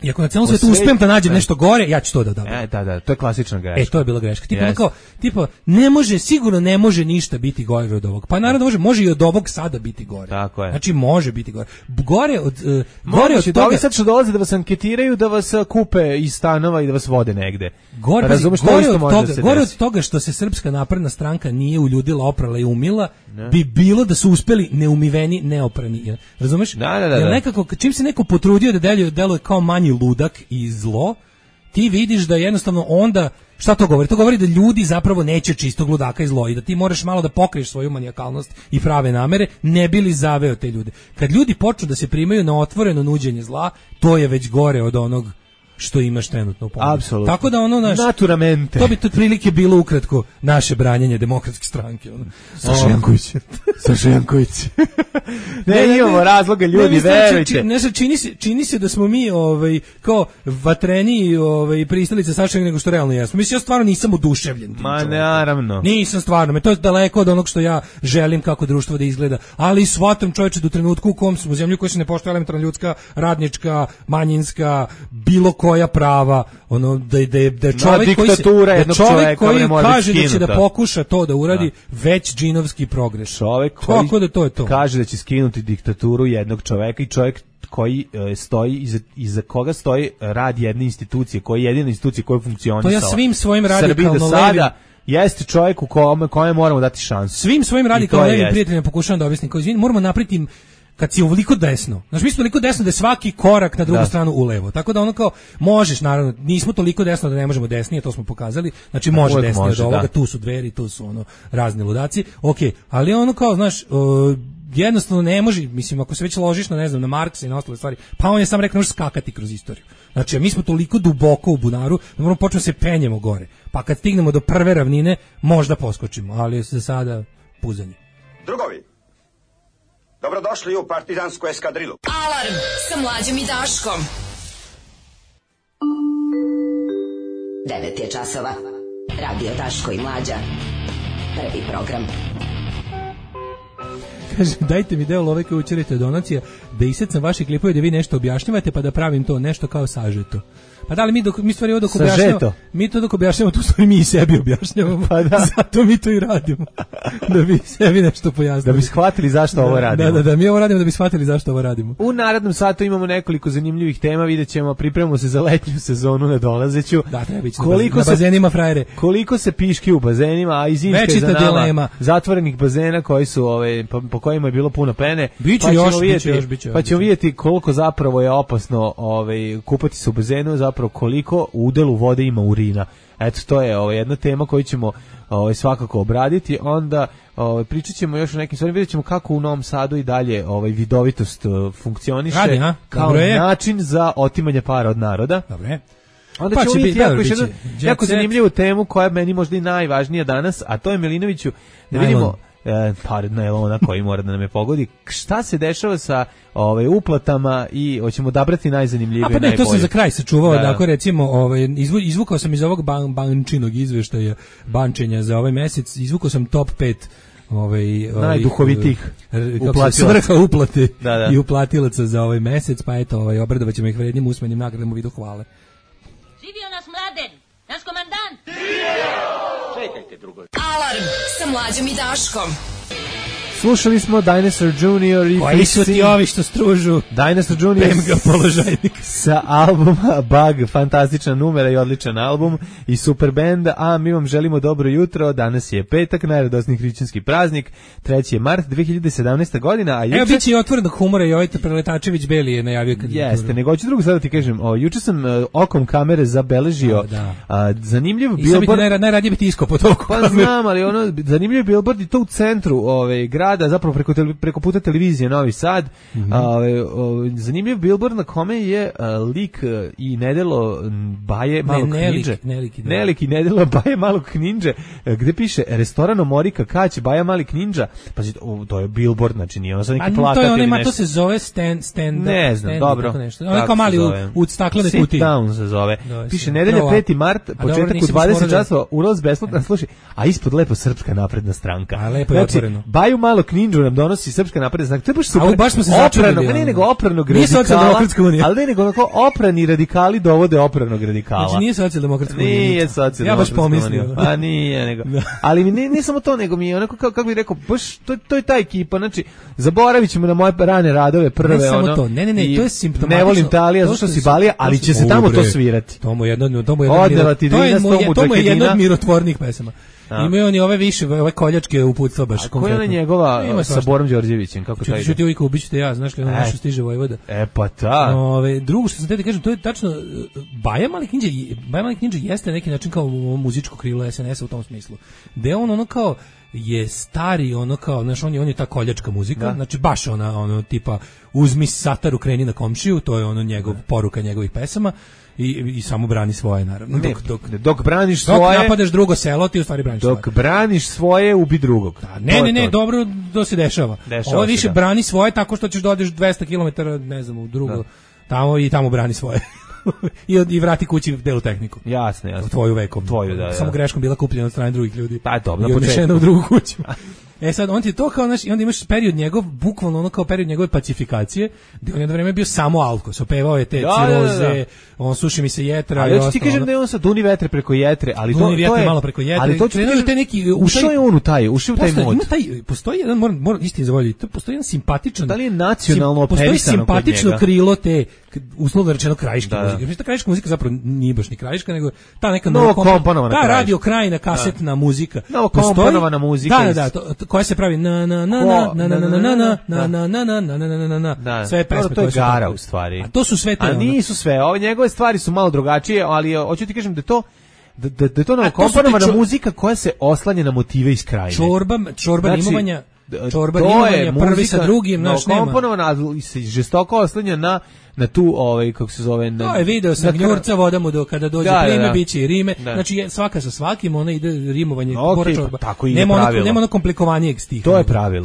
Speaker 3: I ako na celom svijetu uspijem da nađem nešto gore, ja ću to da odabram.
Speaker 2: Da, to je klasična greška.
Speaker 3: To je bila greška. Tipa, sigurno ne može ništa biti gore od ovog. Pa naravno može i od ovog sada biti gore.
Speaker 2: Tako je.
Speaker 3: Znači može biti gore. Gore od
Speaker 2: toga. Ovi sad što dolaze da vas anketiraju, da vas kupe iz stanova i da vas vode negde.
Speaker 3: Gore od toga što se Srpska napredna stranka nije uljudila, oprala i umila, bi bilo da su uspeli neumiveni, neoprani. Razumeš?
Speaker 2: Da.
Speaker 3: Nekako, čim se neko potrudio da deluje kao manji ludak i zlo, ti vidiš da jednostavno onda, šta to govori? To govori da ljudi zapravo neće čistog ludaka i zlo i da ti moraš malo da pokriješ svoju manijakalnost i prave namere, ne bi li zaveo te ljude. Kad ljudi počnu da se primaju na otvoreno nuđenje zla, to je već gore od onog što imaš trenutno u pomoći.
Speaker 2: Apsolutno.
Speaker 3: Tako da
Speaker 2: naturamente.
Speaker 3: To bi to otprilike bilo ukratko naše branjenje demokratske stranke.
Speaker 2: Saša Janković. Ne, imamo razloga, ljudi, verujte.
Speaker 3: Čini se da smo mi kao vatreni pristalice Saša nego što realno jesmo. Mislim, ja stvarno nisam oduševljen.
Speaker 2: Naravno.
Speaker 3: Nisam stvarno. To je daleko od onog što ja želim kako društvo da izgleda. Ali shvatam, čovječe, do trenutku u kom smo u zemlji koja se ne poštuje elementarna ljudska, radnička, manjinska, bilo koja prava, da je čovjek koji kaže da će da pokuša to da uradi, već džinovski progres.
Speaker 2: Čovjek koji kaže da će skinuti diktaturu jednog čovjeka i čovjek koji stoji iza koga stoji rad jedne institucije, koji je jedina institucija koja funkcionisala.
Speaker 3: To ja svim svojim radikalno levim
Speaker 2: jeste čovjek u kome moramo dati šansu.
Speaker 3: Svim svojim radikalno levim prijateljima pokušavam da objasnim, moramo napraviti kad si ovoliko desno. Znači, mi smo toliko desno da je svaki korak na drugu stranu ulevo. Tako da kao, možeš, naravno, nismo toliko desno da ne možemo desnije, to smo pokazali. Znači, može desnije od ovoga, tu su dveri, tu su razni ludaci. Ali kao, znaš, jednostavno ne može, mislim, ako se već ložiš na, ne znam, na Marksa i na ostale stvari, pa on je sam rekao, može skakati kroz istoriju. Znači, mi smo toliko duboko u bunaru da moramo početi se penjemo gore. Pa kad stignemo do prve ravnine, možda poskočimo, ali za sada puzanje.
Speaker 8: Drugovi, dobrodošli u partizansku eskadrilu.
Speaker 1: Alarm sa Mlađom i Daškom. 9 je časova. Radio Daško i Mlađa. Prvi program.
Speaker 3: Kaže, dajte mi deo love koju učerite donacija, da isecam vaše klipove da vi nešto objašnjavate, pa da pravim to nešto kao sažeto. Pa da li mi stvari ovo dok objašnjavamo, mi to dok objašnjavamo, tu stvari mi i sebi objašnjavamo, pa da. Zato mi to i radimo, da bi sebi nešto pojasnili.
Speaker 2: Da bi shvatili zašto ovo radimo.
Speaker 3: Da, mi ovo radimo da bi shvatili zašto ovo radimo.
Speaker 2: U narednom satu imamo nekoliko zanimljivih tema, vidjet ćemo, pripremamo se za letnju sezonu nadolazeću.
Speaker 3: Da, treba biti na bazenima frajere.
Speaker 2: Koliko se piški u bazenima, a i zimske za nama, dilema. Zatvorenih bazena koji su, po kojima je bilo puno pene.
Speaker 3: Biće
Speaker 2: pa ćemo vidjeti koliko zapravo je opasno kupati se u bazenu, zapravo koliko u udelu vode ima urina. Eto, to je jedna tema koju ćemo svakako obraditi. Onda pričat ćemo još o nekim stvarima, vidjet ćemo kako u Novom Sadu i dalje
Speaker 3: vidovitost
Speaker 2: funkcioniše kao način za otimanje para od naroda.
Speaker 3: Dobre.
Speaker 2: Onda ćemo vidjeti jednu jako zanimljivu temu koja je meni možda i najvažnija danas, a to je Milinoviću, da vidimo par najlona koji mora da nam je pogodi. Šta se dešava sa uplatama i hoćemo odabrati najzanimljivije i najbolje.
Speaker 3: To sam za kraj sačuvao, dakle recimo izvukao sam iz ovog bančinog izveštaja bančenja za ovaj mesec, izvukao sam top 5
Speaker 2: najduhovitih
Speaker 3: svrha uplate i uplatilaca za ovaj mesec, pa eto, obradovaćemo ćemo ih vrednim usmenim nagradama u vidu hvale.
Speaker 9: Živio nas Mladen, naš komandant!
Speaker 4: Čekajte, drugovi.
Speaker 1: Alarm sa Mlađom i Daškom.
Speaker 2: Slušali smo Dinosaur Junior i
Speaker 3: koji su ti ovi što stružu
Speaker 2: Dinosaur Junior
Speaker 3: položajnik
Speaker 2: sa albuma Bug, fantastična numera i odličan album i super band, a mi vam želimo dobro jutro. Danas je petak, najradosniji hrišćanski praznik, 3. mart 2017. godina, a juče...
Speaker 3: Evo, bit će i otvorenog humora i ovaj Preletačević Beli je najavio kandidaturu.
Speaker 2: Jeste, nego ću drugo sada ti kažem, juče sam okom kamere zabeležio zanimljiv billboard...
Speaker 3: I sad bi najradije biti iskop od oko
Speaker 2: kamere. Pa znam, ali zanimljiv billboard i to u centru grada, zapravo preko puta televizije Novi Sad. Zanimljiv billboard na kome je lik i nedelo Baje Malog Kninđe. Ne lik i nedelo Baje Malog Kninđe, gde piše restoran Omorika Kać Baja Mali Kninđa. Pazi, to je billboard, znači nije ono sad neki plakat ili nešto.
Speaker 3: To se zove stand
Speaker 2: ne znam, dobro.
Speaker 3: Ono je kao mali u staklene kutije.
Speaker 2: Sit down se zove. Piše nedelja 5. mart, početak u 20 časova, ulaz besplatan, slušaj, a ispod lepo Srpska napredna stranka.
Speaker 3: A lepo je otvoreno.
Speaker 2: Baju Malog Kninđu nam donosi Srpska napredna stranka. To je baš super.
Speaker 3: A baš smo se začudili.
Speaker 2: Ne nego opranog radikala. Ali ne nego onako oprani radikali dovode opranog radikala.
Speaker 3: Znači nije socijaldemokratska unija.
Speaker 2: Nije socijaldemokratska
Speaker 3: unija. Ja baš pomislio.
Speaker 2: A nije nego. Ali ne samo to, nego mi je onako kako bih rekao, baš to je ta ekipa. Znači zaboravićemo na moje rane radove prve.
Speaker 3: Ne samo to. Ne, to je simptomatično.
Speaker 2: Ne volim Italija, zašto si Balija, ali će se tamo to svirati.
Speaker 3: To mu je jedno od mirotvornih pesama. Imaju oni ove više, ove koljačke uputstva baš konkretno.
Speaker 2: A koja je njegova sa Borom Đorđevićem, kako taj ide?
Speaker 3: Čuti uvijek ubićete ja, znaš li ono nešto stiže Vojvoda.
Speaker 2: Pa ta.
Speaker 3: Drugo što sam te da kažem, to je tačno, Baja Mali Kninđa jeste neki način kao muzičko krilo SNS-a u tom smislu. Gde on ono kao je stari, ono kao, znaš, on je ta koljačka muzika, znači baš ono tipa uzmi sataru, kreni na komšiju, to je ono poruka njegovih pesama. I samo brani svoje, naravno.
Speaker 2: Dok braniš svoje...
Speaker 3: Dok napadaš drugo selo, ti u stvari braniš svoje.
Speaker 2: Dok braniš svoje, ubi drugog.
Speaker 3: Ne, dobro, to se dešava. Ovo više brani svoje tako što ćeš da odeš 200 km, ne znam, u drugo, tamo i tamo brani svoje. I vrati kući delu tehniku.
Speaker 2: Jasno.
Speaker 3: Tvoju vekom.
Speaker 2: Da.
Speaker 3: Samo greškom bila kupljena od strane drugih ljudi.
Speaker 2: Pa dobro,
Speaker 3: i odnešena u drugu kuću. Sad, on ti je to kao, znaš, i onda imaš period njegov, bukvalno ono kao period njegove pacifikacije, gdje on jedno vreme bio samo alkos, opevao je te ciroze, on suši mi se jetra.
Speaker 2: Ali ja ti kažem da je on sad duni vetre preko jetre, ali to je...
Speaker 3: malo preko jetre.
Speaker 2: Ali to te neki... Ušao je on u taj mod.
Speaker 3: Postoji jedan, moram istini zavoljiti, postoji jedan simpatičan...
Speaker 2: Da li je nacionalno operisano
Speaker 3: kod njega? Postoji simpatično krilo te, uslovno rečeno, krajiške muzike. Mislim, ta krajiška muzika zapravo nije baš ni krajiška, nego ta neka
Speaker 2: novokomponovana
Speaker 3: ta radio krajina kasetna muzika.
Speaker 2: Novokomponovana muzika.
Speaker 3: Da, koja se pravi sve pesme.
Speaker 2: To je gara u stvari.
Speaker 3: A to su sve te.
Speaker 2: A nisu sve. Ove njegove stvari su malo drugačije, ali hoću ti kažem da je to novokomponovana muzika koja se oslanja na motive iz krajine.
Speaker 3: Čorba rimovanja. Čorba rimovanja prvi sa drugim, naš nema.
Speaker 2: Novokomponovana, ali se žestoko oslanja na tu, kako se zove...
Speaker 3: To je video sa Gnjurca vodamo do kada dođe prime, bit će i rime. Znači, svaka sa svakim, ona ide rimovanje,
Speaker 2: čorba. Tako ide pravilo.
Speaker 3: Nema ono komplikovanijeg stiha.
Speaker 2: To je pravilo.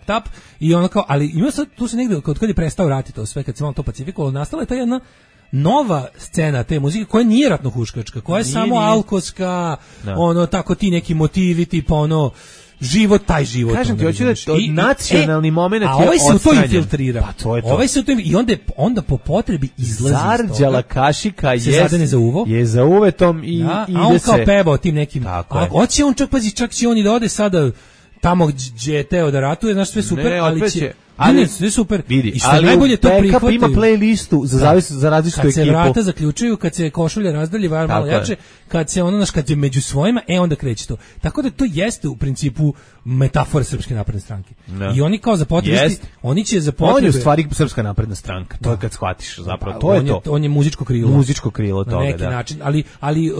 Speaker 3: Tap. I ono kao, ali ima sad, tu se negde, kad je prestao rati to sve, kad se malo to pacifikovalo, nastala je ta jedna nova scena te muzike koja nije ratnohuškačka, koja je samo alkoska, ono tako ti neki motivi tipa ono život, taj život.
Speaker 2: Kažem ti, hoću da nacionalni moment je
Speaker 3: odstranjen. A ovaj se u to infiltrira.
Speaker 2: Pa to je to.
Speaker 3: Ovaj se u to i onda po potrebi izlazi iz toga.
Speaker 2: Zarđala kašika
Speaker 3: je
Speaker 2: za uvetom i
Speaker 3: da,
Speaker 2: ide se.
Speaker 3: A on kao pevao tim nekim.
Speaker 2: A
Speaker 3: hoće on čak, pazi, čak će on i da ode sada tamo gdje je teo da ratuje, znaš, sve super, ali sve super.
Speaker 2: Vidi,
Speaker 3: i što najbolje to prihvataju.
Speaker 2: Ima playlistu za različitu ekipu.
Speaker 3: Kad se vrata zaključuju, kad se košulje razdalje malo jače, kad se ono, kad je među svojima, onda kreće to. Tako da to jeste u principu metafora Srpske napredne stranke. No. I oni kao za potrebe, oni će za potrebe.
Speaker 2: On je u stvari Srpska napredna stranka. To je kad shvatiš zapravo. To je to.
Speaker 3: On je muzičko krilo.
Speaker 2: Muzičko krilo toga,
Speaker 3: na neki način, ali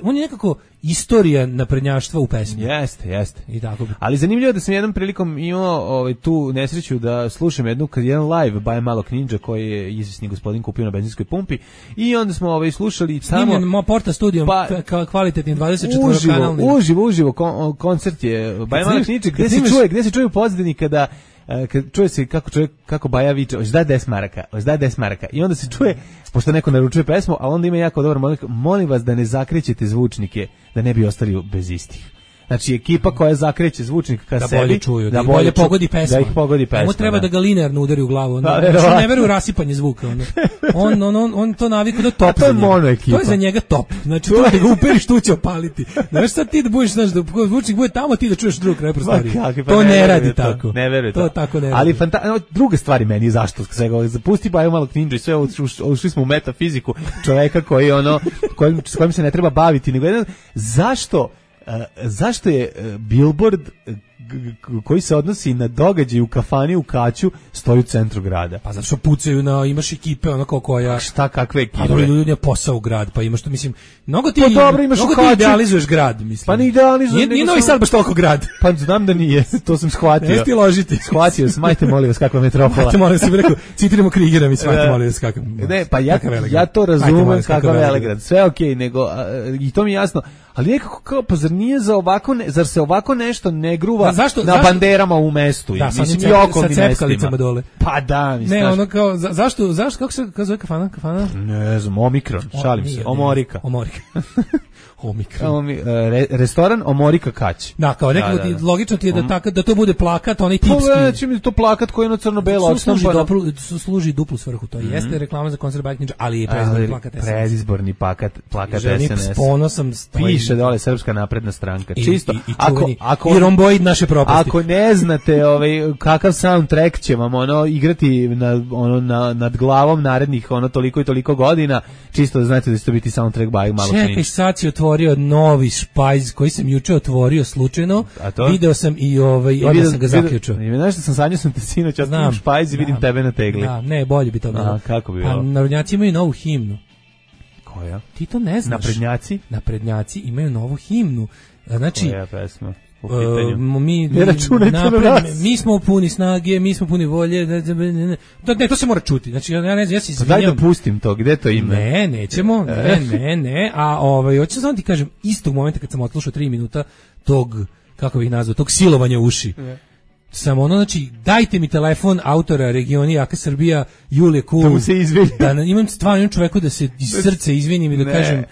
Speaker 3: on je nekako istorija naprednjaštva u pesmi.
Speaker 2: Jeste.
Speaker 3: I tako.
Speaker 2: Ali zanimljivo da sam jednom prilikom imao tu nesreću da slušam jedan live Baja Malog Ninja koji je izvisni gospodin kupio na benzinskoj pumpi i onda smo slušali
Speaker 3: samo Porta studijom kvalitetni 24 kanalni.
Speaker 2: Uživo koncert je Baja Malog Ninja gdje se čuje u pozadini kada čuje se kako Baja viče, ožda 10 maraka. I onda se čuje, pošto neko naručuje pesmu, ali onda ima jako dobar molim vas da ne zakrećete zvučnike, da ne bi ostali bez istih. Znači ekipa koja zakreće zvučnik ka
Speaker 3: da
Speaker 2: sebi,
Speaker 3: bolje čuju, da bolje pogodi pesma.
Speaker 2: Da ih pogodi pesma.
Speaker 3: Mu treba da ga linearno udari u glavu. Znači ne veruje u rasipanje zvuka. On to naviku da top.
Speaker 2: To je mono ekipa.
Speaker 3: To je za njega top. Znači to da ga uperiš tu će opaliti. Znaš sad ti da budeš, znaš, da zvučnik bude tamo, ti da čuješ drug kraj prostorije. To ne radi tako.
Speaker 2: Ne veruje to.
Speaker 3: To tako ne radi.
Speaker 2: Ali druga stvari meni zašto svega zapusti Baju Malog Ninja i sve ušli smo u metafiziku čoveka koji s kojim se ne treba baviti, nego jedan zašto je billboard koji se odnosi na događaj u kafani u Kaću stoji u centru grada?
Speaker 3: Pa zato što pucaju imaš ekipe onako koja...
Speaker 2: Šta, kakve ekipe?
Speaker 3: Pa ljudi je posao u grad, pa imaš to, mislim, mnogo ti idealizuješ grad, mislim.
Speaker 2: Pa ne idealizuješ.
Speaker 3: Nije Novi Sad baš toliko grad.
Speaker 2: Pa znam da nije, to sam shvatio.
Speaker 3: Ne ti ložiti.
Speaker 2: Shvatio, smajte molim vas kakva metropola.
Speaker 3: Smajte molim vas, si mi rekao, citiramo Krigera, mi smajte molim vas kakva.
Speaker 2: Ne, pa ja to razumem kakva Velegrad, sve okej, nego, i to mi je jasno, ali nekako kao, pa zar se ovako nešto ne gruva na banderama u mestu?
Speaker 3: Da,
Speaker 2: mislim,
Speaker 3: i okolnim mestima dole.
Speaker 2: Pa da, mislim.
Speaker 3: Ne, ono kao, zašto, kako se zove kafana?
Speaker 2: Ne znam, Omikron, šalim se, Omorika.
Speaker 3: Omikron.
Speaker 2: Restoran Omorika Kać.
Speaker 3: Da, kao nekako logično ti je da to bude plakat, onaj tipski.
Speaker 2: Pogledaj mi to plakat koji je na crno-belo odštampano.
Speaker 3: Služi duplu svrhu, to jeste reklama za koncert Bajk Ninja, ali je predizborni plakat SNS.
Speaker 2: Predizborni plakat SNS.
Speaker 3: S ponosom
Speaker 2: piše dole Srpska napredna stranka. Čisto.
Speaker 3: I romboid naše propasti.
Speaker 2: Ako ne znate kakav soundtrack će vam igrati nad glavom narednih toliko i toliko godina, čisto da znate da će to biti soundtrack Bajk Malog Ninja.
Speaker 3: Čekaj, sad si otvorio novi špajz koji sam juče otvorio slučajno. Video sam i onda sam ga zaključio.
Speaker 2: Znaš što sam sanjao sam te sinoć, otvorim špajz i vidim tebe na tegli.
Speaker 3: Da, ne, bolje bi to bilo.
Speaker 2: Kako bi bilo?
Speaker 3: Pa narodnjaci imaju novu himnu.
Speaker 2: Koja?
Speaker 3: Ti to ne znaš. Naprednjaci imaju novu himnu. Znači,
Speaker 2: koja pesma?
Speaker 3: Mi smo puni snage, mi smo puni volje. Ne, to se mora čuti. Znači, ja ne znam, ja se izvinjam.
Speaker 2: Daj da pustim to, gde to ima?
Speaker 3: Ne, nećemo. Ne. A hoću samo ti kažem, istog momenta kad sam odslušao 3 minuta tog, kako bih nazvao, tog silovanja uši. Samo znači, dajte mi telefon autora Regioni Jaka Srbija, Julije Kul.
Speaker 2: Da mu se izvinim.
Speaker 3: Da imam stvarno čoveku da se iz srca izvinim i da kažem...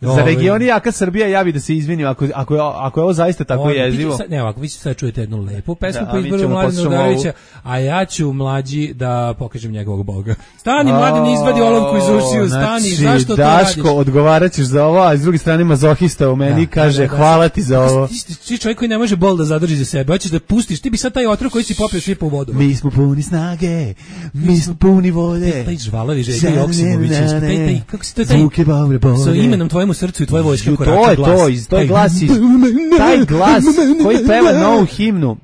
Speaker 2: Za Regioni Jaka Srbija ja bi da se izvinim ako je ovo zaista tako jezivo.
Speaker 3: Ne, ovako, vi sad čujete jednu lepu pesmu po izboru Mladena Udarevića, a ja ću mlađi da pokažem njegovog Boga. Stani, Mladen, izvadi olovku iz ušiju, stani, zašto to radiš?
Speaker 2: Daško, odgovarat ćeš za ovo, a s druge strane mazohista u meni kaže hvala ti za ovo.
Speaker 3: Ti čovjek koji ne može bol da zadrži za sebe, hoćeš da pustiš, ti bi sad taj otrov koji si popio svipa u vodu.
Speaker 2: Mi smo puni snage, mi smo puni volje.
Speaker 3: Taj žvalavi Željko Joksimović, kako se to sa imenom tvojemu srcu i tvoje vojske
Speaker 2: korača glas. To je glas taj glas koji peva novu himnu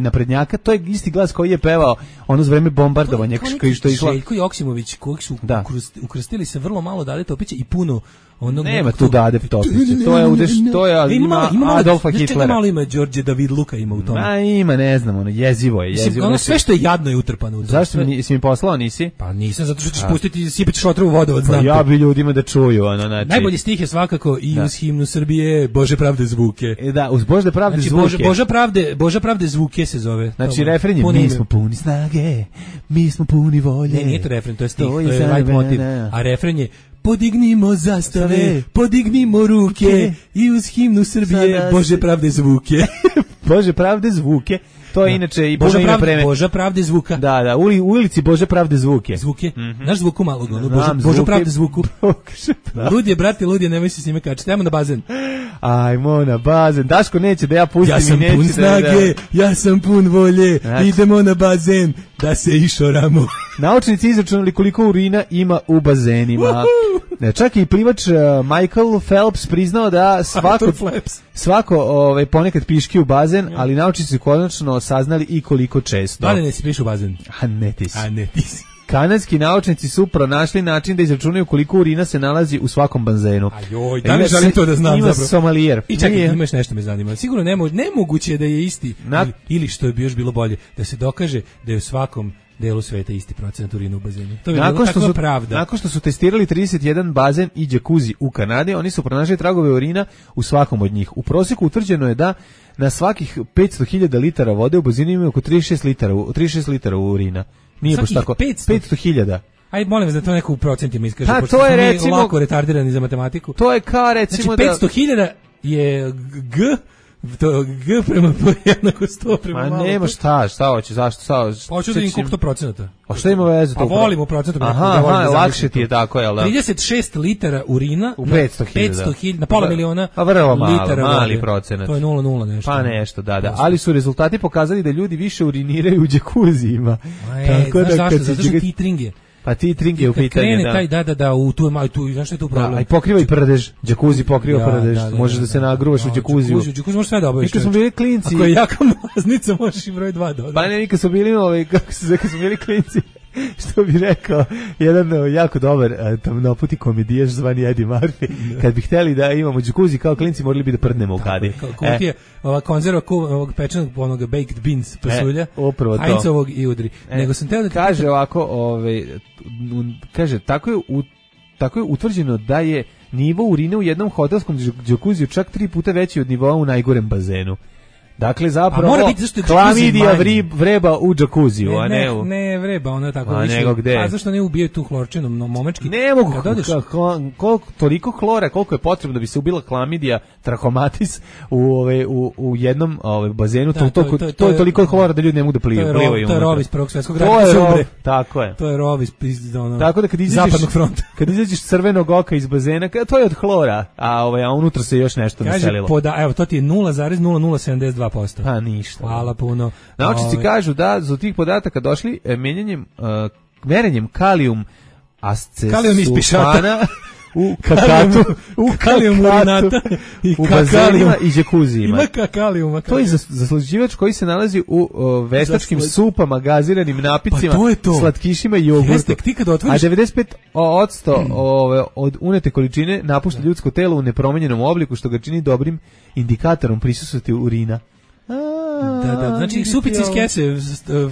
Speaker 2: naprednjaka, to je isti glas koji je pevao ono za vreme bombardovanja što je išlo.
Speaker 3: Željko Joksimović, kojeg su ukrstili se vrlo malo Dade Topića i puno
Speaker 2: Nema tu Dade Topića, to je ima Adolfa Hitlera.
Speaker 3: Malo ima Đorđe David Luka ima u tome.
Speaker 2: Ma ima, ne znam, ono, jezivo je.
Speaker 3: Ono sve što je jadno je utrpano u tome.
Speaker 2: Zašto si mi poslao, nisi?
Speaker 3: Pa nisam, zato što ćeš pustiti, sipati šotra u vodovod, znam.
Speaker 2: Ja bi ljudima da čuju, ono, znači.
Speaker 3: Najbolji stih je svakako i uz himnu Srbije, Bože pravde zvuke.
Speaker 2: Da, uz Bože pravde zvuke.
Speaker 3: Bože pravde zvuke se zove.
Speaker 2: Znači, refren je, mi smo puni snage, mi smo puni volje.
Speaker 3: Ne, nije to refren, to je stih, to je light motiv. A refren je, podignimo zastave, podignimo ruke i uz himnu Srbije, Bože pravde zvuke.
Speaker 2: Bože pravde zvuke. To je inače i puno ime preme.
Speaker 3: Boža pravde zvuka.
Speaker 2: Da, u ulici Bože pravde zvuke.
Speaker 3: Zvuke. Znaš zvuku malog, Boža pravde zvuku. Lud je, brate, lud je, nemoj se s njime kačiti. Ajmo na bazen.
Speaker 2: Ajmo na bazen. Daško neće da ja pustim i neće da...
Speaker 3: Ja sam pun snage, ja sam pun volje, idemo na bazen da se išoramo.
Speaker 2: Naučnici izračunali koliko urina ima u bazenima. Čak i plivač Michael Phelps priznao da svako ponekad piški u bazen, ali naučnici su konačno saznali i koliko često.
Speaker 3: Da li ne si piš u bazen?
Speaker 2: A ne ti si. Kanadski naučnici su pronašli način da izračunaju koliko urina se nalazi u svakom bazenu.
Speaker 3: Ajoj, da li želim to da znam
Speaker 2: zapravo? Ima somalijer.
Speaker 3: I čekaj, imaš nešto me zanima. Sigurno nemoguće je da je isti, ili što bi još bilo bolje, da se dokaže da je u svakom delu sveta isti procenat urina u bazenu. To je takva pravda.
Speaker 2: Nakon što su testirali 31 bazen i džakuzi u Kanadi, oni su pronašli tragove urina u svakom od njih. U prosjeku utvrđeno je da na svakih 500.000 litara vode u bazenu ima oko 36 litara urina. Nije baš tako. 500.000.
Speaker 3: Aj, molim vas da to neko u procentima iskaže.
Speaker 2: To je recimo
Speaker 3: lako retardirani za matematiku.
Speaker 2: To je kao recimo
Speaker 3: znači, 500.000 je to G prema jednako 100 prema malo.
Speaker 2: Ma nema šta hoće, zašto?
Speaker 3: Hoću da im koliko to procenata.
Speaker 2: A šta ima veze?
Speaker 3: Pa volimo procenata.
Speaker 2: Aha, lakše ti je tako, jel da?
Speaker 3: 36 litara urina
Speaker 2: u 500.000.
Speaker 3: Na pola miliona
Speaker 2: a vrlo
Speaker 3: mali
Speaker 2: procenat.
Speaker 3: To je 0,0 nešto.
Speaker 2: Pa nešto, da. Ali su rezultati pokazali da ljudi više uriniraju u džakuzijima.
Speaker 3: Tako da zašto? Zato što titring je.
Speaker 2: Pa titring je u pitanju,
Speaker 3: da. Taj, da, u tu, znaš što je tu problem?
Speaker 2: Da, a i pokriva i prdež, džakuzi pokriva prdež, možeš da se nagruvaš u džakuziju.
Speaker 3: Džakuzi možeš sve da obaviš.
Speaker 2: Kad smo bili klinci...
Speaker 3: Ako je jaka mlaznica, možeš i broj 2 dodati.
Speaker 2: Pa ne, kad smo bili, kad smo bili klinci, što bi rekao, jedan jako dobar tamnoputi komedijaš zvani Eddie Murphy, kad bi hteli da imamo džakuzi kao klinci, morali bi da prdnemo u kadi.
Speaker 3: Kutije, ova konzerva ovog pečenog, onog baked beans pasulja, Heinzovog i udri. Nego sam teo da
Speaker 2: kaže ovako, kaže, tako je utvrđeno da je nivo urine u jednom hotelskom džakuziju čak 3 puta veći od nivoa u najgorem bazenu. Dakle, zapravo, klamidija vreba u džakuziju, a ne u...
Speaker 3: Ne vreba, ono je tako
Speaker 2: više. A nego gde?
Speaker 3: A zašto ne ubijaju tu hlorčinu, momečki?
Speaker 2: Ne mogu, toliko hlora, koliko je potrebno da bi se ubila klamidija trachomatis u jednom bazenu, to je toliko hlora da ljudi ne mogu da plivaju.
Speaker 3: To je rov iz Prvog svjetskog rata.
Speaker 2: Tako je.
Speaker 3: To je rov iz
Speaker 2: tako da
Speaker 3: zapadnog fronta.
Speaker 2: Kad izađeš crvenog oka iz bazena, to je od hlora, a unutra se još nešto naselilo.
Speaker 3: Evo, to ti je 0,0072%.
Speaker 2: Pa ništa.
Speaker 3: Hvala puno.
Speaker 2: Naučnici kažu da su tih podataka došli merenjem kalijum ascesulfana u kakatu,
Speaker 3: u kalijum urinata
Speaker 2: u bazenima i džakuzijima.
Speaker 3: Ima kakalijuma.
Speaker 2: To je zaslađivač koji se nalazi u veštačkim supama, gaziranim napicima, slatkišima i jogurtu. A 95% od unete količine napušta ljudsko telo u nepromenjenom obliku, što ga čini dobrim indikatorom prisutnosti urina.
Speaker 3: Da, znači supici iz kese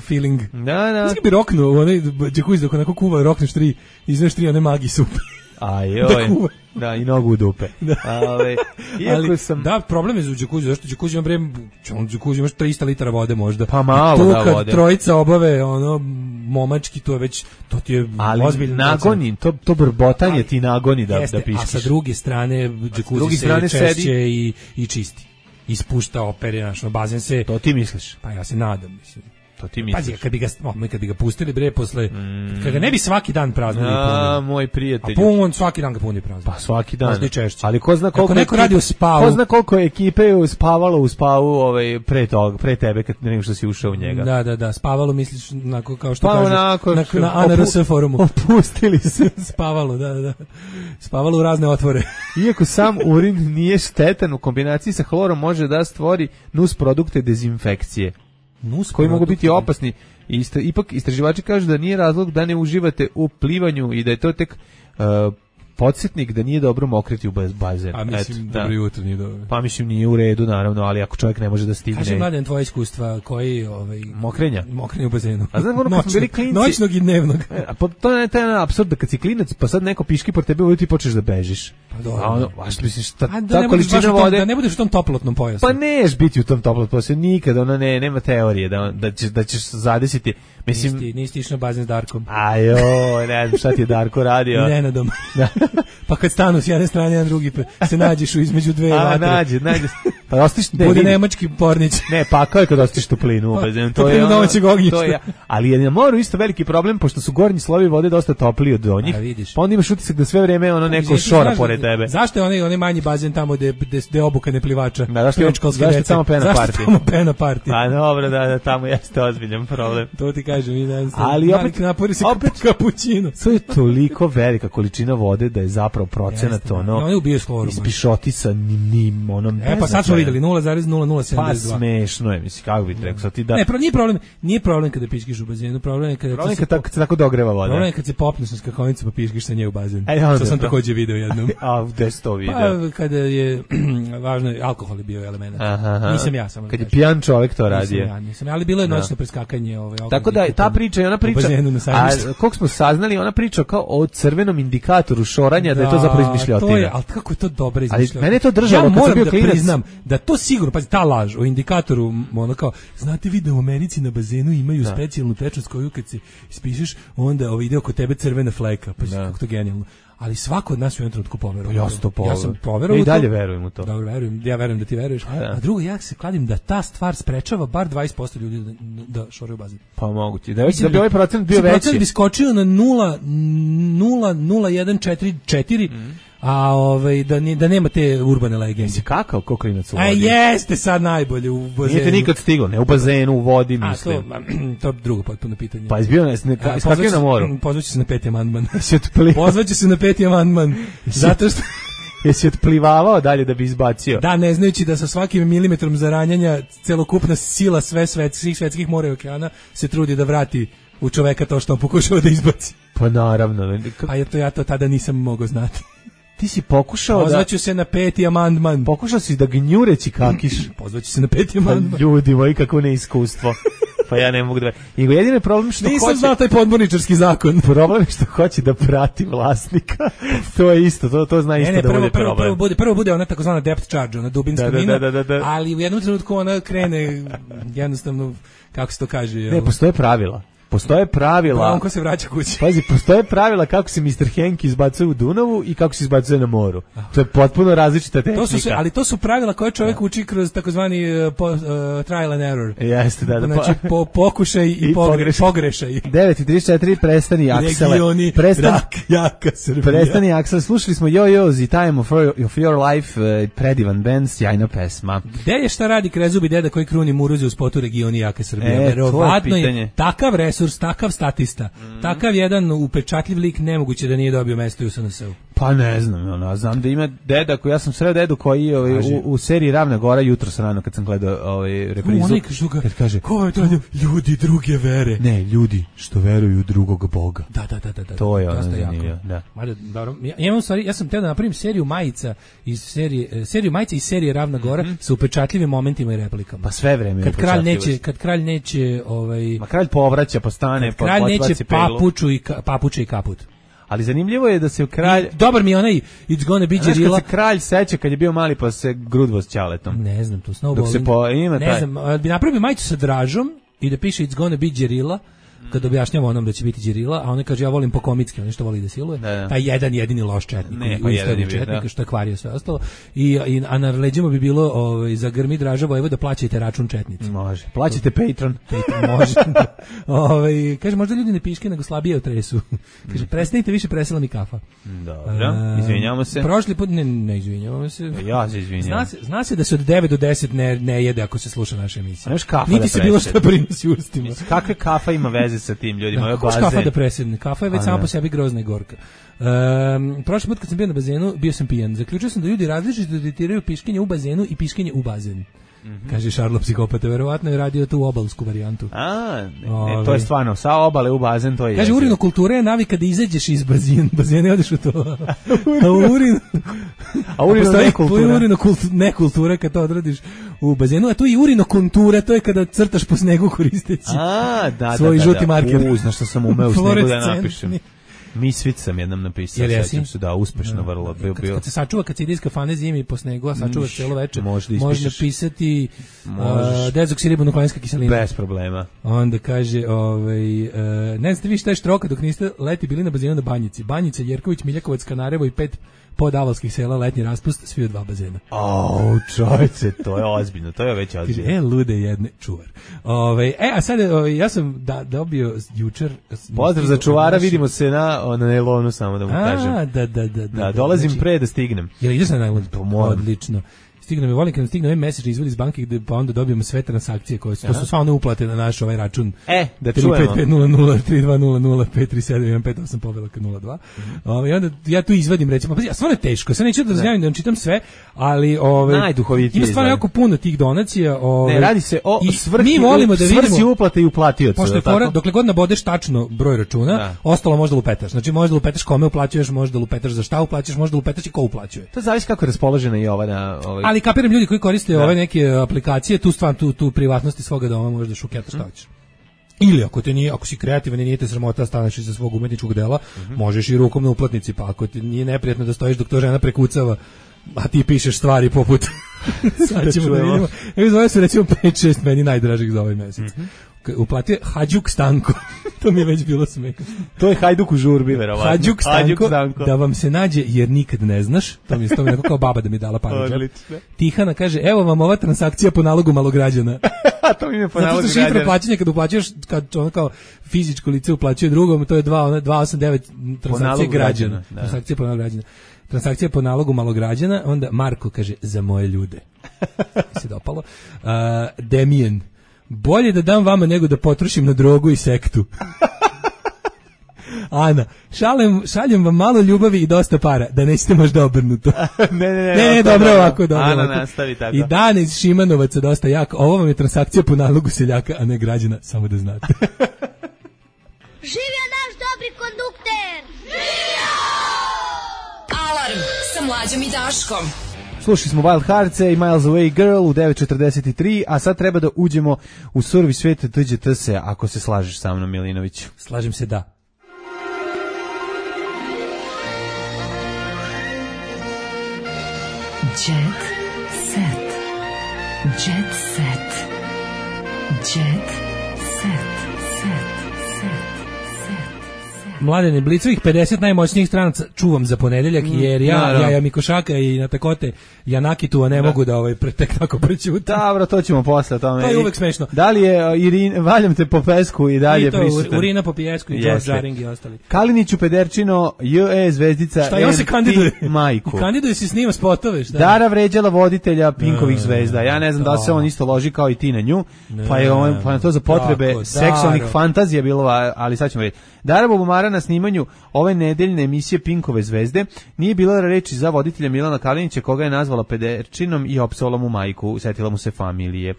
Speaker 3: feeling.
Speaker 2: Da.
Speaker 3: Znači bi roknuo, onaj džakuzi dok onako kuva, rokneš 3, izveš 3 one magi supe.
Speaker 2: Ajoj, da, i nogu u dupe.
Speaker 3: Ali, da, problem je za džakuzi, zašto džakuzi imaš 300 litara vode možda.
Speaker 2: Pa malo da vode.
Speaker 3: Kad trojica obave, momački, to je već, to ti je ozbiljno.
Speaker 2: Ali nagoni, to brbotanje ti nagoni da piškiš.
Speaker 3: A sa druge strane, džakuzi se češće i čisti. Ispušta opere, bazen se...
Speaker 2: To ti misliš?
Speaker 3: Pa ja se nadam, mislim.
Speaker 2: To ti misliš?
Speaker 3: Pazi, kad bi ga pustili, bre, posle... Kad ga ne bi svaki dan praznili punili.
Speaker 2: Moj prijatelj.
Speaker 3: A svaki dan ga puni praznili.
Speaker 2: Pa svaki dan.
Speaker 3: Možda i češće.
Speaker 2: Ali ko zna koliko...
Speaker 3: Ako neko radi u spavu...
Speaker 2: Ko zna koliko ekipe je spavalo u spavu pre tebe, kad nego što si ušao u njega.
Speaker 3: Da, spavalo misliš, kao što kažeš, na ANRS forumu.
Speaker 2: Opustili se.
Speaker 3: Spavalo, da. Spavalo u razne otvore.
Speaker 2: Iako sam urin nije štetan, u kombinaciji sa hlorom može da stvori nus produkte dezinfekcije. Koji mogu biti opasni. Ipak istraživači kažu da nije razlog da ne uživate u plivanju i da je to tek podsjetnik da nije dobro mokriti u bazen.
Speaker 3: A mislim, dobro jutro nije dobro.
Speaker 2: Pa mislim, nije u redu, naravno, ali ako čovjek ne može da stigne...
Speaker 3: Kaži, Mladen, tvoje iskustva, koji...
Speaker 2: Mokrenja
Speaker 3: u bazenu.
Speaker 2: A znam, kad smo bili klinci...
Speaker 3: Noćnog i dnevnog.
Speaker 2: To je taj apsurd da kad si klinac, pa sad neko piški por tebe uvijek ti počneš da bežiš.
Speaker 3: Pa dobro.
Speaker 2: A što misliš, ta količina vode...
Speaker 3: Da ne budeš u tom toplotnom pojasu.
Speaker 2: Pa neš biti u tom toplotnom pojasu, nikad, nema teorije da ćeš zadesiti. Mislim,
Speaker 3: nisi išao na bazen s Darkom.
Speaker 2: Ajoj, ne znam šta ti je Darko radio.
Speaker 3: Nenadom. Pa kad stanu s jedne strane, jedan drugi, se nađeš između dve vatre.
Speaker 2: Nađe. Pa ostiš,
Speaker 3: bude nemački pornić.
Speaker 2: Ne, pa kao je kad ostiš toplinu u bazenu.
Speaker 3: Toplinu domaćeg ognjišta.
Speaker 2: Ali je na moru isto veliki problem, pošto su gornji slovi vode dosta topliji od donjih. Pa onda imaš utisak da sve vreme neko šora pored tebe.
Speaker 3: Zašto je onaj manji bazen tamo gde obuka ne plivača?
Speaker 2: Zašto je tamo
Speaker 3: pena party?
Speaker 2: A dobro, da, tamo jeste ozbiljan problem.
Speaker 3: To ti kažem,
Speaker 2: ali
Speaker 3: napori se kapućino.
Speaker 2: To je toliko velika količina vode da je zapravo procenat ispišoti sa njim onom.
Speaker 3: Pa sad smo videli 0,0072.
Speaker 2: Pa smešno je, mislim, kako bi rekao ti da.
Speaker 3: Ne, nije problem kada piškiš u bazenu, problem je kada
Speaker 2: se tako dogreva voda.
Speaker 3: Problem je kad se popneš na skakonicu pa piškiš sa nje u bazen. Što sam takođe video jednom.
Speaker 2: A gde si to video?
Speaker 3: Pa kada je važno, alkohol je bio element. Nisam ja samo.
Speaker 2: Kad je pijan čovjek to radio.
Speaker 3: Nisam, ali bilo je noćno preskakanje
Speaker 2: tako da ta priča i ona priča, a koliko smo saznali, ona priča kao o crvenom indikatoru šoranja, da je to zapravo izmišljotina.
Speaker 3: Ali kako je to dobra izmišljotina?
Speaker 2: Ali mene je to držalo kad sam bio klinac.
Speaker 3: Ja moram da priznam da to sigurno, pazi, ta laž o indikatoru, ono kao, znate vi da u Americi na bazenu imaju specijalnu tečnost koju kad se ispišeš, onda ide oko tebe crvena fleka, pa kako to genijalno. Ali svako od nas u jednom trenutku poverovao. Ja sam poverovao.
Speaker 2: I dalje verujem u to.
Speaker 3: Dobro, ja verujem da ti veruješ. A drugo, ja se kladim da ta stvar sprečava bar 20% ljudi da šoraju bazen.
Speaker 2: Pa moguće. Da bi ovaj procent bio veći.
Speaker 3: Procent bi skočio na 0,0144, a da nema te urbane legende.
Speaker 2: Si kakao koklinac u vodi?
Speaker 3: A jeste sad najbolje u bazenu.
Speaker 2: Nije te nikad stiglo, ne u bazenu, u vodi, mislim.
Speaker 3: To je drugo potpuno pitanje.
Speaker 2: Pa izbio skakio na moru.
Speaker 3: Pozvaće se na 5. amandman. Pozvaće se na 5. amandman. Zato što...
Speaker 2: Jesi otplivavao dalje da bi izbacio?
Speaker 3: Da, ne znajući da sa svakim milimetrom zaranjanja celokupna sila svih svetskih mora i okeana se trudi da vrati u čoveka to što on pokušava da izbaci.
Speaker 2: Pa naravno.
Speaker 3: A ja to tada nisam mogao znati.
Speaker 2: Ti si pokušao
Speaker 3: Pozvaću se na 5. amandman.
Speaker 2: Pokušao si da gnjureći kakiš.
Speaker 3: Pozvaću se na 5. amandman.
Speaker 2: Pa ljudi moji, kako neiskustvo. Pa ja ne mogu da... Jedini je problem što
Speaker 3: nisam znao taj podmorničarski zakon.
Speaker 2: Problem je što hoće da prati vlasnika. To je isto, to zna isto da bude problem.
Speaker 3: Prvo bude ona takozvana depth charge, ona dubinska mina, ali u jednom trenutku ona krene jednostavno, kako se to kaže...
Speaker 2: Ne, postoje pravila. Postoje pravila.
Speaker 3: On ko se vraća kući.
Speaker 2: Pazi, postoje pravila kako se Mr. Hank izbacuje u Dunavu i kako se izbacuje na moru. To je potpuno različita tehnika.
Speaker 3: Ali to su pravila koje čovjek uči kroz takozvani trial and error.
Speaker 2: Jeste, da.
Speaker 3: Znači, pokušaj i pogrešaj.
Speaker 2: 9:34, prestani Aksele.
Speaker 3: Regioni, jaka Srbija.
Speaker 2: Prestani Aksele. Slušali smo The Time of Your Life, predivan band, sjajna pesma.
Speaker 3: Gde je šta radi krezubi deda koji kruni muruze u spotu Regioni, jaka Srbija? Verovatno je takav resurs, takav statista, takav jedan upečatljiv lik, nemoguće da nije dobio mesto u SNS-u.
Speaker 2: Pa ne znam, znam da ima deda, ja sam sreo dedu koji u seriji Ravna Gora jutros rano kad sam gledao reprizu.
Speaker 3: Kad kaže, ko je to ljudi druge vere?
Speaker 2: Ne, ljudi što veruju u drugog Boga.
Speaker 3: Da.
Speaker 2: To je ono zanimljivo.
Speaker 3: Ja sam teo da napravim seriju majica iz serije Ravna Gora sa upečatljivim momentima i replikama.
Speaker 2: Pa sve vreme je
Speaker 3: Kad kralj neće
Speaker 2: ma kralj povraća, postane,
Speaker 3: kralj neće papuče i kaput.
Speaker 2: Ali zanimljivo je da se kralj...
Speaker 3: Dobar mi je onaj It's gonna be Đerila.
Speaker 2: Znaš kad se kralj seća kad je bio mali pa se grudvo s ćaletom.
Speaker 3: Ne znam, to snowballing. Ne znam, bi napravio majicu sa Dražom i da piše It's gonna be Đerila, kad objašnjava onom da će biti Đerila, a on kaže ja volim po komitski, on što voli da siluje. Taj jedini loš četnik, četnik što je kvario sve ostalo. A na leđima bi bilo za grmi Draža Vojvoda plaćajte račun četnici.
Speaker 2: Može. Plaćajte Patreon.
Speaker 3: Može. Kaže možda ljudi ne piške nego slabije otresu. Kaže prestanite više, presela mi kafa.
Speaker 2: Dobro, izvinjavamo se.
Speaker 3: Prošli put ne izvinjavamo se.
Speaker 2: Ja se izvinjavam.
Speaker 3: Zna se da se od 9 do 10 ne jede ako se sluša naša emisija.
Speaker 2: Niti
Speaker 3: se bilo šta prinosi ustima.
Speaker 2: Kakve kafa ima veze sa tim ljudima?
Speaker 3: Kako kafa da presedne? Kafa je već sama po sebi grozna i gorka. Prošli put kad sam bio na bazenu, bio sam pijan. Zaključio sam da ljudi različito detektiraju piškenje u bazenu i piškenje u bazen. Kaže Šarlo psihopata, verovatno je radio tu obalsku varijantu.
Speaker 2: To je stvarno, sa obale u bazen, to je.
Speaker 3: Kaže, urinokultura je navika da izađeš iz bazena i odeš u to. A nekultura kad to odradiš u bazenu, a tu i urinokultura, to je kada crtaš po snegu koristeći svoj žuti marker.
Speaker 2: Znaš što sam umeo u snegu da napišem. Misvic sam jednom napisao, sećam se, uspešno vrlo.
Speaker 3: Kad se sačuva, kad se ide iz kafane zimi po snegu, a sačuvaš cijelo večer, može napisati dezoksiribonukleinská kiselina.
Speaker 2: Bez problema.
Speaker 3: Onda kaže, ne znate vi šta je štroka dok niste leti bili na bazenu na Banjici. Banjica, Jerković, Miljakovac, Kanarevo i 5 podavalskih sela, letnji raspust, svi u 2 bazena.
Speaker 2: Čovječe, to je ozbiljno, to je već ozbiljno.
Speaker 3: Lude jedne, čuvar. A sad, ja sam dobio jučer...
Speaker 2: Pozdrav za čuvara, vidimo se na nailonu, samo da mu kažem. Da, dolazim pre da stignem.
Speaker 3: Jel ideš na nailon? Odlično. Stigne mi, volim kad nam stigne ovaj mesečni izvod iz banke gde pa onda dobijemo sve transakcije koje su, to su sva one uplate na naš ovaj račun.
Speaker 2: Da čujemo.
Speaker 3: 35503200358158 povelaka 02. I onda ja tu izvadim recimo, pa stvarno je teško, sad neću da razjavim da vam čitam sve, ali
Speaker 2: najduhovitije
Speaker 3: ima stvarno jako puno tih donacija.
Speaker 2: Ne, radi se o svrsi uplate i uplatioca.
Speaker 3: Pošto je fora, dokle god nabodeš tačno broj računa, ostalo možda lupetaš. Znači možda lupetaš kome uplaćuješ, možda lupetaš za šta uplaćuješ, možda lupetaš i ko uplaćuje.
Speaker 2: To zavisi kako je raspoložena i ova na
Speaker 3: ali kapiram ljudi koji koriste ove neke aplikacije, tu privatnosti svoga doma možeš da šuketaš šta hoćeš. Ili ako si kreativan i nije te sramota staneš iza svog umetničkog dela, možeš i rukom na uplatnici, pa ako ti nije neprijatno da stojiš dok to žena prekucava, a ti pišeš stvari poput sad ćemo da vidimo. Zove se recimo 5-6 meni najdražih za ovaj mesec. Uplatio Hadžuk Stanko. To mi je već bilo smešno.
Speaker 2: To je Hajduk u žurbi, verovatno.
Speaker 3: Hadžuk Stanko, da vam se nađe jer nikad ne znaš. To mi je neko kao baba da mi dala pare. Tihana kaže, evo vam ova transakcija po nalogu malograđana.
Speaker 2: To mi je po nalogu građana.
Speaker 3: Zato što šifra plaćanja kad uplaćuješ, kad ono kao fizičko lice uplaćuje drugom, to je 289 transakcije građana. Transakcija po nalogu građana. Transakcija po nalogu malograđana, onda Marko kaže, za moje ljude. Se dopalo. Demijen, bolje da dam vama nego da potrošim na drogu i sektu. Ana, šaljem vam malo ljubavi i dosta para, da nećete možda obrnuto. Ne, dobro ovako.
Speaker 2: Ana, nastavi tako.
Speaker 3: I Dan iz Šimanovaca dosta jak. Ovo vam je transakcija po nalogu seljaka, a ne građana, samo da znate.
Speaker 7: Živio naš dobri kondukter! Živio!
Speaker 1: Alarm sa Mlađom i Daškom.
Speaker 2: Slušali smo Wild Hearts-e i Miles Away Girl u 9:43, a sad treba da uđemo u survi svet TGTS-e, ako se slažeš sa mnom, Milinović.
Speaker 3: Slažem se, da.
Speaker 1: Jet set. Jet set. Jet set.
Speaker 3: Mladene, Blicovih 50 najmoćnijih stranaca čuvam za ponedeljak, jer ja Mikošaka i Natakote Janakitu, a ne mogu da tek tako prećutam.
Speaker 2: Dobro, to ćemo posle tome.
Speaker 3: To je uvek smešno.
Speaker 2: Da li je Valjam te po pesku i dalje prisutan?
Speaker 3: Urina po pijesku i George Jaring i ostali.
Speaker 2: Kaliniću Pederčino, J.E. Zvezdica,
Speaker 3: šta je on se kandiduje?
Speaker 2: Majku.
Speaker 3: Kandiduje se, snima spotove, šta?
Speaker 2: Dara vređala voditelja Pinkovih zvezda. Ja ne znam da se on isto loži kao i ti na nju, pa je na to za potrebe seksualnih fantazija bilo, ali sad ćemo vidjeti. Dara Bubamara na snimanju ove nedeljne emisije Pinkove zvezde nije bilo reči za voditelja Milana Kalinića, koga je nazvala pederčinom i opsovala mu majku, setila mu se familije.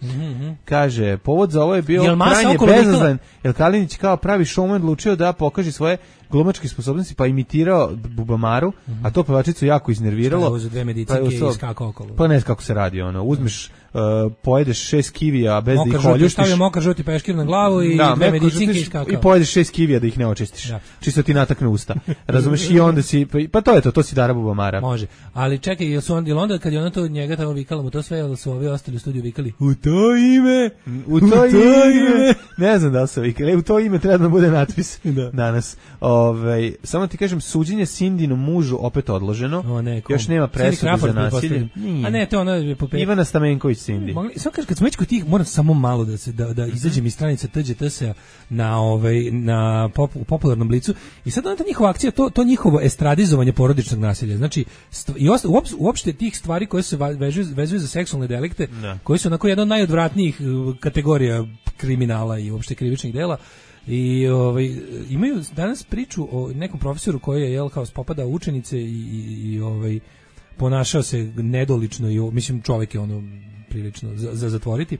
Speaker 2: Kaže, povod za ovo je bio krajnje bezazlen, jer Kalinić kao pravi showman odlučio da pokaže svoje glumačke sposobnosti, pa imitirao Bubamaru, a to pevačicu jako iznerviralo.
Speaker 3: Šta je dve medicinke i skakao okolo?
Speaker 2: Pa ne znam kako se radi, uzmeš, pojedeš 6 kivija bez da ih oljuštiš.
Speaker 3: Stavio mokar žuti peškir na glavu i dve medicinke i skakao.
Speaker 2: I pojedeš 6 kivija da ih ne očistiš. Čisto ti natakne usta. Razumeš, i onda si, pa to je to si Dara Bubamara.
Speaker 3: Može, ali čekaj, jel onda kad je ona to njega tamo vikala mu to sve, jel su ovi ostali u studiju vikali u to ime. Ne znam da li su vikali, u to ime treba da bude natpis danas. Samo ti kažem, suđenje Cindynom mužu opet odloženo. Još nema presude za nasilje. A ne, to ona
Speaker 2: Ivana Stamenković Cindy.
Speaker 3: Samo kažem, kad smo već kod tih, moram samo malo da izađem iz stranice TGTS-a na popularnom Blicu. I sad ona ta njihova akcija, to njihovo estradizovanje porodičnog nasilja. Znači, uopšte tih stvari koje se vezuju za seksualne delikte, koji su onako jedna od najodvratnijih kategorija kriminala i uopšte krivičnih dela. I imaju danas priču o nekom profesoru koji je kao spopadao učenice i ponašao se nedolično i mislim čovjek je prilično za zatvoriti.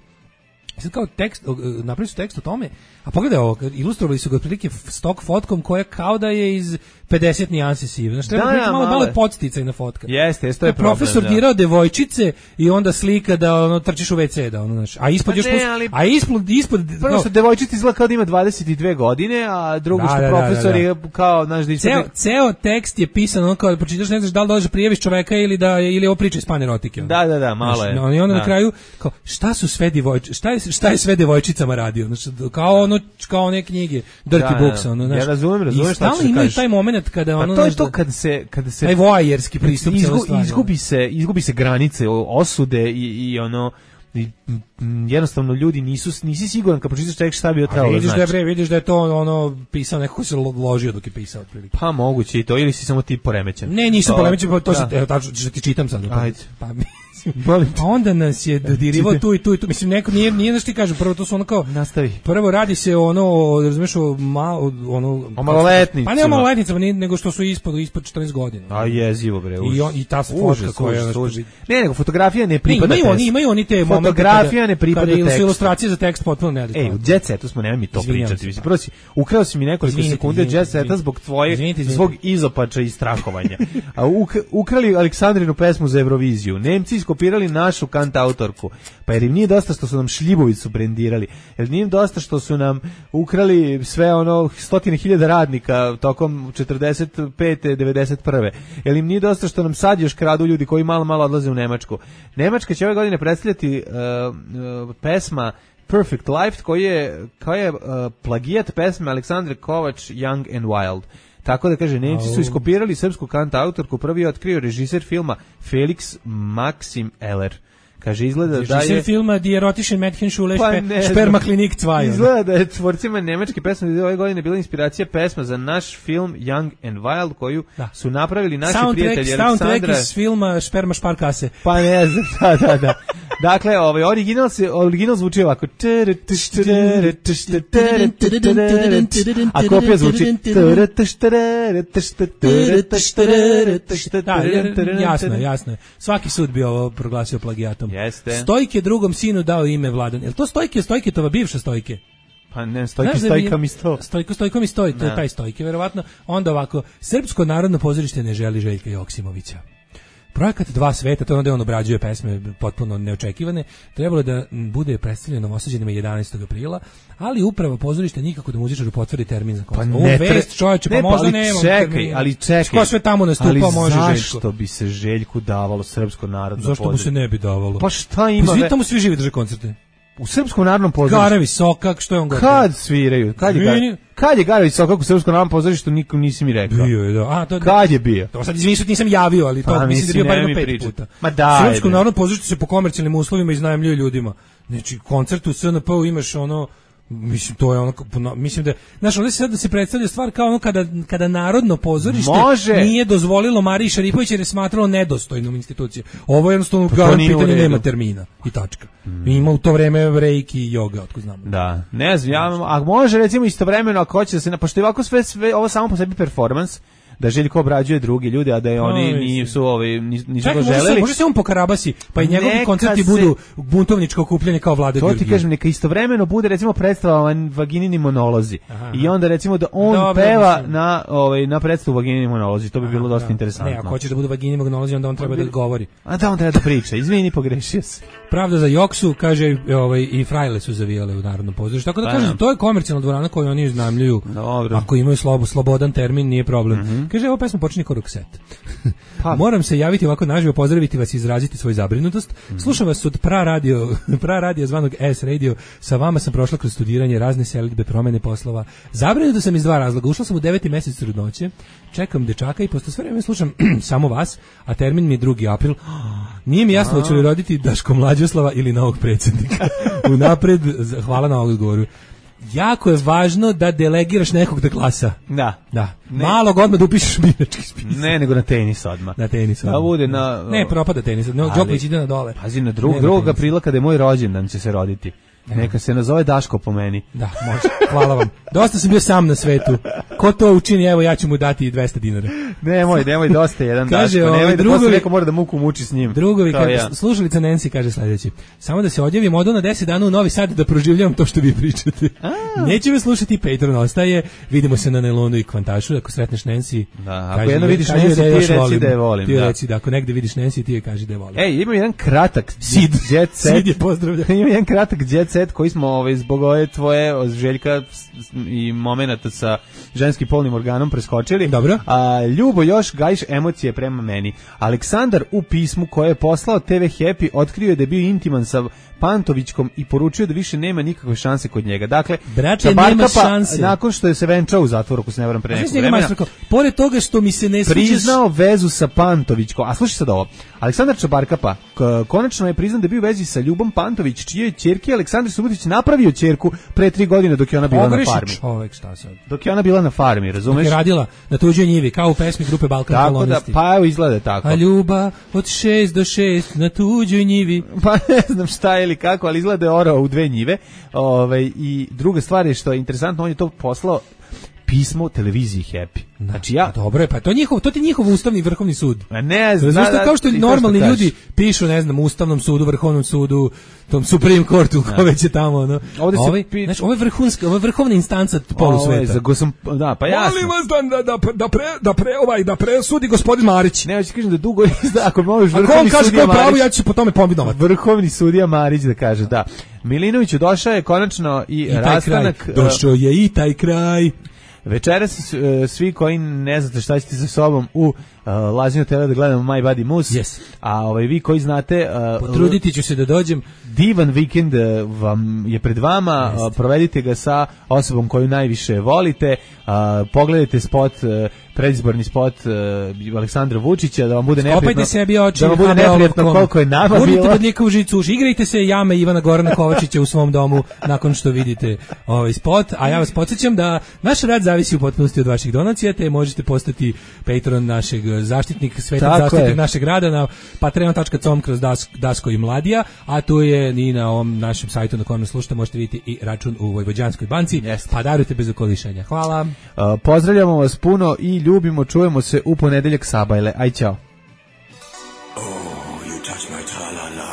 Speaker 3: Sad kao tekst, napravili su tekst o tome, a pogledaj ovo, ilustrovali su ga otprilike stok fotkom koja kao da je iz 50 nijansi sive. Znači, treba malo je podsticajna fotka.
Speaker 2: Jeste, to je problem.
Speaker 3: Profesor dirao devojčice i onda slika da trčiš u WC, da znači. A ispod još ispod
Speaker 2: prvo što devojčica izgleda kao da ima 22 godine, a drugo što profesor je kao, znaš, da
Speaker 3: ceo tekst je pisan ono kao da pročitaš, ne znaš da li dođeš prijaviš čoveka ili ovo priča iz panerotike.
Speaker 2: Da, malo je.
Speaker 3: I onda na kraju kao šta su sve devojčice, šta je sve devojčicama radio, znači kao one knjige Dirty Books, ono, znači.
Speaker 2: Ja razumem šta
Speaker 3: ćeš kažeš. Imaju taj momenat kada ono,
Speaker 2: to je to kada se
Speaker 3: taj voajerski pristup
Speaker 2: izgubi se granice osude i ono jednostavno ljudi nisi siguran kad pročitaš tekst šta bi to trebalo znači.
Speaker 3: Vidiš da je to ono pisao neko ko se ložio dok je pisao otprilike.
Speaker 2: Pa moguće i to, ili si samo ti poremećen.
Speaker 3: Ne, nisam poremećen, to se tačno što ti čitam sad.
Speaker 2: Ajde.
Speaker 3: Pa a onda nas je dodirivao tu i tu. Mislim, neko nije da što ti kažem, prvo to su ono kao...
Speaker 2: Nastavi.
Speaker 3: Prvo radi se ono, razumiješ, o
Speaker 2: maloletnicima.
Speaker 3: Pa ne o maloletnicama, nego što su ispod 14 godina.
Speaker 2: A jezivo, bre.
Speaker 3: I ta fotka koja...
Speaker 2: Ne, nego fotografija ne pripada tekstu.
Speaker 3: Imaju oni te momente
Speaker 2: fotografija ne pripada tekstu.
Speaker 3: Kada su ilustracije za tekst potpuno neadekvatne.
Speaker 2: U Jet Setu smo, nemoj mi to pričati. Mislim, prvo ukrao si mi nekoliko sekundi Jet Seta zbog svog izopača i strahovanja. A ukrali Aleksandrinu pesmu za Euroviziju. Nemci iskopirali našu kantautorku. Pa jer im nije dosta što su nam šljivovicu brendirali. Jer nije im dosta što su nam ukrali sve ono 100.000 radnika tokom 45. 91. Jer im nije dosta što nam sad još kradu ljudi koji malo odlaze u Nemačku. Nemačka će ove godine predstavljati pesma Perfect Life koji je plagijat pesme Aleksandre Kovač Young and Wild. Tako da kaže, Nemci su iskopirali srpsku kantautorku, prvi je otkrio režiser filma Felix Maxim Eller. Kaže, izgleda da je...
Speaker 3: Režiser filma Die Erotischen Mädchenschule Spermaklinik 2.
Speaker 2: Izgleda da je tvorcima nemačke pesme ove godine bila inspiracija pesma za naš film Young and Wild, koju su napravili naši prijatelji Aleksandra...
Speaker 3: Soundtrack iz filma Sperma Šparkase.
Speaker 2: Pa ne znam, da. Dakle, original zvuči ovako. A kopija zvuči...
Speaker 3: Jasno je. Svaki sud bi ovo proglasio plagijatom.
Speaker 2: Jeste.
Speaker 3: Stojke drugom sinu dao ime Vladan. Je li to Stojketova bivša Stojke?
Speaker 2: Pa ne, Stojka mi sto.
Speaker 3: Stojko mi stoji, to je taj Stojke, verovatno. Onda ovako, Srpsko narodno pozorište ne želi Željka Joksimovića. Projekat Dva sveta, to je onda on obrađuje pesme potpuno neočekivane, trebalo da bude predstavljeno Novosađanima 11. aprila, ali uprava pozorišta nikako da muzičaru potvrdi termin za koncert.
Speaker 2: Pa
Speaker 3: ne, vest, čovječe, pa možda nemam termin.
Speaker 2: Ali čekaj.
Speaker 3: Ko sve tamo nastupa, može Željko.
Speaker 2: Ali zašto bi se Željku davalo Srpsko narodno pozorište?
Speaker 3: Zašto mu se ne bi davalo?
Speaker 2: Pa šta ima?
Speaker 3: Pa tamo svi živi drže koncerte.
Speaker 2: U Srpskom narodnom pozorištu.
Speaker 3: Garevi Sokak, što je on govorio?
Speaker 2: Kad sviraju? Kad je Garevi Sokak u Srpskom narodnom pozorištu, nikom nisi mi rekao.
Speaker 3: Bio je, da.
Speaker 2: Kad je bio?
Speaker 3: To sad izvinite, nisam javio, ali to mislim da je bio bar jedno 5 puta.
Speaker 2: Ma da.
Speaker 3: Srpsko narodno pozorište se po komercijalnim uslovima iznajmljuje ljudima. Znači, koncert u SNP-u imaš ono... Mislim, to je ono, mislim da, znaš, ovdje se sad da se predstavlja stvar kao ono kada Narodno pozorište nije dozvolilo Mariji Šaripović jer je smatralo nedostojnom institucije. Ovo je jednostavno pitanje nema termina i tačka. Ima u to vreme reiki i joga, otko znamo.
Speaker 2: Da, ne znam, a može recimo istovremeno ako hoće da se, pošto je ovako sve ovo samo po sebi performans, da Željko obrađuje drugi ljude, a da je oni nisu to želeli.
Speaker 3: Može se on pokarabasi, pa i njegovi koncerti budu buntovničko okupljanje kao Vlade Georgije.
Speaker 2: To ti kažem, neka istovremeno bude recimo predstava Vaginini monolozi. I onda recimo da on peva na predstavu Vaginini monolozi, to bi bilo dosta interesantno.
Speaker 3: Ne, ako hoće da bude Vaginini monolozi, onda on treba da govori.
Speaker 2: A da, on treba da priča, izvini, pogrešio se.
Speaker 3: Pravda za Joksu, kaže, i frajle su zavijale u Narodnom pozorištu. Tako da kažem, to je komercijalna dvorana koju oni iznajmljuju. Ako imaju slobodan termin, nije problem. Kaže, ovo pesma počinje kao Roxette. Moram se javiti ovako naživo, pozdraviti vas i izraziti svoju zabrinutost. Slušam vas od pra radio zvanog S Radio. Sa vama sam prošla kroz studiranje, razne selidbe, promene poslova. Zabrinuto sam iz 2 razloga. Ušla sam u 9. mjesec trudnoće, čekam dečaka i posle sve vreme slušam samo vas, a termin mi je 2. april. Nije mi jasno hoće li roditi Daško Mlađoslava ili novog predsjednika. Unapred, hvala na odgovoru. Jako je važno da delegiraš nekog da glasa. Da. Malo odmah da upišeš birački spisak.
Speaker 2: Ne, nego na tenis odmah.
Speaker 3: Na tenis odmah.
Speaker 2: Da bude na...
Speaker 3: Ne, propada tenis. Đoković ide na dole.
Speaker 2: Pazi, na 2. aprila kada je moj rođendan će se roditi. Neka se nazove Daško po meni.
Speaker 3: Da, može. Hvala vam. Dosta sam bio sam na svetu. ko to učini, evo ja ću mu dati 200 dinara.
Speaker 2: Nemoj, dosta jedan
Speaker 3: kaže,
Speaker 2: Daško, nemoj da
Speaker 3: drugovi,
Speaker 2: posle neko mora da muku muči s njim.
Speaker 3: Drugovi, slušalica Nancy kaže sledeći, samo da se odjavim odo na 10 dana u Novi Sad da proživljavam to što vi pričate. Neće me slušati, Patreon ostaje, vidimo se na Nelonu i Kvantašu, ako sretneš Nancy,
Speaker 2: ako jedno vidiš Nancy, ti reci da je volim.
Speaker 3: Ti reci da ako negde vidiš Nancy, ti je kaži da je volim.
Speaker 2: Ej, imam jedan kratak jet set.
Speaker 3: Sid je pozdravlja.
Speaker 2: Imam jedan kratak jet set koji smo zbog ove tvoje Željka i momenata sa ženskim polnim organom preskočili.
Speaker 3: Dobro.
Speaker 2: Ljubo još gajiš emocije prema meni. Aleksandar u pismu koje je poslao TV Happy otkrio je da je bio intiman sa Pantovićkom i poručio da više nema nikakve šanse kod njega. Dakle,
Speaker 3: nema šanse.
Speaker 2: Nakon što je se venčao u zatvoru, ako se ne varam pre nekog vremena,
Speaker 3: pored toga što mi se ne sviđaš,
Speaker 2: priznao vezu sa Pantovićkom. A slušaj sad ovo. Aleksandar Čabarkapa konačno je priznao da je bio u vezi sa Ljubom Pantović, čije ćerke Aleksandar Subotić napravio ćerku pre 3 godine dok je ona bila na farmi.
Speaker 3: Čovek, šta sad?
Speaker 2: Dok je ona bila na farmi, razumeš?
Speaker 3: Dok je radila na tuđoj njivi, kao u pesmi grupe Balkan Kolonisti.
Speaker 2: Pa evo izgleda tako.
Speaker 3: A Ljuba od 6 do 6 na tuđoj njivi.
Speaker 2: Pa ne znam šta ili kako, ali izgleda je orao u 2 njive. I druga stvar je što je interesantno, on je to poslao pismo televiziji Happy. Znači
Speaker 3: dobro je, pa to ti njihov ustavni vrhovni sud.
Speaker 2: A ne znam,
Speaker 3: kao što normalni ljudi pišu, ne znam, Ustavnom sudu, Vrhovnom sudu, tom Supreme Courtu, ko već je tamo, ono. Znači, ovo je vrhovna instanca polusveta.
Speaker 2: Pa ja
Speaker 3: molim vas da presudi gospodin Marić.
Speaker 2: Ne, hoću kažem da dugo ako možeš vrhovni sudija Marić.
Speaker 3: Pravo, ja ću se po tome pominovati.
Speaker 2: Vrhovni sudija Marić da kaže, da. Milinoviću došao je konačno i rastanak.
Speaker 3: Došao je i taj kraj.
Speaker 2: Večeras svi koji ne znate šta ćete sa sobom u Lazinu TV da gledamo My Body Moose, a vi koji znate,
Speaker 3: potruditi ću se da dođem.
Speaker 2: Divan vikend vam je pred vama, provedite ga sa osobom koju najviše volite, pogledajte spot, predizborni spot Aleksandra Vučića, da vam bude neprijatno,
Speaker 3: sebi oči,
Speaker 2: da vam bude neprijatno koliko je nama bilo.
Speaker 3: Gurnite bodljika u žicu, igrajte se jame Ivana Gorana Kovačića u svom domu nakon što vidite ovaj spot, a ja vas podsjećam da naš rad zavisi u potpunosti od vaših donacija, te možete postati patron našeg zaštitnik, svetac zaštitnik našeg rada na patreon.com kroz Dasko i Mladija, a tu je i na ovom našem sajtu na kojem nas slušate, možete vidjeti i račun u Vojvođanskoj banci, pa darujte bez okolišanja. Hvala.
Speaker 2: Pozdravljamo vas puno i ljubimo, čujemo se u ponedeljak sabajle. Aj, čao.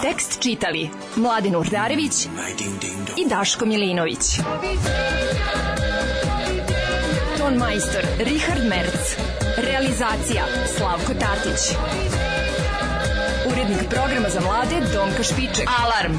Speaker 10: Tekst čitali Mladen Urdarević i Daško Milinović. Ton majstor Richard Merc. Realizacija Slavko Tatić. Urednik programa za mlade Donka Špiček. Alarm!